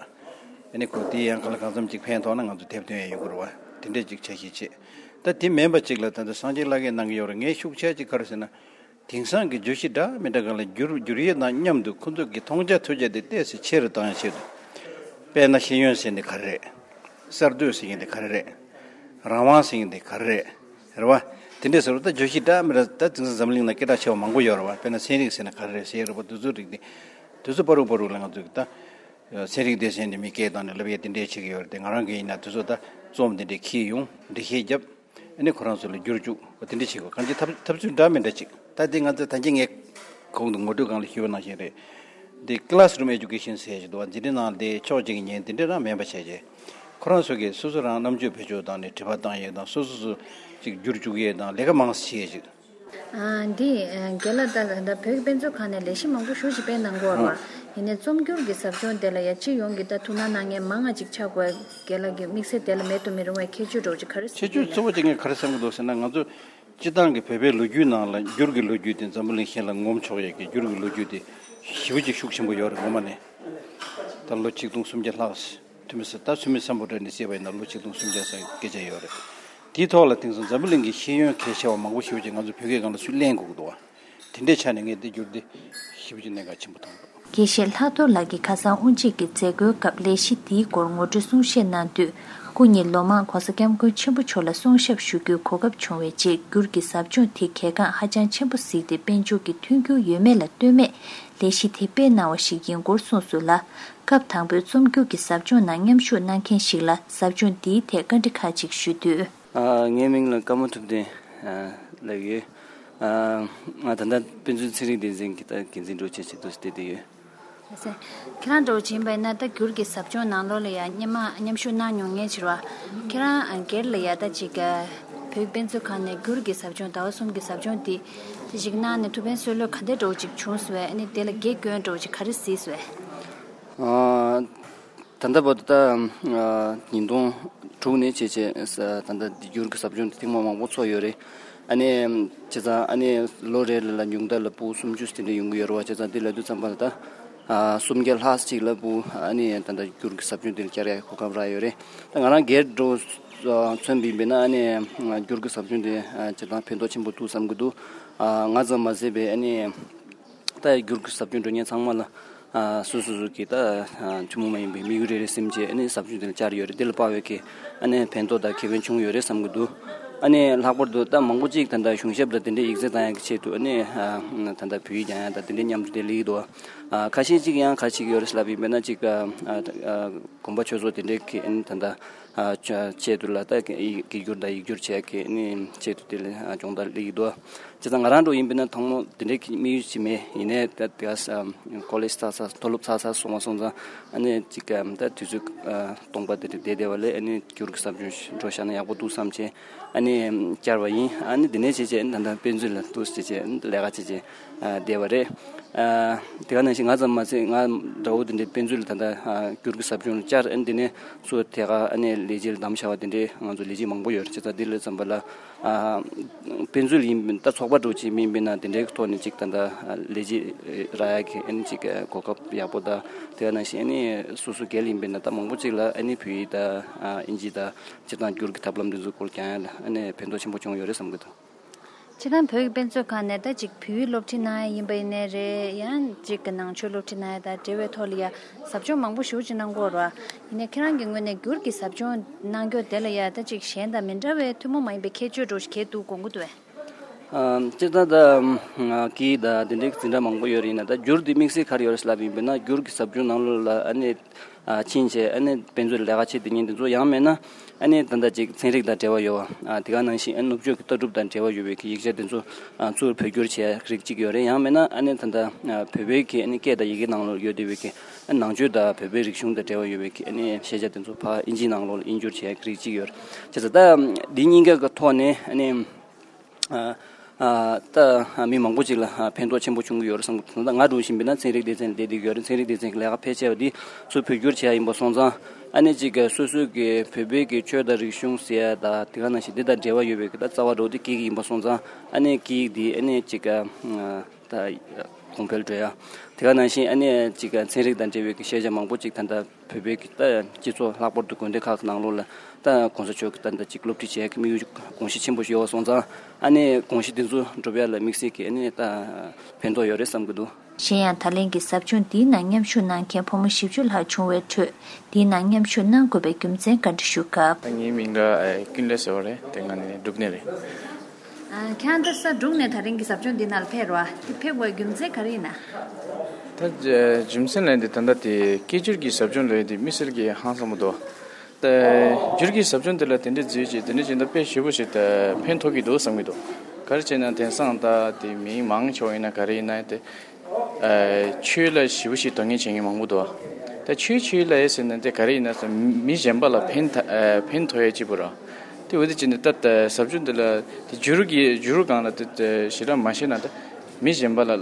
ཨ་ནི་ཁོ་དེ་ཡང་གང་ལ་གང་འཚམ་ཅིག་ཕན་ཐོགས་ན་ང་ཚོ་དེབ་ཐོན་ཡང་ཡོང་གི་རེད་བ། དེ་འདྲས་ཅིག་ཆ་ཤས་བྱེད། ད་དེ་མིན་པ་ཅིག་ལ་ད་ལྟ་སངས་རྒྱས་ལྷ་སྐལ་གནང་གི་ཡོད་རེད། ངས་ཤུགས་ཆེ་ཅིག་ག་རེ་ཟེར་ན། དེང་སང་གི་བརྗོད་གཞི་འདྲ་མི་འདྲ་སྒང་ལ་བསྒྱུར་བསྒྱུར་ཡས་དང་མཉམ་དུ་ཁོ་ཚོ་གི་མཐོང་རྒྱ་ཐོས་རྒྱ་དེ་ཏོག་ཙམ་ཆེ་རུ་བཏང་ཡ་ཆེད་དུ། དཔེར་ན་ཤེས་ཡོན་ཟེར་འདི་ག་རེ་རེད། གསར་གཏོད་ཟེར་མཁན་འདི་ག་རེ་རེད། རང་དབང་ཟེར་མཁན་འདི་ག་རེ་རེད། རེད་བ། དེ་འདྲས་ཟེར་བ་ད་བརྗོད་གཞི་འདྲ་མི་འདྲ་ད་དེང་སང་འཛམ་གླིང་ན་སྐད་གྲགས་ཆེ་བ་མང་པོ་ཡོད་རེད་བ། དཔེར་ན་ཚན་རིག་ཟེར་ན་ག་རེ་རེད་ཟེར་རེད་བ། དེ་ཚོ་རིགས་དེ། དེ་ཚོ་པ་རུ་པ་རུ་ལ་ང་ཚོ་གི་ད། ཚན་རིག་སྡེ་ཚན་འདི་མི་སྐད་བཏང་ནས་ལབ་ཡས་དེ་འདྲས་བྱེད་ཀྱི་ཡོད་རེད་དེ། ང་རང་གི་ཡིན་ན་དེ་ཚོ་ད་རྩོམ་དེ་འདྲས་འཁྱེར་ཡོང་འགྲེལ་བཤད་བརྒྱབ། ཨ་ནི་ཁོ་རང་ཚོ་ལ་བསྒྱུར་བཅུག་པ་དེ་འདྲ་བྱེད་དགོས། གང་ཅི་ཐབས་ཐབས་ཚུལ་འདྲ་མི་འདྲ་ཅིག་ད་དེ་ང་ཚོ་ད་གིན་ངས་གོང་དུ་ངོ་སྤྲོད་སྒང་ལ་ཞུས་པ་ནང་བཞིན་རེད། འདི་classroom education ཟེར་ཞིག་འདུག་བ། འཛིན་གྲྭའི་ནང་དེ་ཕྱོགས་གཅིག་ཉན་དེ་འདྲ་རང་མེད་པ་བྱས་རྗེས། ཁོ་རང་ཚོ་གིས་སོ་སོ་རང་རྣམ་དཔྱོད་བེད་སྤྱོད་བཏང་ནས་དྲི་བ་བཏང་ཡས་དང་སོ་སོ་སོ་ཅིག་བསྒྱུར་བཅུག་ཡས་དང་ལས་ཀ་མང་ཙམ་བྱེད་ཡས་ཅིག་ཨ། འདི་ཨ། རྒན་ལགས། ད་ད་ལྟ་བོད་ཀྱི་དཔེ་མཛོད་ཁང་ནས་ལས་གཞི་མང་པོ་ཞེ་ཅིག་སྤེལ་གནང་གི་ཡོད་རེད་བ། ཡིན་ནའི་རྩོམ་སྒྱུར་གྱི་ཟབ་སྦྱོང་དེ་ལ་ཡ་སྤྱི་ཡོངས་ཀྱི་ད་ཐུགས་སྣང་གནང་མཁན་མང་ང་ཅིག་ཆགས་དགོས། རྒན་ལགས་ཀྱི་དམིགས་བསལ་དེ་ལ་མེད་དུ་མི་རུང་བའི་ཁྱད་ཆོས་འདྲ་བོ་ཅིག་ག་རེ་ཁྱད་ཆོས་གཙོ་བོ་ཅིག་ངས་ག་རེ་བསམ་གྱི་འདུག་ཟེར་ན། ང་ཚོ་སྤྱི་བཏང་གི་བོད་པའི་ལོ་རྒྱུས་ནང་ལ་འགྱུར་གྱི་ལོ་རྒྱུས་དེ་འཛམ་བུ་གླིང་གཞན་ལ་ངོམ་ཆོག་ཡས་ཀྱི་འགྱུར་གྱི་ལོ་རྒྱུས་དེ་ཞེ་པོ་ཅིག་ཤུགས་ཆེན་པོ་ཡོད་རེད། ངོ་མ་ནས་ད་ལོ་ཆིག་སྟོང་སུམ་བརྒྱ་ལྷག་ཐུ་མི་ས་ད་ཐུ་མི་སམ་བྷོ་ཊ་ནས་བཤད་པ་ཡིན་ན་ལོ་ཆིག་སྟོང་སུམ་བརྒྱ་ཙམ་སྐད་ཆ་ཡོད་རེད། དེའི་ཐོག་ལ་དེང་སང་འཛམ་བུ་གླིང་གི་ཤེས་ཡོན་གལ་ཆེ་བ་མང་པོ་ཞེ་པོ་ཅིག་ང་ཚོ་བོད་སྐད་སྒང་ལ་ཚུར་ལེན་དགོས་ཀྱི་འདུག་བ། དེ་འདྲའི་ཆ་ནས་ངས་འདི་བསྒྱུར་ཏེ་ཞེ་པོ་ཅིག་གནད་འགག་ཆེན་པོ་མཐོང་འདུག་དགེ་བཤེས་ལྷག་རྡོར་ལགས་ཀྱིས་ཁ་སང་དབུ་འབྱེད་ཀྱི་མཛད་སྒོའི་སྐབས་ལས་གཞི་འདིའི་སྐོར་ངོ་སྤྲོད་གསུང་བཤད་གནང་དུས། སྐུ་ཉིད་ལོ་མང་༸གོང་ས་༸སྐྱབས་མགོན་ཆེན་པོ་མཆོག་ལ་གསུང་ཞབས་ཞུ་རྒྱུའི་གོ་སྐབས་བྱུང་བའི་རྗེས། འགྱུར་གྱི་ཟབ་སྦྱོང་དེ་གལ་འགངས་ཧ་ཅང་ཆེན་པོ་གཟིགས་ཏེ། དཔལ་འབྱོར་གྱི་མཐུན་འགྱུར་ཡོད་མེད་ལ་ལྟོས་མེད་ལས་གཞི་དེ་སྤེལ་གནང་བ་ཞིག་ཡིན་སྐོར་གསུངས་སོང་ལ། སྐབས་དང་པོའི་རྩོམ་སྒྱུར་གྱི་ཟབ་སྦྱོང་ནང་མཉམ་ཞུགས་གནང་མཁན་ཞིག་ལ་ཟབ་སྦྱོང་འདིའི་ཐད་བཀའ་འདྲི་ཁག་ཅིག་ཞུས་དུས། ཨ། ངའི་མིང་ལ་ཀརྨ་ཐུབ་བསྟན་ལབ་ཡོད། ཨ། ང་ད་ལྟ་དཔེ་མཛོད་ཚན་རིག་སྡེ་ཚན་གྱི་ད་འགན་འཛིན་འདྲ་བོ་བྱས་བྱས་འདུག་སེ་བསྡད་བསྡད་ཡོད། ལགས་སོ། ཁྱེད་རང་འདྲ་བོ་བྱས་པ་ཡིན་ན་ད་འགྱུར་གྱི་ཟབ་སྦྱོང་ནང་ལོགས་ལ་ཡ་སྔོན་མ་མཉམ་ཞུགས་གནང་མྱོང་མཁན་ཅིག་རེད་བ། ཁྱེད་རང་སྒེར་ལ་ཡ་ད་ཅིག་བོད་དཔེ་མཛོད་ཁང་ནས་འགྱུར་གྱི་ཟབ་སྦྱོང་ཟླ་བ་གསུམ་གྱི་ཟབ་སྦྱོང་འདི་ཅིག་གནང་ནས་ཐུགས་ཕན་གསོས་ལོས་ག་འདྲ་འདྲ་བོ་ཅིག་བྱུང་སོང་བས། ཨ་ནི་དེ་ལ་དགེ་སྐྱོན་འདྲ་བོ་ཅིག་ག་རེ་གཟིགས་སོང་བས། ཨ། ད་ལྟ་བར་དུ་ད་ཉིས་སྟོང་དྲུག་ནས་བྱས་བྱས་ད་ལྟ་འདི་འགྱུར་གྱི་ཟབ་སྦྱོང་དེ་ཐེངས་མ་མང་པོ་ཚོགས་ཡོད་རེད། ཨ་ནི་བྱས་ཙང་ཨ་ནི་ལོ་རེ་ལ་ཉུང་མཐའ་ལ་ཕྲུ་གུ་སུམ་ཅུ་དེ་འདྲ་ཡོང་གི་ཡོད་རེད་བ། བྱས་ཙང་དེ་ལབ་དུས་ཙམ་པ་ལ་ད་སུམ་བརྒྱ་ལྷག་ཅིག་ལ་ཕྲུ་གུ་ཨ་ནི་ད་ལྟ་འགྱུར་གྱི་ཟབ་སྦྱོང་དེ་ལ་བཅར་ཡག་གོ་སྐབས་རག་ཡོད་རེད། ད་ང་རང་སྒེར་འདྲ་བོ་མཚོན་པ་ཡིན་པ་ཡིན་ན། ཨ་ནི་འགྱུར་གྱི་ཟབ་སྦྱོང་དེ་བྱས་ཙང་ཕན་ཐོགས་ཆེན་པོ་འདུག་བསམ་གྱི་འདུག་ང་ཙམ་མ་ཟད་པའི་ཨ་ནི། ད་འགྱུར་གྱི་ཟབ་སྦྱོང་འགྲོ་མཁན་ཚང་མ་ལ་ཨ་སོ་སོ་སོ་གི་ད་ཨ་ཐུན་མོང་མ་ཡིན་པའི་དམིགས་ཡུལ་རེ་རེ་སེམས་བྱས་ཨ་ནི་ཟབ་སྦྱོང་དེ་ལ་བཅར་ཡོད་རེད། དེ་ལ་དཔག་པའི་གི་ཨ་ནི་ཕན་ཐོགས་དང་ཁེ་ཕན་བྱུང་ཡོད་རེད་བསམ་གྱི་འདུག་ཨ་ནི་ལྷག་པར་དུ་ད་མང་པོ་ཅིག་ད་ལྟ་གཞུང་ཞབས་དང་དེ་འདྲའི་ཡིག་ཚད་བཏང་ཡག་གི་ཆེད་དུ་ཨ་ནི་ཨ་ད་ལྟ་བོད་ཡིག་སྦྱང་ཡག་དང་དེ་འདྲའི་མཉམ་དུ་དེ་སླེབས་ཀྱི་འདུག་ཨ་ཁ་ཤས་ཅིག་ཡང་ག་རེ་བྱེད་ཀྱི་ཡོད་རེད་ལབ་ཡིན་པ་ཡིན་ན། ཅིག་ཨ་ཨ་དགོན་པ་ཆོས་ཚོགས་དེ་འདྲའི་གི་ཨ་ནི་ད་ལྟ་ཨ་ཆ་ཆེད་དུ་ལ་ད་ཡི་ཡིག་སྒྱུར་དང་ཡིག་སྒྱུར་བྱེད་ཀྱི་ཨ་ནི་ཆེད་དུ་དེ་ལ་ཨ་སྦྱོང་བརྡར་སླེབས་ཀྱི་འདུག་བྱས་ཙང་ང་རང་འདྲ་བོ་ཡིན་པ་ཡིན་ན་ཐོག་མ་དེ་འདྲའི་གི་དམིགས་ཡུལ་ཅིག་མེད། ཡིན་ནའི་ད་དེ་ག་ས་ཀོ་ལེཇ་ཚར་ཚར་མཐོ་སློབ་ཚར་ཚར་སོང་བ་སོང་ཙང་ཨ་ནི་ཅིག་ད་དུས་ཚོད་སྟོང་པ་དེ་འདྲ་བསྡད་བསྡད་པ་ལས་ཨ་ནི་འགྱུར་གྱི་ཟབ་སྦྱོང་འགྲོ་བཞག་ན་ཡག་པོ་འདུག་བསམ་བྱས་ཨ་ནི་བཅར་བ་ཡིན། ཨ་ནི་དེ་ནས་བྱས་བྱས་ཨ་ནི་ད་ལྟ་དཔེ་མཛོད་ལ་འདུག་བྱས་བྱས་ཨ་ནི་ལས་ཀ་བྱས་བྱས་བསྡད་པ་རེད། དེ་ག་ནང་བཞིན་ང་ཙམ་མ་ཟད་ང་འདྲ་བོ་དེ་འདྲའི་དཔེ་མཛོད་ལ་ད་ལྟ་འགྱུར་གྱི་ཟབ་སྦྱོང་ལ་བཅར། ཨ་ནི་དེ་ནས་སུ་དེ་ག་ཨ་ནི་ལས་བྱེད་ལ་བདམས་བཞག་པ་དེ་འདྲའི་ང་ཚོ་ལས་བྱེད་མང་པོ་ཡོད་རེད། བྱས་ཙང་འདི་ལ་ཙམ་པ་ལ་དཔེ་མཛོད་ཡིན་ད་ཚོགས་པ་འདྲ་བོ་ཅིག་མིན་པས་ན་དེ་འདྲའི་ཐོག་ནས་ཅིག་ད་ལྟ་ལས་བྱེད་རག་ཡག་གི་ཨ་ནི་ཅིག་གོ་སྐབས་ཡག་པོ་དང་། དེ་ག་ནང་བཞིན་ཨ་ནི་སོ་སོ་སྒེར་ཡིན་པས་ན་ད་མང་པོ་ཅིག་ལ་ཨ་ནི་བོད་ཡིག་དང་ཨིན་ཇི་དང་སྤྱིར་བཏང་འགྱུར་གྱི་ཐབས་ལམ་འདི་ཚོ་སྐོར་སྦྱང་ཡག་ལ་ཨ་ནི་ཕན་ཐོགས་ཆེན་པོ་བྱུང་ཡོད་རེད་བསམ་གྱི་འདུག་སྤྱིར་བཏང་བོད་ཀྱི་དཔེ་མཛོད་ཁང་ནས་ད་ཅིག་བོད་ཡིག་སློབ་ཁྲིད་གནང་ཡ་ཡིན་པ་ཡིན་ནའི་རེད། ཡང་ཅིག་གི་ནང་ཆོས་སློབ་ཁྲིད་གནང་ཡ་དང་འབྲེལ་བའི་ཐོག་ལ་ཡ་ཟབ་སྦྱོང་མང་པོ་ཞེ་པོ་ཅིག་གནང་གི་ཡོད་རེད་བ། ཡིན་ནའི་ཁྱེད་རང་གི་ངོས་ནས་འགྱུར་གྱི་ཟབ་སྦྱོང་གནང་རྒྱུ་དེ་ལ་ཡ་ད་ཅིག་གཞན་དང་མི་འདྲ་བའི་ཐུན་མོང་མ་ཡིན་པའི་ཁྱད་ཆོས་འདྲ་བོ་ཞིག་གས་འདུག་དགོངས་ཀྱི་འདུག་བས། ཨ། སྤྱིར་བཏང་ད་སྐད་ཡིག་དང་དེ་འདྲའི་འཛིན་གྲྭ་མང་པོ་ཡོད་རེད། ཡིན་ན་ད་འགྱུར་དེ་དམིགས་བསལ་ག་རེ་ཡོད་རེད་ལབ་ཡིན་པས་ན། འགྱུར་གྱི་ཟབ་སྦྱོང་ནང་ལོགས་ལ་ཨ་ནི། ཨ། ཕྱིན་བྱས་ཨ་ནི་དཔེ་མཛོད་ལས་ཀ་བྱེད་དེ་ཉིན་དེ་ཚོ། ཡང་མིན་ན་ཨ་ནི་ད་ལྟ་ཅིག་ཚན་རིག་དང་འབྲེལ་བ་ཡོད་པ། ཨ། དེ་ག་ནང་བཞིན་ཨ་ནི་ནུབ་ཕྱོགས་ཀྱི་ལྟ་གྲུབ་དང་འབྲེལ་བ་ཡོད་པའི་གི་ཡིག་ཆ་དེ་ཚོ། ཨ། ཚུར་བོད་བསྒྱུར་བྱེད་ཡ་རིགས་གཅིག་ཡོད་རེད། ཡང་མིན་ན་ཨ་ནི་ད་ལྟ། ཨ། བོད་པའི་གི་ཨ་ནི་སྐད་དང་ཡི་གེ་ནང་ལོགས་ཡོད་བསྡད་པའི་གི། ཨ། ནང་ཆོས་དང་བོད་པའི་རིག་གཞུང་དང་འབྲེལ་བ་ཡོད་པའི་གི་ཨ་ནི་ཤེས་བྱ་དེ་ཚོ་ཕར་ཨིན་ཇིའི་ནང་ལོགས་ལ་དབྱིན་བསྒྱུར་བྱེད་ཡ་རིགས་གཅིག་ཡོད་རེད། བྱས་ཙང་ད་འདི་གཉིས་ཀ་གི་ཐོག་ནས་ཨ་ནི། ཨ། ཨ། ད་མི་མང་པོ་ཅིག་ལ་ཕན་ཐོགས་ཆེན་པོ་བྱུང་གི་ཡོད་རེད་བསམ་གྱི་འདུག་ད་ང་འདྲ་བོ་ཡིན་པས་ན་ཚན་རིག་སྡེ་ཚན་ལ་བསྡད་བསྡད་ཀྱི་ཡོད་རེད། ཚན་རིག་སྡེ་ཚན་གྱི་ལས་ཀ་ཕལ་ཆེ་བ་འདི་ཚུར་བོད་བསྒྱུར་བྱེད་ཡ་ཡིན་པ་སོང་ཙང་། ཨ་ནི་ཅིག་སོ་སོའི་གི་བོད་པའི་གི་ཆོས་དང་རིག་གཞུང་ཟེར་ཡ་དང་དེ་ག་ནང་བཞིན་འདི་དང་འབྲེལ་བ་ཡོད་པའི་གི་ད་རྩ་བ་འདྲ་བོ་འདི་སྐད་ཡིག་ཡིན་པ་སོང་ཙང་། ཨ་ནི་སྐད་ཡིག་འདི་ཨ་ནི་ཅིག་ད་ གོང་འཕེལ་འགྲོ་ཡ། དེ་ག་ནང་བཞིན་ཨ་ནི་ཅིག་ཚན་རིག་དང་འབྲེལ་བའི་གི་ཤེས་བྱ་མང་པོ་ཅིག་ད་ལྟ་བོད་པའི་གི་ད་སྤྱི་ཚོགས་ལྷག་པར་དུ་དགོན་སྡེ་ཁག་གི་ནང་ལོགས་ལ་ད་གོང་ས་མཆོག་གི་ད་ལྟ་ཅིག་སློབ་ཁྲིད་བྱེད་ཡ་གི་དམིགས་ཡུལ་དགོངས་གཞི་ཆེན་པོ་ཞིག་ཡོད་པ་སོང་ཙང་ཨ་ནི་དགོངས་གཞི་འདི་ཚོ་འགྲུབ་ཡ་ལ་དམིགས་བསལ་གི་ཨ་ནི་ད་ཕན་ཐོགས་ཡོད་རེད་བསམ་གི་འདུག། གཞན་ཡང་ད་ལན་གྱི་ཟབ་སྦྱོང་འདིའི་ནང་མཉམ་ཞུགས་གནང་མཁན་ཕོ་མོ་བཞི་བཅུ་ལྷག་བྱུང་བའི་ཁྲོད་འདིའི་ནང་མཉམ་ཞུགས་གནང་དགོས་པའི་རྒྱུ་མཚན་བཀའ་འདྲི་ཞུ་སྐབས། ངའི་མིང་ལ་ཀུན་ལེགས་ཟེར་བ་རེད། དེ་སྔ་ནས་འབྲུག་ནས་རེད། ཁྱེད་རང་ད་ས་འབྲུག་ནས་ད་རིང་གི་ཟབ་སྦྱོང་འདི་ནང་ལ་ཕེབས་རོགས། འདི་ཕེབས་དགོས་རྒྱུ་མཚན་ག་རེ་ཡིན་ན། ད་རྒྱུ་མཚན་ལས་འདི་ད་ལྟ་དེ་སྐད་སྒྱུར་གྱི་ཟབ་སྦྱོང་ལས་འདི་དམིགས་བསལ་གྱི་ཧང་སང་པོ་འདུག། ད་སྒྱུར་གྱི་ཟབ་སྦྱོང་དེ་ལ་དེ་འདྲའི་འཛུལ་བྱས་དེ་འདྲའི་བྱས་ན་དཔེ་ཞེ་པོ་ཞིག་ད་ཕན་ཐོགས་ཀྱི་འདུག་བསམ་གྱི་འདུག། ག་རེ་བྱས་ན་དེང་སང་ད་དེ་མི་མང་ཆེ་བ་ཡིན་ན་ག་རེ་ཡིན་ན་དེ་ཆོས་ལ་ཞེ་པོ་ཞིག་དོ་སྣང་བྱེད་མཁན་མང་པོ་འདུག། ད་ཆོས་ཆོས་ལ་ཡེ་ཟེར་ན་དེ་ག་རེ་ཡིན་ན་ཟེར་མི་གཞན་པ་ལ་ཕན་ཐོགས་ཕན་ཐོགས་ཡ་གཅིག་པུ་རེད། དེ་འོ་དེ་བྱས་ནས་ད་ཟབ་སྦྱོང་དེ་ལ་དེ་སྒྱུར་གྱི་སྒྱུར་སྒང་ལ་དེ་ཞེ་དྲག་མ་ཤེས་ན་ད་མི་གཞན་པ་ལ་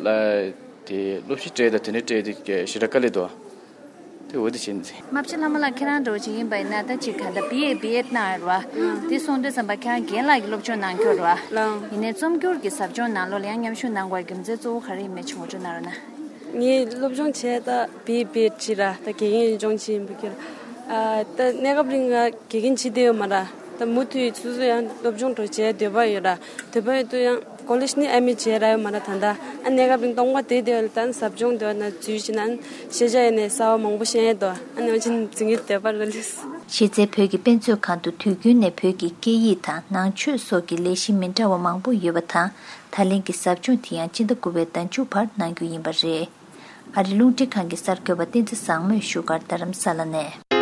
དེ་སློབ་ཁྲིད་སྤྲད་ད་དེ་འདྲ་སྤྲད་དེ་ཞེ་དྲག་དཀའ་ལས་འདུག། དེ་འོ་དེ་བྱས་ནས། རྨ་བྱ་ལྷ་མོ་ལགས་ཁྱེད་རང་འདྲ་བོ་ཅིག་ཡིན་པ་ཡིན་ན་ད་ཅིག་ག་ད་བི་ཨེ་བི་ཨེད་གནང་ཡོད་རེད་བ། དེ་སོང་དུས་ཙམ་པ་ཁྱེད་རང་རྒན་ལགས་ཀྱི་སློབ་སྦྱོང་གནང་ཁྱོད་རེད་བ། ལགས། ཡིན་ནའི་རྩོམ་སྒྱུར་གྱི་ཟབ་སྦྱོང་ནང་ལོགས་ལ་ཡང་མཉམ་ཞུགས་གནང་དགོས་རྒྱུ་མཚན་གཙོ་བོ་ག་རེ་ཡིན་མིན་ཅིག་ངོ་སྤྲོད་གནང་རོགས་གནང་། ངའི་སློབ་སྦྱོང་བྱས་ད་བི་ཨེ་བི་ཨེད་ཅིག་ར་ད་དགེ་རྒན་སྦྱོང་ཆེད་ཡིན་པ་ཁྱེད་ར། ད་གནས་སྐབས་རིང་ང་དགེ་རྒན་བྱེད་བསྡད་ཡོད་མ་ར། ད་མུ་མཐུད་སོ་སོ་ཡང་སློབ་སྦྱོང་འགྲོ་བྱས་འདོད་པ་ཡོད་ར། འདོད་པ་ཡོད་དུས་ཡང་ཀོ་ལེཇ་ནི་ཨ་མི་བྱས་ར་ཡོད་མ་ར། ད་ད་ཨ་གནས་སྐབས་རིང་སྟོང་པ་བསྡད་བསྡད་ཡོད་ལ་ད་ཟབ་སྦྱོང་འདོད་ན་འཛུལ་བྱས་ན་ཤེས་བྱ་ཡོད་ནས་གསར་བ་མང་པོ་ཤེས་ཡས་འདུག། ཨ་ནི་འོན་ཀྱང་འཛིན་གྱི་འདོད་པ་ར་ལུས། གཞི་རྩའི་བོད་ཀྱི་དཔེ་མཛོད་ཁང་དུ་དུས་རྒྱུན་ནས་བོད་ཀྱི་སྐད་ཡིག་དང་ནང་ཆོས་སོགས་ཀྱི་ལས་གཞི་མི་འདྲ་བ་མང་པོ་ཡོད་པ་དང་། ད་ལན་གྱི་ཟབ་སྦྱོང་དེ་ཡང་སྤྱི་ཟླ་དགུ་པའི་ཟླ་མཇུག་བར་གནང་རྒྱུ་ཡིན་པ་རེད། ཨ་རི་རླུང་འཕྲིན་ཁང་གི་གསར་འགོད་པ་བསྟན་འཛིན་བཟང་མོས་བཞུགས་སྒར་རྡ་རམ་ས་ལ་ནས།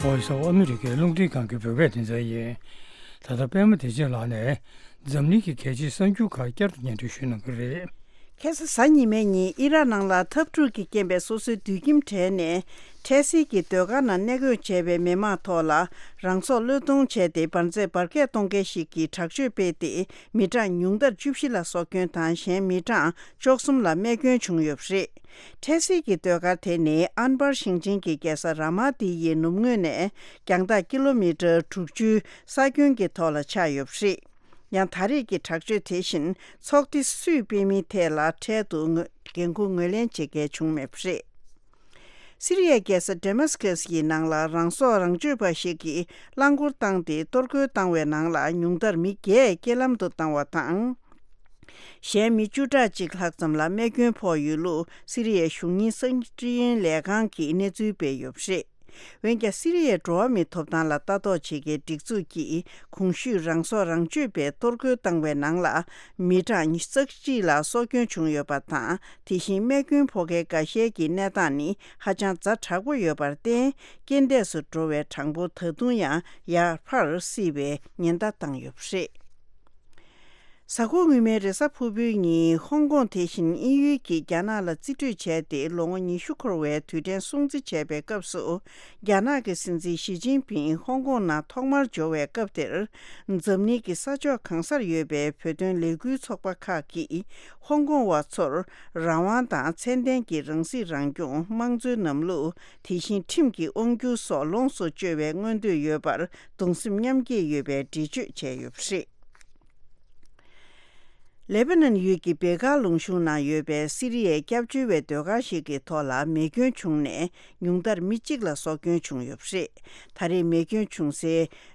Voice of America རླུང་འཕྲིན་ཁང་གི་བོད་སྐད་སྡེ་ཚན་ཡིན། ད་ལྟ་པད་མ་བདེ་ཆེན་ལགས་ནས་འཛམ་གླིང་གི་གལ་ཆེའི་གསར་འགྱུར་ཁག་བསྐྱར་དུ་སྙན་སྒྲོན་ཞུ་གནང་གི་རེད། ཁ་སང་གཟའ་ཉི་མའི་ཉིན་ཨི་རག་ནང་ལ་འཐབ་འཁྲུག་གི་རྐྱེན་པས་སོ་སོའི་སྡོད་ཁྱིམ་བྲལ་ནས་འཕྲལ་སེལ་གྱི་སྡོད་སྒར་ནང་གནས་སྐོས་བྱས་པའི་མི་མང་ཐོག་ལ་རང་སྲོག་བློས་གཏོང་བྱས་ཏེ་འབར་རྫས་འབར་གས་གཏོང་མཁན་ཞིག་གིས་དྲག་སྤྱོད་སྤེལ་ཏེ་མི་གྲངས་ཉུང་མཐར་བཅུ་བཞི་ལ་སྲོག་སྐྱོན་དང་གཞན་མི་གྲངས་བཅུ་གསུམ་ལ་རྨས་སྐྱོན་བྱུང་ཡོད་པ་རེད། འཕྲལ་སེལ་གྱི་སྡོད་སྒར་དེ་ནི་ཨན་བར་ཞིང་ཆེན་གྱི་རྒྱལ་ས་ར་མ་ཏི་ཡི་ནུབ་ངོས་ནས་རྒྱང་ཐག་ཀི་ལོ་མི་ཊར་དྲུག་ཅུའི་ས་ཁྱོན་གྱི་ཐོག་ལ་ཆགས་ཡོད་པ་རེད། ཡང་ད་རེས་ཀྱི་དྲག་སྤྱོད་དེ་བཞིན་ཚོགས་སྡེ་སུས་སྤེལ་མིན་ཐད་ལ་འཕྲལ་དུ་ངོས་འགན་འཁུར་ངོས་ལེན་བྱེད་མཁན་བྱུང་མེད་པ་རེད། སི་རི་ཡའི་རྒྱལ་ས་ཌེ་མཱ་སི་ཀེ་སི་ཡི་ནང་ལ་རང་སྲོག་རང་གཅོད་པ་ཞིག་གིས་རླངས་འཁོར་བཏང་སྟེ་གཏོར་རྒོལ་བཏང་བའི་ནང་ལ་ཉུང་མཐར་མི་བརྒྱད་རྐྱེན་ལམ་དུ་བཏང་བ་དང་། གཞན་མི་བཅུ་ཕྲག་གཅིག་ལྷག་ཙམ་ལ་རྨས་སྐྱོན་ཕོག་ཡོད་ལུགས་སི་རི་ཡའི་གཞུང་གཉེར་གསར་འཕྲིན་ལས་ཁང་གིས་གནས་ཚུལ་སྤེལ་ཡོད་པ་རེད། འོན་ཀྱང་སི་རི་ཡའི་འགྲོ་བ་མིའི་ཐོབ་ཐང་ལ་ལྟ་རྟོག་བྱེད་མཁན་སྒྲིག་འཛུགས་ཀྱིས་གོང་ཞུས་རང་སྲོག་རང་གཅོད་པས་གཏོར་རྒོལ་བཏང་བའི་ནང་ལ་མི་གྲངས་ཉི་ཤུ་རྩ་གཅིག་ལ་སྲོག་སྐྱོན་བྱུང་ཡོད་པ་དང་། དེ་བཞིན་རྨས་སྐྱོན་ཕོག་མཁན་འགའ་ཤས་ཀྱི་གནས་སྟངས་ནི་ཧ་ཅང་ཛ་དྲག་པོ་ཡོད་པར་བརྟེན། རྐྱེན་འདས་སུ་འགྲོ་བའི་གྲངས་འབོར་ད་དུང་ཡང་ཡར་འཕར་སྲིད་པའི་ཉེན་བརྡ་བཏང་ཡོད་པ་རེད། གཟའ་འཁོར་སྔོན་མའི་རེས་གཟའ་ཕུར་བུའི་ཉིན་ཧོང་ཀོང་དེ་བཞིན་དབྱིན་ཡུལ་གྱིས་རྒྱ་ནག་ལ་རྩིས་སྤྲོད་བྱས་ཏེ་ལོ་ངོ་ཉི་ཤུ་འཁོར་བའི་དུས་དྲན་སྲུང་བརྩི་བྱས་པའི་སྐབས་སུ། རྒྱ་ནག་གི་སྲིད་འཛིན་ཞི་ཅིན་ཕིང་ཧོང་ཀོང་ནང་ཐོག་མར་འབྱོར་བའི་སྐབས་དེར། འཛམ་གླིང་གི་ས་ཕྱོགས་གང་སར་ཡོད་པའི་བོད་དོན་ལས་འགུལ་ཚོགས་པ་ཁག་གིས་ཧོང་ཀོང་བ་ཚོར་རང་དབང་དང་ཚད་ལྡན་གྱི་རང་སྲིད་རང་སྐྱོང་། དམངས་གཙོའི་ལམ་ལུགས། དེ་བཞིན་ཁྲིམས་ཀྱི་དབང་སྒྱུར་སོགས་ལོངས་སུ་སྤྱོད་པའི་མངོན་འདོད་ཡོད་པར་གདུང་སེམས་མཉམ་སྐྱེད་ཡོད་པའི་འགྲེལ་བརྗོད་བྱས་ཡོད་པ་རེད། ལེ་པ་ནན་ཡུལ་གྱི་བེ་ཀ་ལུང་གཤོང་ནང་ཡོད་པའི་སི་རི་ཡའི་སྐྱབས་བཅོལ་བའི་སྡོད་སྒར་ཞིག་གི་ཐོག་ལ་མེ་སྐྱོན་བྱུང་ནས་ཉུང་མཐར་མི་གཅིག་ལ་སྲོག་སྐྱོན་བྱུང་ཡོད་པ་རེད། ད་རེས་མེ་སྐྱོན་བྱུང་སའི་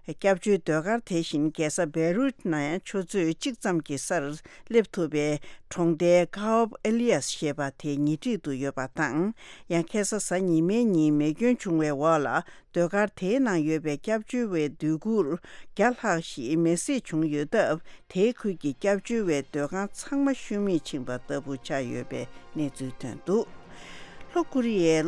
སྐྱབས་བཅོལ་སྡོད་སྒར་དེ་བཞིན་རྒྱལ་ས་བེ་རུད་ནས་ཆུ་ཚོད་གཅིག་ཙམ་གྱི་སར་སླེབས་ཐུབ་པའི་གྲོང་རྡལ་ཀ་ཨོབ་ཨེ་ལི་ཡས་ཞེས་པ་དེ་ཉེ་འཁྲིས་དུ་ཡོད་པ་དང་། ཡང་ཁ་སང་གཟའ་ཉི་མའི་ཉིན་མེ་སྐྱོན་བྱུང་བའི་འོག་ལ། སྡོད་སྒར་དེའི་ནང་ཡོད་པའི་སྐྱབས་བཅོལ་བའི་སྡོད་གུར་བརྒྱ་ལྷག་ཞིག་མེ་བསྲེགས་བྱུང་ཡོད་སྟབས། དེའི་ཁུལ་གྱི་སྐྱབས་བཅོལ་བའི་སྡོད་ཁང་ཚང་མ་ཤུལ་མེད་ཕྱིན་པ་ལྟ་བུ་ཆགས་ཡོད་པའི་གནས་ཚུལ་ཐོན་འདུག། ལྷོ་ཀོ་རི་ཡའི་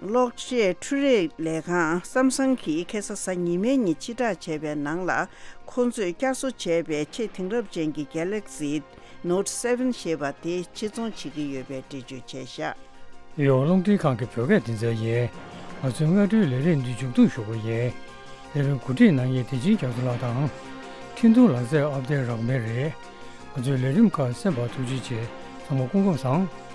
གློག་ཆས་འཕྲུལ་རིག་ལས་ཁང་སམ་སང་གིས་ཁ་སང་གཟའ་ཉི་མའི་ཉིན་ཕྱིར་བསྒྲགས་བྱས་པའི་ནང་ལ། ཁོ་ཚོས་བསྐྱར་གསོ་བྱས་པའི་ཆེས་དེང་རབས་ཅན་གྱི་Galaxy Note seven ཞེས་པ་དེ་ཕྱིར་ཚོང་བྱེད་ཀྱི་ཡོད་པའི་འགྲེལ་བརྗོད་བྱས་བཞག། ཡོ། རླུང་འཕྲིན་ཁང་གི་བོད་སྐད་སྡེ་ཚན་ཡིན། ང་ཚོའི་སྔ་དྲོའི་ལས་རིམ་འདི་མཇུག་བསྡོམས་ཞུ་གི་ཡིན། ལས་རིམ་གོ་སྒྲིག་གནང་མཁན་བདེ་ཆེན་རྒྱ་མཚོ་ལགས་དང་། འཕྲིན་ཐུང་ལག་རྩལ་ཨབ་ཌེཊ་རག་མེད་རེད། ང་ཚོའི་ལས་རིམ་ཁག་གསན་པར་ཐུགས་རྗེ་ཆེ། ཚང་མ་སྐུ་ཁམས་བཟང་།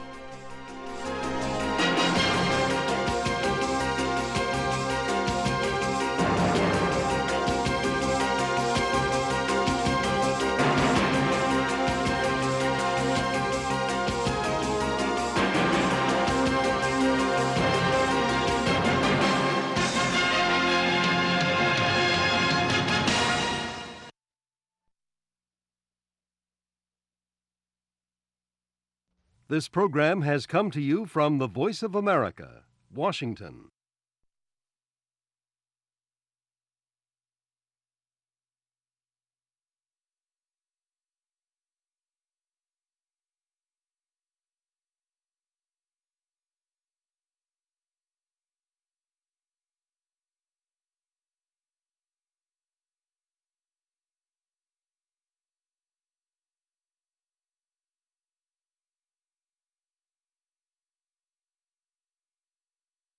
This program has come to you from the Voice of America, Washington.